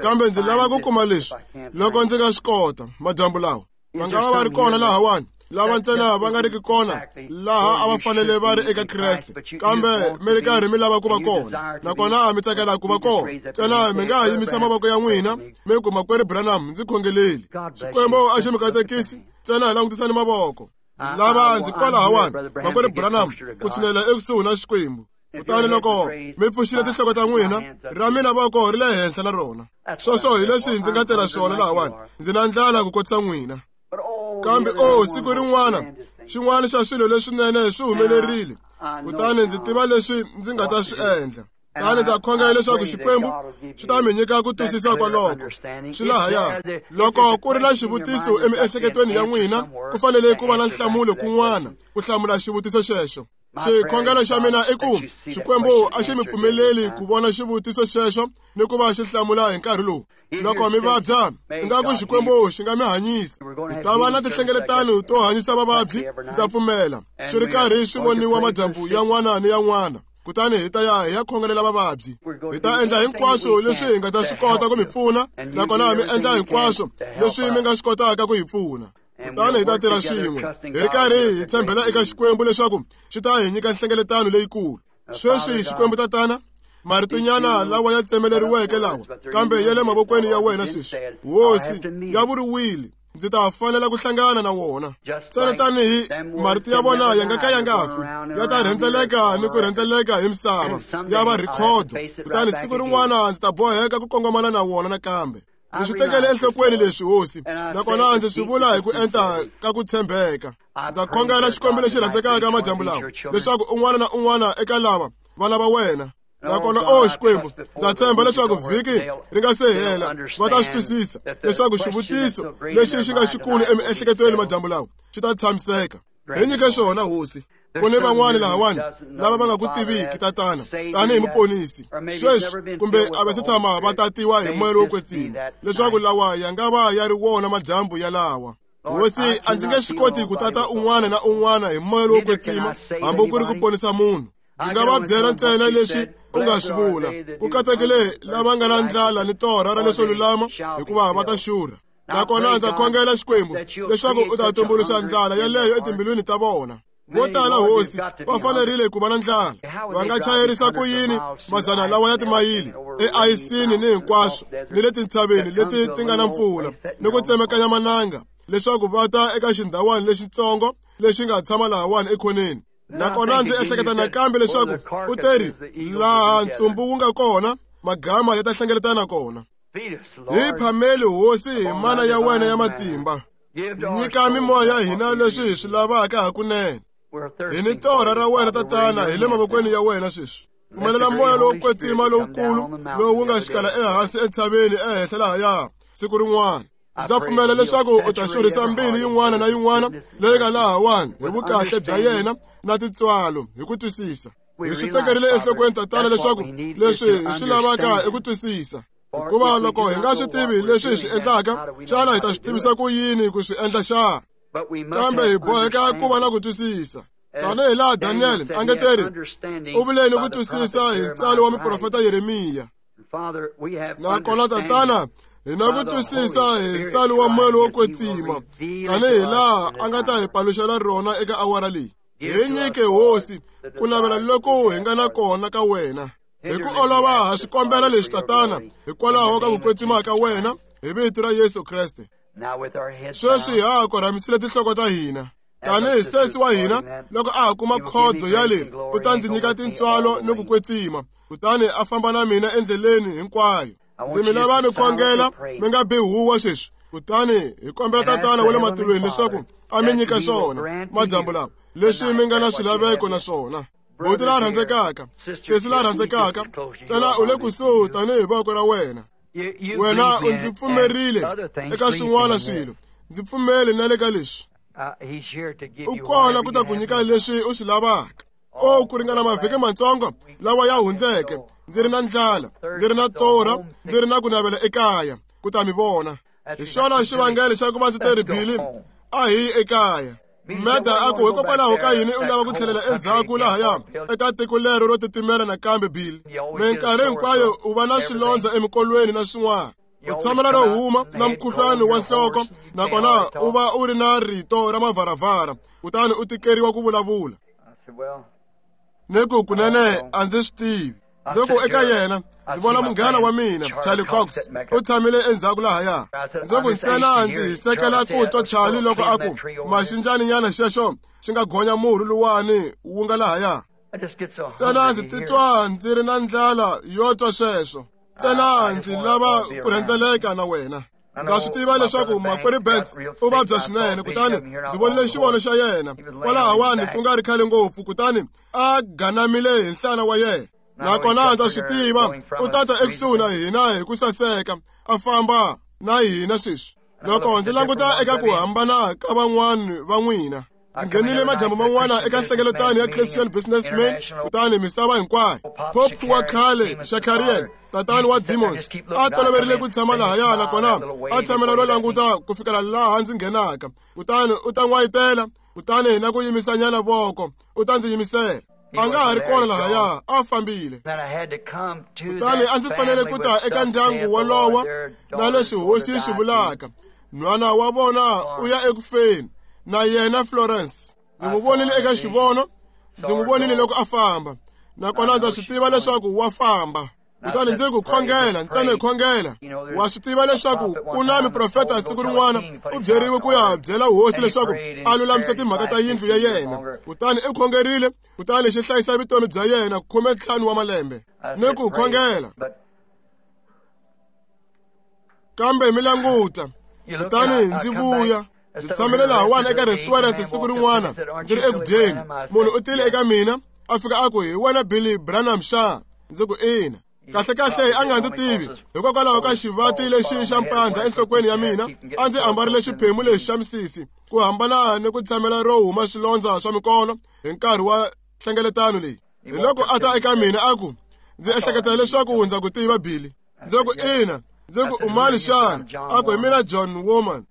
kambe ndzi lava ku kuma leswi loko ndzi nga swi kota madyambu lawa. Va nga va va ri kona lahawani lava ntsena va nga riki kona laha a va fanele va ri eka Kreste, kambe mi ri karhi mi lava ku va kona, nakona mi tsakela ku va kona. Ntsena mi nga ha yimisa mavoko ya n'wina mi ku, Makwerhu Branham, ndzi khongeleli. Xikwembu a xi mi katekisi. Ntsena hi langutisani mavoko. Lava ndzi kwalahawani, Makwerhu Branham, ku tshinela ekusuhi na Xikwembu. Kutani loko mi pfuxile tinhloko ta n'wina, ra mina voko ri le henhla na rona. Sweswo hi leswi ndzi nga tela swona lahawani. Ndzi na ndlala ku kotisa n'wina. Kambe o siku rin'wana xin'wana xa swilo leswinene swi humelerile, kutani ndzi tiva leswi ndzi nga ta swi endla. Kutani ndza khongela leswaku Xikwembu xi ta mi nyika ku twisisa kwaloko. Swi lahaya. Loko ku ri na xivutiso emiehleketweni ya n'wina, ku fanele ku va na nhlamulo kun'wana ku hlamula xivutiso xexo. Xikhongelo xa mina i ku Xikwembu a xi mi pfumeleli ku vona xivutiso xexo ni ku va xi hlamula hi nkarhi lowu. Loko mi vabya, ingaku Xikwembu xi nga mi hanyisa. Hi ta va na tinhlengeletano to hanyisa vavabyi, ndza pfumela, swi ri karhi swi voniwa madyambu yan'wana ni yan'wana. Kutani hi ta ya hi ya khongelela vavabyi. Hi ta endla hinkwaswo leswi hi nga ta swi kota ku mi pfuna, nakona mi endla hinkwaswo leswi mi nga swi kotaka ku hi pfuna. Kutani hi ta tirha swin'we hi ri karhi hi tshembela eka Xikwembu leswaku xi ta hi nyika nhlengeletano leyikulu. Sweswi Xikwembu tatana, maritonyana lawa ya tsemeleriweke lawa, kambe ya le mavokweni ya wena sweswi. Hosi, ya vuriwile, ndzi ta fanela ku hlangana na wona. Ntsena tanihi marito ya vona ya nga ka ya nga fi, ya ta rhendzeleka ni ku rhendzeleka hi misava, ya va rhikhodo. Kutani siku rin'wana ndzi ta boheka ku kongomana na wona nakambe. Ndzi swi tekele enhlokweni leswi, Hosi, nakona ndzi swi vula hi ku enta ka ku tshembeka. Ndza khongela Xikwembu lexi rhandzekaka madyambu lawa, leswaku un'wana na un'wana eka lava vana va wena. Nakona o Xikwembu, ndza tshemba leswaku vhiki ri nga se hela va ta swi twisisa leswaku xivutiso lexi xi nga xikulu emiehleketweni madyambu lawa xi ta tshamiseka. Hi nyike xona, Hosi. Ku ni van'wani lahawani lava va nga ku tiviki tatana tanihi muponisi sweswi, kumbe a va se tshama va tatiwa hi moya lowo kwetsima, leswaku lawa ya nga va ya ri wona madyambu yalawa. Hosi, a ndzi nge swi koti ku tata un'wana na un'wana hi moya lowo kwetsima, hambi ku ri ku ponisa munhu. Ndzi nga va byela ntsena leswi u nga swi vula. Ku katekile lava nga na ndlala ni torha ra leswo lulama, hikuva va ta xurha. Nakona ndza khongela Xikwembu leswaku u ta tumbuluxa ndlala yaleyo etimbilwini ta vona. Vo tala, Hosi, va fanerile ku va na ndlala. Va nga chayerisa ku yini madzana lawa ya timayili eayisini ni hinkwaswo ni le tintshaveni leti ti nga na mpfula ni ku tsemekanya mananga leswaku va ta eka xindhawani lexitsongo lexi nga tshama lahawani ekhoneni. Nakona ndzi ehleketa nakambe leswaku u teri laha ntsumbu wu nga kona, magama ya ta hlengeletana kona. Hi phameli, Hosi, hi mana ya wena ya matimba. Nyika mimoya ya hina leswi hi swi lavaka hakunene. Hi ni torha ra wena tatana, hi le mavokweni ya wena sweswi. Pfumelela moya lowo kwetsima lowukulu lowu wu nga xikala ehansi entshaveni ehenhla lahaya siku rin'wana. Ndza pfumela leswaku u ta xurhisa mbilu yin'wana na yin'wana leyi nga lahawani hi vukahle bya yena na tintswalo hi ku twisisa. Hi swi tekerile enhlokweni tatana leswaku leswi hi swi lavaka i ku twisisa. Hikuva loko hi nga swi tivi leswi hi swi endlaka, xana hi ta swi tivisa ku yini ku swi endla xana? Kambe hi boheka ku va na ku twisisa. Tanihi laha Daniel a nge teri, u vule ni ku twisisa hi ntsalo wa muprofeta Yeremiya. Nakona tatana, hi na ku twisisa hi ntsalo wa moya lowo kwetsima, tanihi laha a nga ta hi paluxela rona eka awara leyi. Hi nyike Hosi ku navela loko hi nga na kona ka wena. Hi ku olova ha swi kombela leswi Tatana, hikwalaho ka ku kwetsima ka wena, hi vito ra Yesu Kreste. Sweswi ha ha korhamisile tinhloko ta hina. Tanihi sesi wa hina loko a ha kuma khodo ya leri, u ta ndzi nyika tintswalo ni ku kwetsima, kutani a famba na mina endleleni hinkwayo. Ndzi mi lava mi khongela mi nga bi huwa sweswi, kutani hi kombela Tatana wa le matilweni leswaku a mi nyika swona madyambu lawa leswi mi nga na swilaveko na swona. Buti la rhandzekaka, sesi la rhandzekaka, ntsena u le kusuhi tanihi voko ra wena. Wena u ndzi pfumerile eka swin'wana swilo, ndzi pfumele na le ka leswi. U kona ku ta ku nyika leswi u swi lavaka. O ku ringana mavhiki matsongo lawa ya hundzeke, ndzi ri na ndlala, ndzi ri na torha, ndzi ri na ku navela ekaya ku ta mi vona. Hi xona xivangelo xa ku va ndzi teri Billy a hi ekaya. Meda a ku hikokwalaho ka yini u lava ku tlhelela endzhaku lahaya eka tiko lero ro titimela nakambe Billy? Minkarhi hinkwayo u va na swilondza emikolweni na swin'wana. U tshamela ro huma na mukhuhlwani wa nhloko, nakona u va u ri na rito ra mavharavhara, kutani u tikeriwa ku vulavula. Ni ku kunene a ndzi swi tivi. Ndzi ku eka yena, ndzi vona munghana wa mina Charlie Cox u tshamile endzhaku lahaya. Ndzi ku ntsena ndzi hisekela ku twa Charlie loko a ku maxinjaninyana xexo xi nga gonya murhi luwani wu nga lahaya. Ntsena ndzi titwa ndzi ri na ndlala yo twa sweswo. Ntsena ndzi lava ku rhendzeleka na wena. Ndza swi tiva leswaku makwerhu Banks u vabya swinene, kutani ndzi vonile xivono xa yena kwalahawani ku nga ri khale ngopfu, kutani a ganamile hi nhlana wa yena. Nakona ndza swi tiva u tata ekusuhi na hina hi ku saseka, a famba na hina sweswi. Loko ndzi languta eka ku hambana ka van'wani va n'wina, ndzi nghenile madyambu man'wana eka nhlengeletano ya Christian Businessman, kutani misava hinkwayo. Pope wa khale Shakarian, tatani wa Demons, a toloverile ku tshama lahaya, nakona a tshamela ro languta ku fikela laha ndzi nghenaka, kutani u ta n'wayitela, kutani na ku yimisanyana voko u ta ndzi yimisela. A nga ha ri kona lahaya, a fambile. Kutani a ndzi fanele ku ta eka ndyangu wolowo na leswi Hosi yi swi vulaka. Nhwana wa vona u ya ekufeni, na yena Florence. Ndzi n'wi vonile eka xivono, ndzi n'wi vonile loko a famba, nakona ndza swi tiva leswaku wa famba. Kutani ndzi ku khongela, ntsena hi khongela. Wa swi tiva leswaku ku na miprofeta siku rin'wana u byeriwe ku ya byela hosi leswaku a lulamisa timhaka ta yindlu ya yena. Kutani u khongerile, kutani xi hlayisa vutomi bya yena khume ntlhanu wa malembe. Ni ku khongela. Kambe mi languta, kutani ndzi vuya. Ndzi tshamile lahawani eka restaurant siku rin'wana ndzi ri eku dyeni. Munhu u tile eka mina a fika a ku, hi wena Billy Branham xa? Ndzi ku ina. Kahle kahle a nga ndzi tivi hikokwalaho ka xivati lexi xa mpandla enhlokweni ya mina. A ndzi ambarile xiphemu lexi xa misisi ku hambana ni ku tshamela ro huma swilondza swa mikolo hi nkarhi wa nhlengeletano leyi. Hi loko a ta eka mina a ku, ndzi ehleketa leswaku ndza ku tiva Billy. Ndzi ku ina. Ndzi ku u mani xana? A ku hi mina John Woman.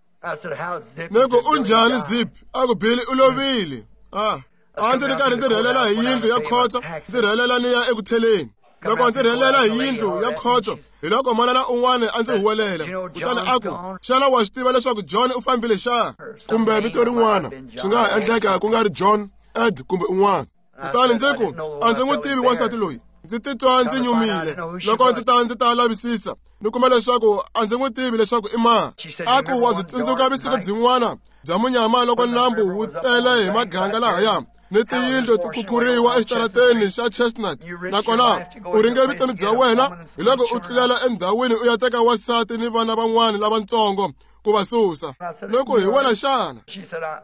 Ni ku u njhani Zip? A ku Billy u lovile. Ah, a ndzi ri karhi ndzi rhelela hi yindlu ya khotso, ndzi rhelela ni ya eku theleni. Loko ndzi rhelela hi yindlu ya khotso, hi loko manana un'wana a ndzi huwelela, kutani a ku, xana wa swi tiva leswaku John u fambile xa? Kumbe vito rin'wana, swi nga ha endleka ku nga ri John, Ed kumbe un'wana. Kutani ndzi ku, a ndzi n'wi tivi wansati loyi. Ndzi titwa ndzi nyumile. Loko ndzi ta ndzi ta lavisisa, ni kuma leswaku a ndzi n'wi tivi leswaku i mani. A ku wa byi tsundzuka vusiku byin'wana bya munyama loko nambu wu tele hi maganga lahaya, ni tiyindlu ti khukhuriwa exitarateni xa Chestnut, nakona u ringe vutomi bya wena hi loko u tlulela endhawini u ya teka wansati ni vana van'wana lavatsongo ku va susa. Loko hi wena xana?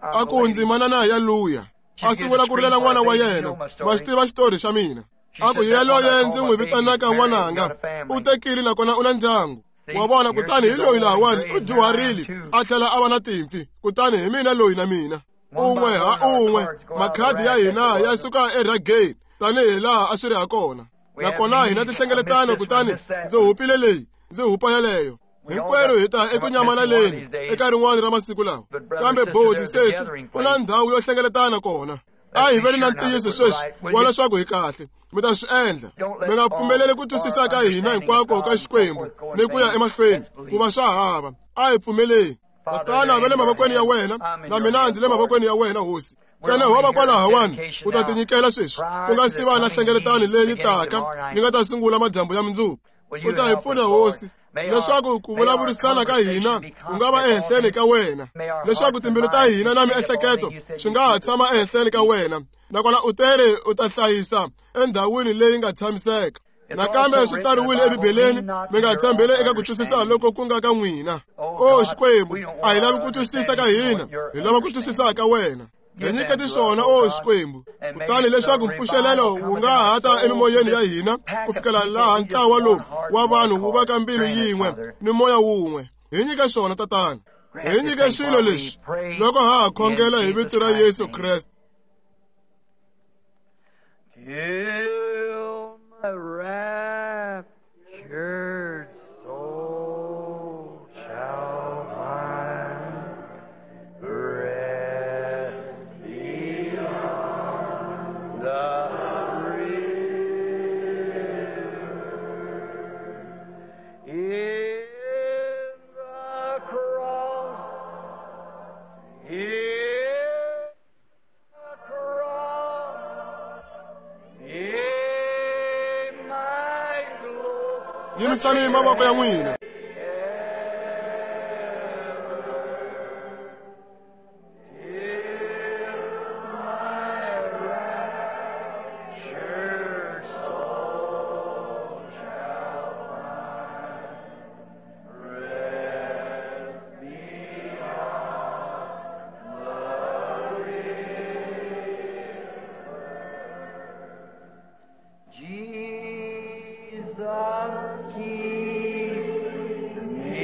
A ku ndzi manana ya luya. A sungula ku rilela n'wana wa yena. Ma xi tiva xitori xa mina. A ku yaloye ndzi n'wi vitanaka n'wananga, u tekile nakona u na ndyangu. Wa vona, kutani hi loyi lahawani u dyuharile a tlhela a va na timpfi, kutani hi mina loyi na mina. Un'we ha un'we makhadi ya hina ya suka erageni tanihi laha a swi ri ha kona. Nakona hina tihlengeletano, kutani ndzi hupile leyi, ndzi hupa yaleyo. Hinkwerhu hi ta eku nyamalaleni eka rin'wana ra masiku lawa. Kambe bodi sesi ku na ndhawu yo hlengeletana kona. A hi veni na ntiyiso sweswi wa leswaku hi kahle. Mi ta swi endla. Mi nga pfumeleli ku twisisa ka hina hinkwako ka Xikwembu ni ku ya emahlweni ku va swa hava. A hi pfumeleni. Tatana, va le mavokweni ya wena, na mina ndzi le mavokweni ya wena, Hosi. Ntsena ho va kwalahawani u ta tinyikela sweswi ku nga si va na hlengeletano leyi taka yi nga ta sungula madyambu ya mundzuku. U ta hi pfuna Hosi leswaku ku vulavurisana ka hina ku nga va ehenhleni ka wena, leswaku timbilu ta hina na miehleketo swi nga ha tshama ehenhleni ka wena, nakona u tere u ta hlayisa endhawini leyi nga tshamiseka. Nakambe swi tsariwile eBibeleni, mi nga tshembeli eka ku twisisa loko ku nga ka n'wina. O Xikwembu, a hi lavi ku twisisa ka hina, hi lava ku twisisa ka wena. Hi nyiketi swona, o Xikwembu, kutani leswaku mpfuxelelo wu nga ha ta emimoyeni ya hina ku fikela laha ntlawa lowu wa vanhu wu va ka mbilu yin'we ni moya wun'we. Hi nyike swona, Tatana. Hi nyike swilo leswi loko ha ha khongela hi vito ra Yesu Kreste. Till my raptured soul shall find rest beyond the river. In the cross, in the cross, in my glory. Yimisani mavoko ya n'wina. Jesus, keep me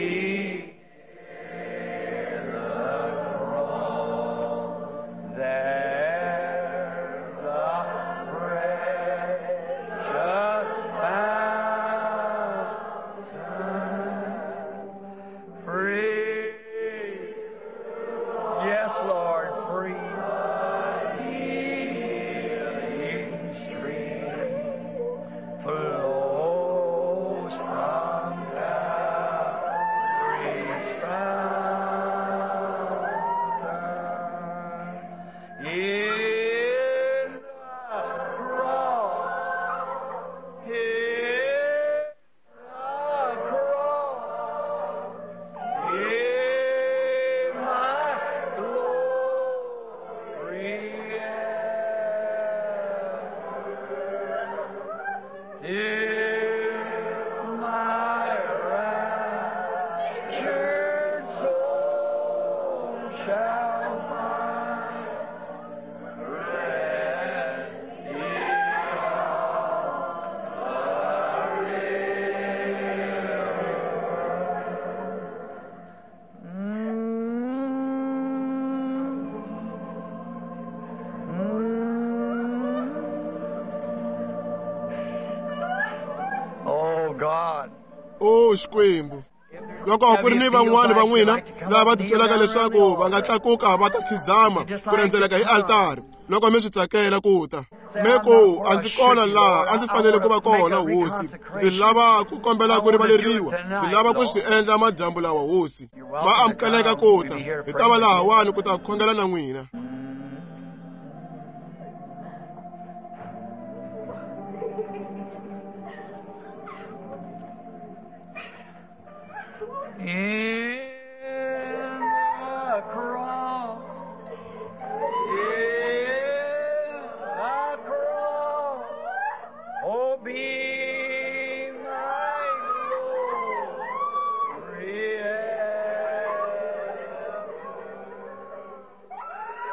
in the cross. There's a precious fountain, free. Yes, Lord, free. Healing stream flows from Calvary's fountain. In the cross, in the cross, in my glory ever. Till my raptured soul shall find rest beyond the river. Mm. Oh God. O Xikwembu, loko ku ri ni van'wani va n'wina lava va titwelaka leswaku va nga tlakuka va ta khizama ku rhendzeleka hi altari, loko mi swi tsakela ku ta, mi ku a ndzi kona laha a ndzi fanele ku va kona Hosi, ndzi lava ku kombela ku rivaleriwa, ndzi lava ku swi endla madyambu lawa Hosi. Ma amukeleka ku ta, hi ta va lahawani ku ta khongela na n'wina. In the cross, in the cross, oh, be my glory ever.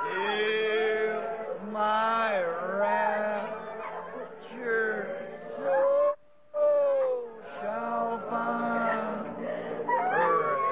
Till my raptured soul shall find rest.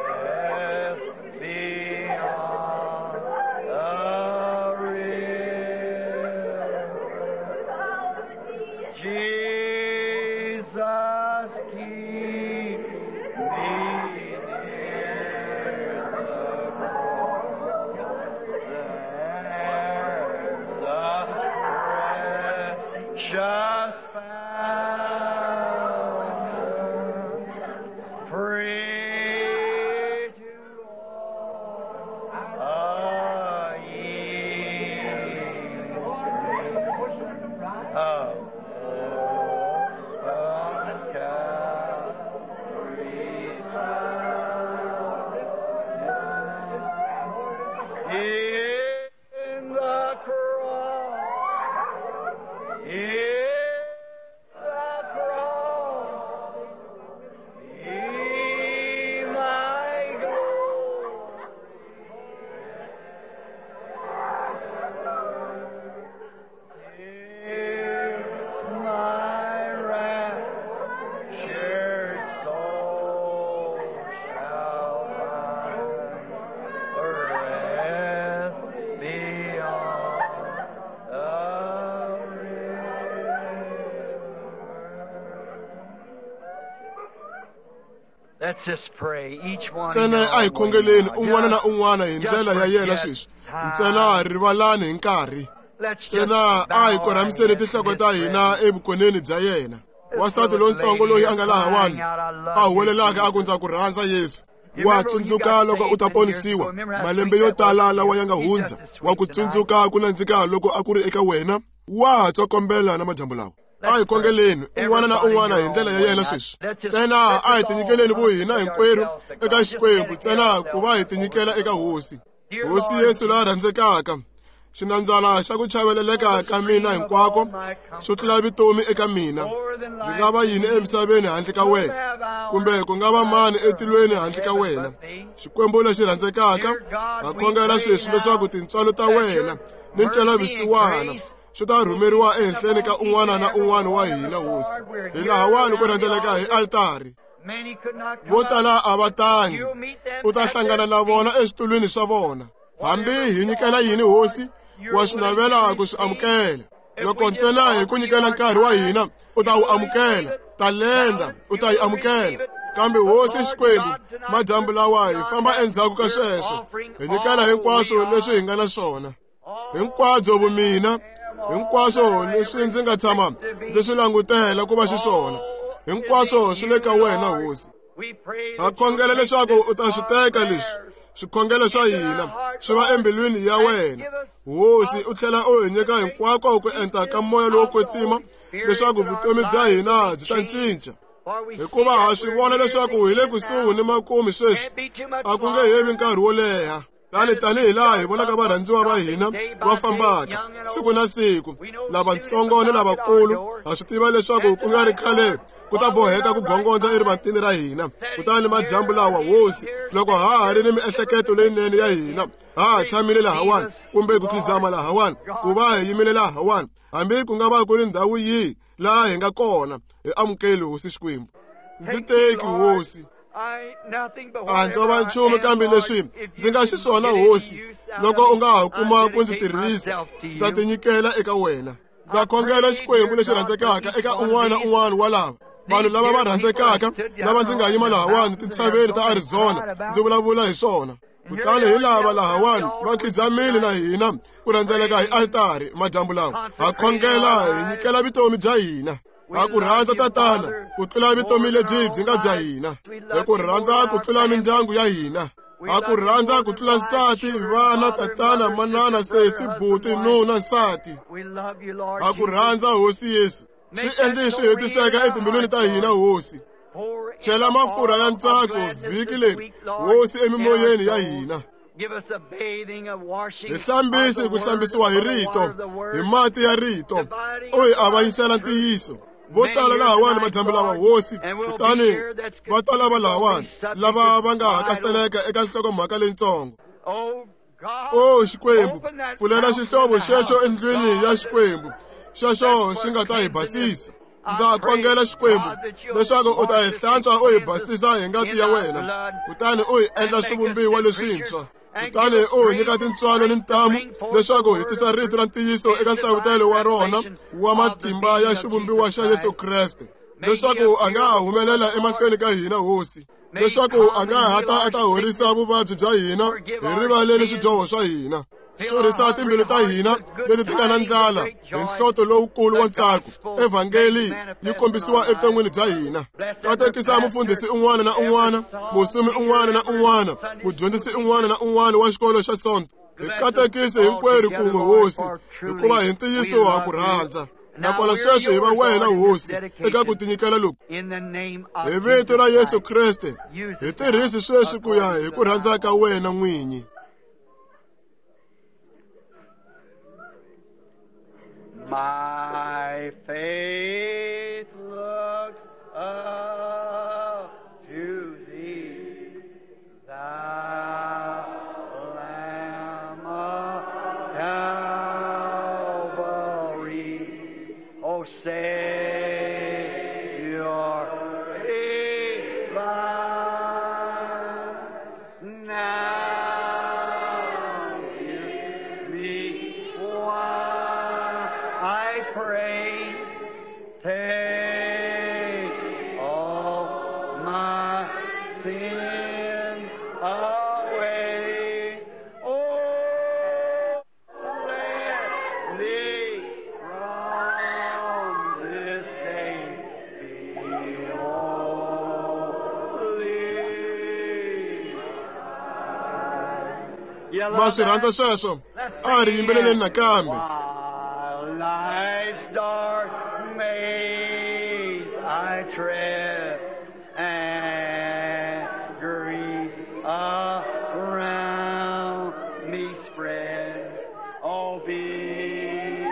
Ntsena a hi khongeleni un'wana na un'wana hi ndlela ya yena sweswi. Ntsena rivalani hi nkarhi. Ntsena a hi korhamiseni tinhloko ta hina evukoneni bya yena. Wansati lontsongo loyi a nga lahawani a huwelelaka a ku ndza ku rhandza Yesu. Wa tsundzuka loko u ta ponisiwa malembe yo tala lawa ya nga hundza. Wa ku tsundzuka ku nandzika loko a ku ri eka wena. Wa ha tsokombela na madyambu lawa. A hi khongeleni un'wana na un'wana hi ndlela ya yena sweswi. Ntsena a hi tinyikeleni vo hina hinkwerhu eka Xikwembu, ntsena ku va hi tinyikela eka Hosi. Hosi Yesu la rhandzekaka, xinambyana xa ku chaveleleka ka mina hinkwako xo tlula vutomi eka mina. Ndzi nga va yini emisaveni handle ka wena, kumbe ku nga va mani etilweni handle ka wena? Xikwembu lexi rhandzekaka, ha khongela sweswi leswaku tintswalo ta wena ni ntwelavusiwana swi ta rhumeriwa ehenhleni ka un'wana na un'wana wa hina, Hosi. Hi lahawani ku rhendzeleka hi altari. Vo tala a va tangi, u ta hlangana na vona eswitulwini swa vona. Hambi hi nyikela yini, Hosi, wa swi navela ku swi amukela. Loko ntsena hi ku nyikela nkarhi wa hina, u ta wu amukela. Talenta u ta yi amukela. Kambe Hosi Xikwembu, madyambu lawa hi famba endzhaku ka sweswo, hi nyikela hinkwaswo leswi hi nga na swona. Hinkwabyo vumina, hinkwaswo leswi ndzi nga tshama ndzi swi langutela ku va xiswona, hinkwaswo swi le ka wena, Hosi. Ha khongela leswaku u ta swi teka leswi swikhongelo swa hina swi va embilwini ya wena, Hosi. U tlhela u hi nyika hinkwako ku enta ka moya lowo kwetsima leswaku vutomi bya hina byi ta cinca. Hikuva ha swi vona leswaku hi le kusuhi ni makumu sweswi, a ku nge hevi nkarhi wo leha. Tani tanihi laha hi vonaka varhandziwa va hina va fambaka siku na siku, lavatsongo ni lavakulu, ha swi tiva leswaku ku nga ri khale ku ta boheka ku gongondza erivantini ra hina. Kutani madyambu lawa, Hosi, loko ha ha ri ni miehleketo leyinene ya hina, ha ha tshamile lahawani kumbe ku khizama lahawani, ku va hi yimile lahawani, hambi ku nga va ku ri ndhawu yihi laha hi nga kona, hi amukeli, Hosi Xikwembu. Ndzi teki, Hosi. A ndzo va nchumu kambe leswi ndzi nga xiswona, Hosi, loko u nga ha kuma ku ndzi tirhisa, ndza tinyikela eka wena. Ndza khongela Xikwembu lexi rhandzekaka eka un'wana na un'wana wa lava vanhu lava va rhandzekaka lava ndzi nga yima lahawani tintshaveni ta Arizona ndzi vulavula hi swona. Kutani hi lava lahawani va khizamile na hina ku rhendzeleka hi altari madyambu lawa. Ha khongela hi nyikela vutomi bya hina. Ha ku rhandza Tatana ku tlula vutomi lebyi byi nga bya hina. Hi ku rhandza ku tlula mindyangu ya hina. Ha ku rhandza ku tlula nsati, vana, tatana, manana, sesi, buti, nuna, nsati. Ha ku rhandza, Hosi Yesu. Swi endli swi hetiseka etimbilwini ta hina, Hosi. Chela mafurha ya ntsako vhiki leri, Hosi, emimoyeni ya hina. Hi hlambisi ku hlambisiwa hi rito, hi mati ya rito, u hi avanyisela ntiyiso. Vo tala lahawani madyambu lawa, Hosi, kutani va ta lava lahawani lava va nga hakaseleka eka nhlokomhaka leyitsongo. O Xikwembu, pfulela xihlovo xexo endlwini ya Xikwembu, xexo xi nga ta hi basisa. Ndza khongela Xikwembu leswaku u ta hi hlantswa u hi basisa hi ngati ya wena, kutani u hi endla swivumbiwa leswintshwa. Kutani u hi nyika tintswalo ni ntamu leswaku hi tisa rito ra ntiyiso eka nhlavutelo wa rona wa matimba ya xivumbiwa xa Yesu Kreste, leswaku a nga ha humelela emahlweni ka hina, Hosi, leswaku a nga ha ta a ta horisa vuvabyi bya hina, hi rivaleli swidyoho swa hina. Xurhisa timbilu ta hina leti ti nga na ndlala hi nhloto lowukulu wa ntsako. Evhangeli yi kombisiwa evuton'wini bya hina. Katekisa mufundhisi un'wana na un'wana, musumi un'wana na un'wana, mudyondzisi un'wana na un'wana wa xikolo xa Sonto. Hi katekise hinkwerhu kun'we, Hosi, hikuva hi ntiyiso ha ku rhandza. Nakona sweswi hi va wena, Hosi, eka ku tinyikela loku. Hi vito ra Yesu Kreste, hi tirhisi sweswi ku ya hi ku rhandza ka wena n'winyi. My faith looks up to thee, thou Lamb of Calvary, O Savior divine, now hear me while I pray. sin away. Oh, let me from this day be holy. You Ma love swi rhandza that? sweswo? Let's A sing ri it yimbeleleni again. nakambe. While life's dark maze I tread and grief around me spread, oh, be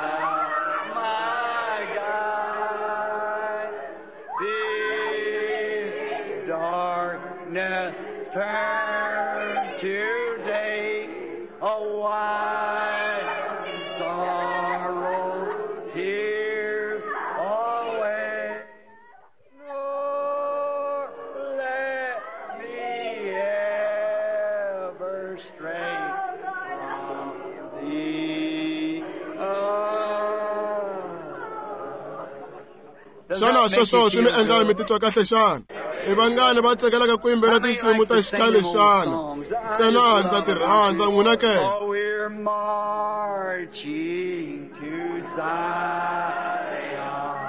thou my guide. Be darkness turn to day, oh, why sorrow tears away? Nor let me ever stray from thee. Does Xana that make sweswo you swi mi feel endla mi good? titwa kahle xana? I vangani va tsakelaka ku yimbelela How many tinsimu like ta to sing xikhale them old xana? songs? I Ntsena just ndza love ti them. rhandza n'wina ke? Oh, we're marching to Zion,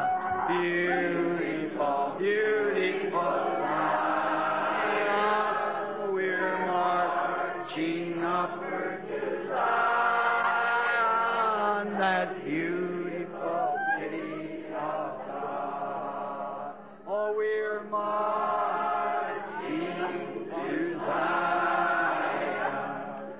beautiful, beautiful Zion. We're marching upward to Zion, that beautiful city of God. Oh, we're marching to Zion.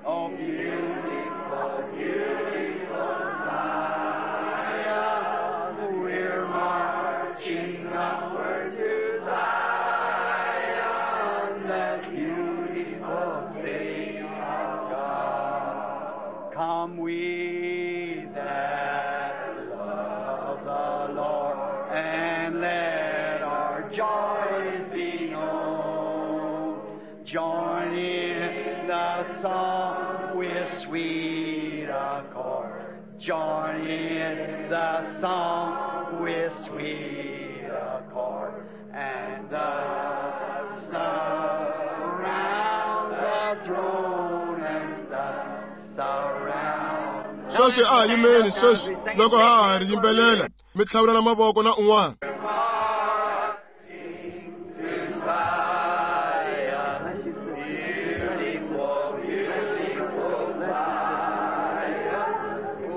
Oh, beautiful, beautiful Zion. We're marching upward to Zion, that beautiful city of God. Come we that love the Lord, and let our joys be known. Join in the song with sweet accord. Join in the song with sweet accord. And the surround the throne and the surround. Sweswi a hi yimeni sweswi loko ha ha ri yimbelela mi tlhavulana mavoko na un'wana. Marching to Zion, beautiful, beautiful Zion.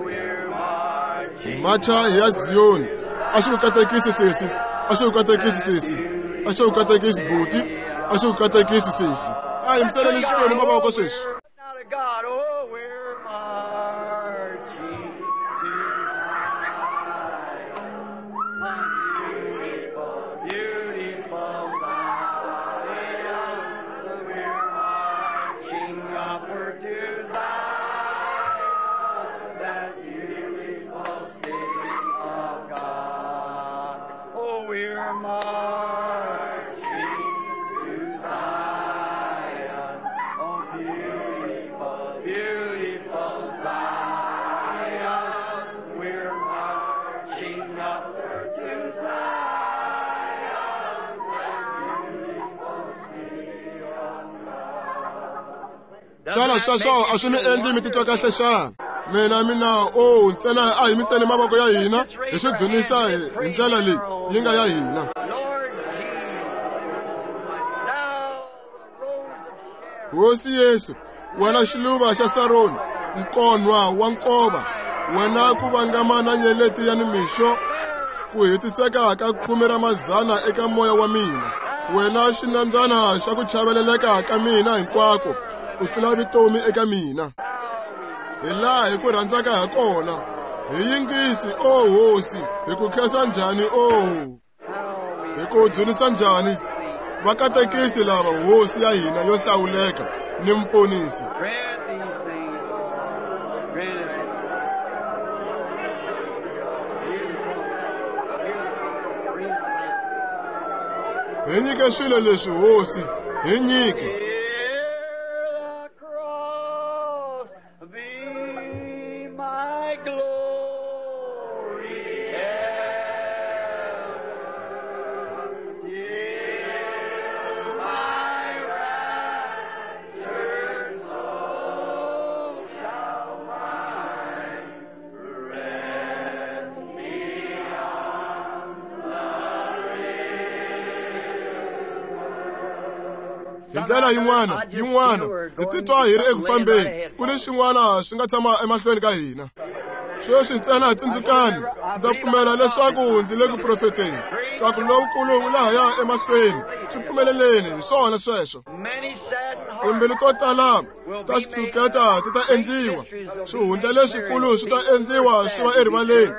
We're marching Macha hi ya Ziyoni. A xi ku katekisi sesi, a xi ku katekisi sesi, a xi ku katekisi buti, a xi ku katekisi sesi. A hi yimiseleni Xikwembu mavoko sweswi. Now to God, oh, we're marching to Zion, beautiful, beautiful Zion. We're marching upward to Zion, that beautiful city of God. Oh, we're marching to Zion, oh, beautiful, beautiful Zion. We're marching upward to Zion, that beautiful city of God. Xana sweswo a swi mi endli mi titwa kahle xana? Mina mina o ntsena a hi yimiseni mavoko ya hina hi swi dzunisa hi hi ndlela leyi yi nga ya hina. Lord Jesus, thou the rose of Sharon, Hosi Yesu, wena xiluva xa Saroni, nkonwa wa nkova, wena ku vangama na nyeleti ya nimixo, ku hetiseka ka khume ra mazana eka moya wa mina. Wena xinambyana xa ku chaveleleka ka mina hinkwako, u tlula vutomi eka mina. Hi laha hi ku rhandzaka ha kona, hi yingisi, o Hosi, hi ku khensa njhani, o hi ku dzunisa njhani. Va katekisi lava Hosi ya hina yo hlawuleka ni Muponisi. Grant these things, Lord. Grant it. Beautiful, beautiful, beautiful. Hi nyike swilo leswi Hosi, hi nyike. Hear the cross be my glory ever, till my Hi ndlela yin'wana yin'wana ndzi titwa hi ri eku fambeni, ku ni xin'wana swi nga tshama emahlweni ka hina. Sweswi ntsena tsundzukani, ndza pfumela leswaku ndzi le ku profeteni. Ntsako lowukulu wu lahaya emahlweni, swi pfumeleleni hi swona sweswo. Timbilu to tala ta xitshuketa ti ta endliwa, swihundla leswikulu swi ta endliwa swi va erivaleni,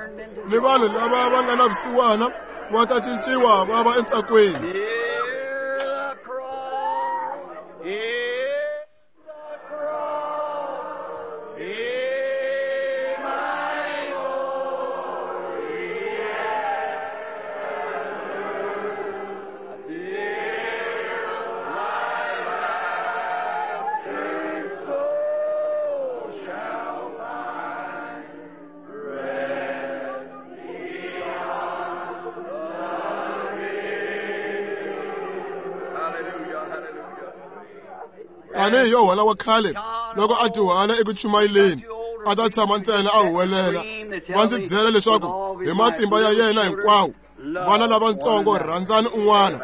ni vanhu lava va nga na vusiwana va ta cinciwa va va entsakweni. Tanihi Yohana wa khale loko a dyuhala eku chumayeleni, a ta tshama ntsena a huwelela. Va ndzi byela leswaku hi matimba ya yena hinkwawo, vana lavatsongo rhandzani un'wana,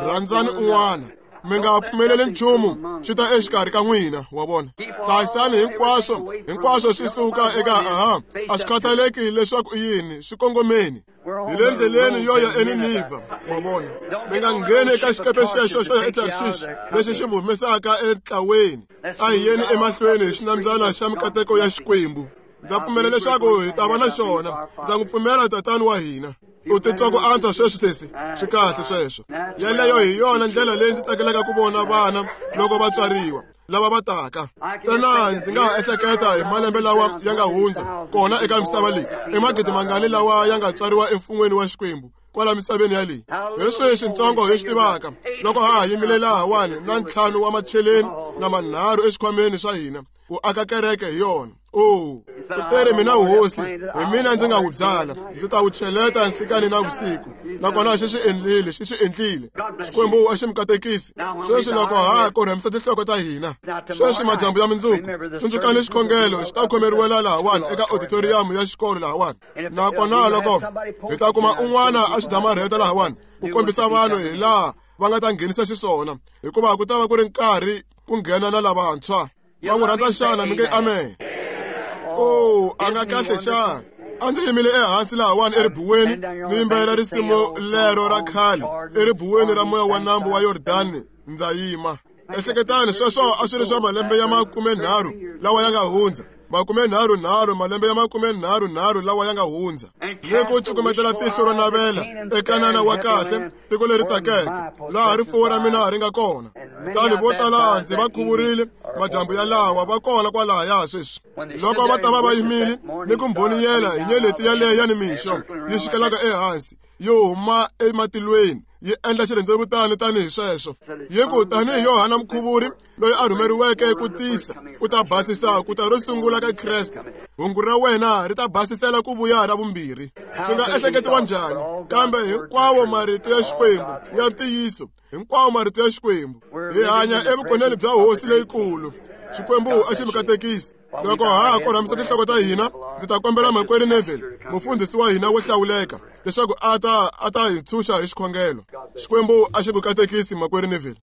rhandzani un'wana. Mi nga pfumeleli nchumu swi ta exikarhi ka n'wina, wa vona. Hlayisani hinkwaswo, hinkwaswo swi suka eka aha, a swi khathaleki leswaku i yini, swi kongomeni. Hi le ndleleni yo ya eNinivha, wa vona. Mi nga ngheni eka xikepe xexo xo ya eTarshish lexi xi mi humesaka entlaweni. A hi yeni emahlweni hi xinambyana xa mikateko ya Xikwembu. Ndza pfumela leswaku hi ta va na xona. Ndza n'wi pfumela tatani wa hina. U titwa ku antswa sweswi sesi? Swi kahle sweswo. Yeleyo hi yona ndlela leyi ndzi tsakelaka ku vona vana loko va tswariwa, lava va taka. Ntsena ndzi nga ha ehleketa hi malembe lawa ya nga hundza kona eka misava leyi, i magidi mangani lawa ya nga tswariwa emfun'weni wa Xikwembu kwala misaveni yaleyi. Hi sweswi ntsongo hi swi tivaka loko ha ha yimile lahawani na ntlhanu wa macheleni na manharhu exikhwameni swa hina ku aka kereke hi yona. Oh, u tere mina hosi, hi mina ndzi nga wu byala, ndzi ta wu cheleta nhlikani na vusiku. Nakona xi swi endlile, xi swi endlile. Xikwembu a xi mi katekisi. Sweswi loko ha korhamisa tinhloko ta hina, sweswi madyambu ya mundzuku, tsundzukani xikhongelo xi ta khomeriwela lahawani eka auditorium ya xikolo lahawani. Nakona loko hi ta kuma un'wana a xi damarheta lahawani ku kombisa vanhu hi laha va nga ta nghenisa xiswona, hikuva ku ta va ku ri nkarhi ku nghena na lavantshwa. Va n'wi rhandza xana? Mi nge amen. Oh, a nga kahle xana? A ndzi yimile ehansi lahawani eribuweni ni yimbelela risimu lero ra khale eribuweni ra moya wa nambu wa Yordani, ndza yima. Ehleketani sweswo a swi ri swa malembe ya makumenharhu lawa ya nga hundza, makumenharhunharhu, malembe ya makumenharhunharhu lawa ya nga hundza. Ni ku cukumetela tihlo ro navela eKanana wa kahle, tiko leri tsakeke, laha rifuwo ra mina ri nga kona. Kutani vo tala ndzi va khuvurile madyambu ya lawa va kona kwalahaya sweswi. Loko va ta va va yimile ni ku mbhoniyela hi nyeleti yaleyo ya nimixo yi xikelaka ehansi, yi huma ematilweni, yi endla xirhendzevutani tanihi sweswo. Yi ku tanihi Yohana Mukhuvuri loyi a rhumeriweke ku tisa ku ta basisa ku ta ro sungula ka Kreste, hungu ra wena ri ta basisela ku vuya ra vumbirhi. Swi nga ehleketiwa njhani? Kambe hinkwawo marito ya Xikwembu ya ntiyiso, hinkwawo marito ya Xikwembu. Hi hanya evukoneni bya Hosi leyikulu. Xikwembu a xi mi katekisi. Loko ha korhamisa tinhloko ta hina, ndzi ta kombela makwerhu Neville, mufundhisi wa hina wo hlawuleka, leswaku a ta a ta hi ntshunxa hi xikhongelo. Xikwembu a xi ku katekisi, makwerhu Neville.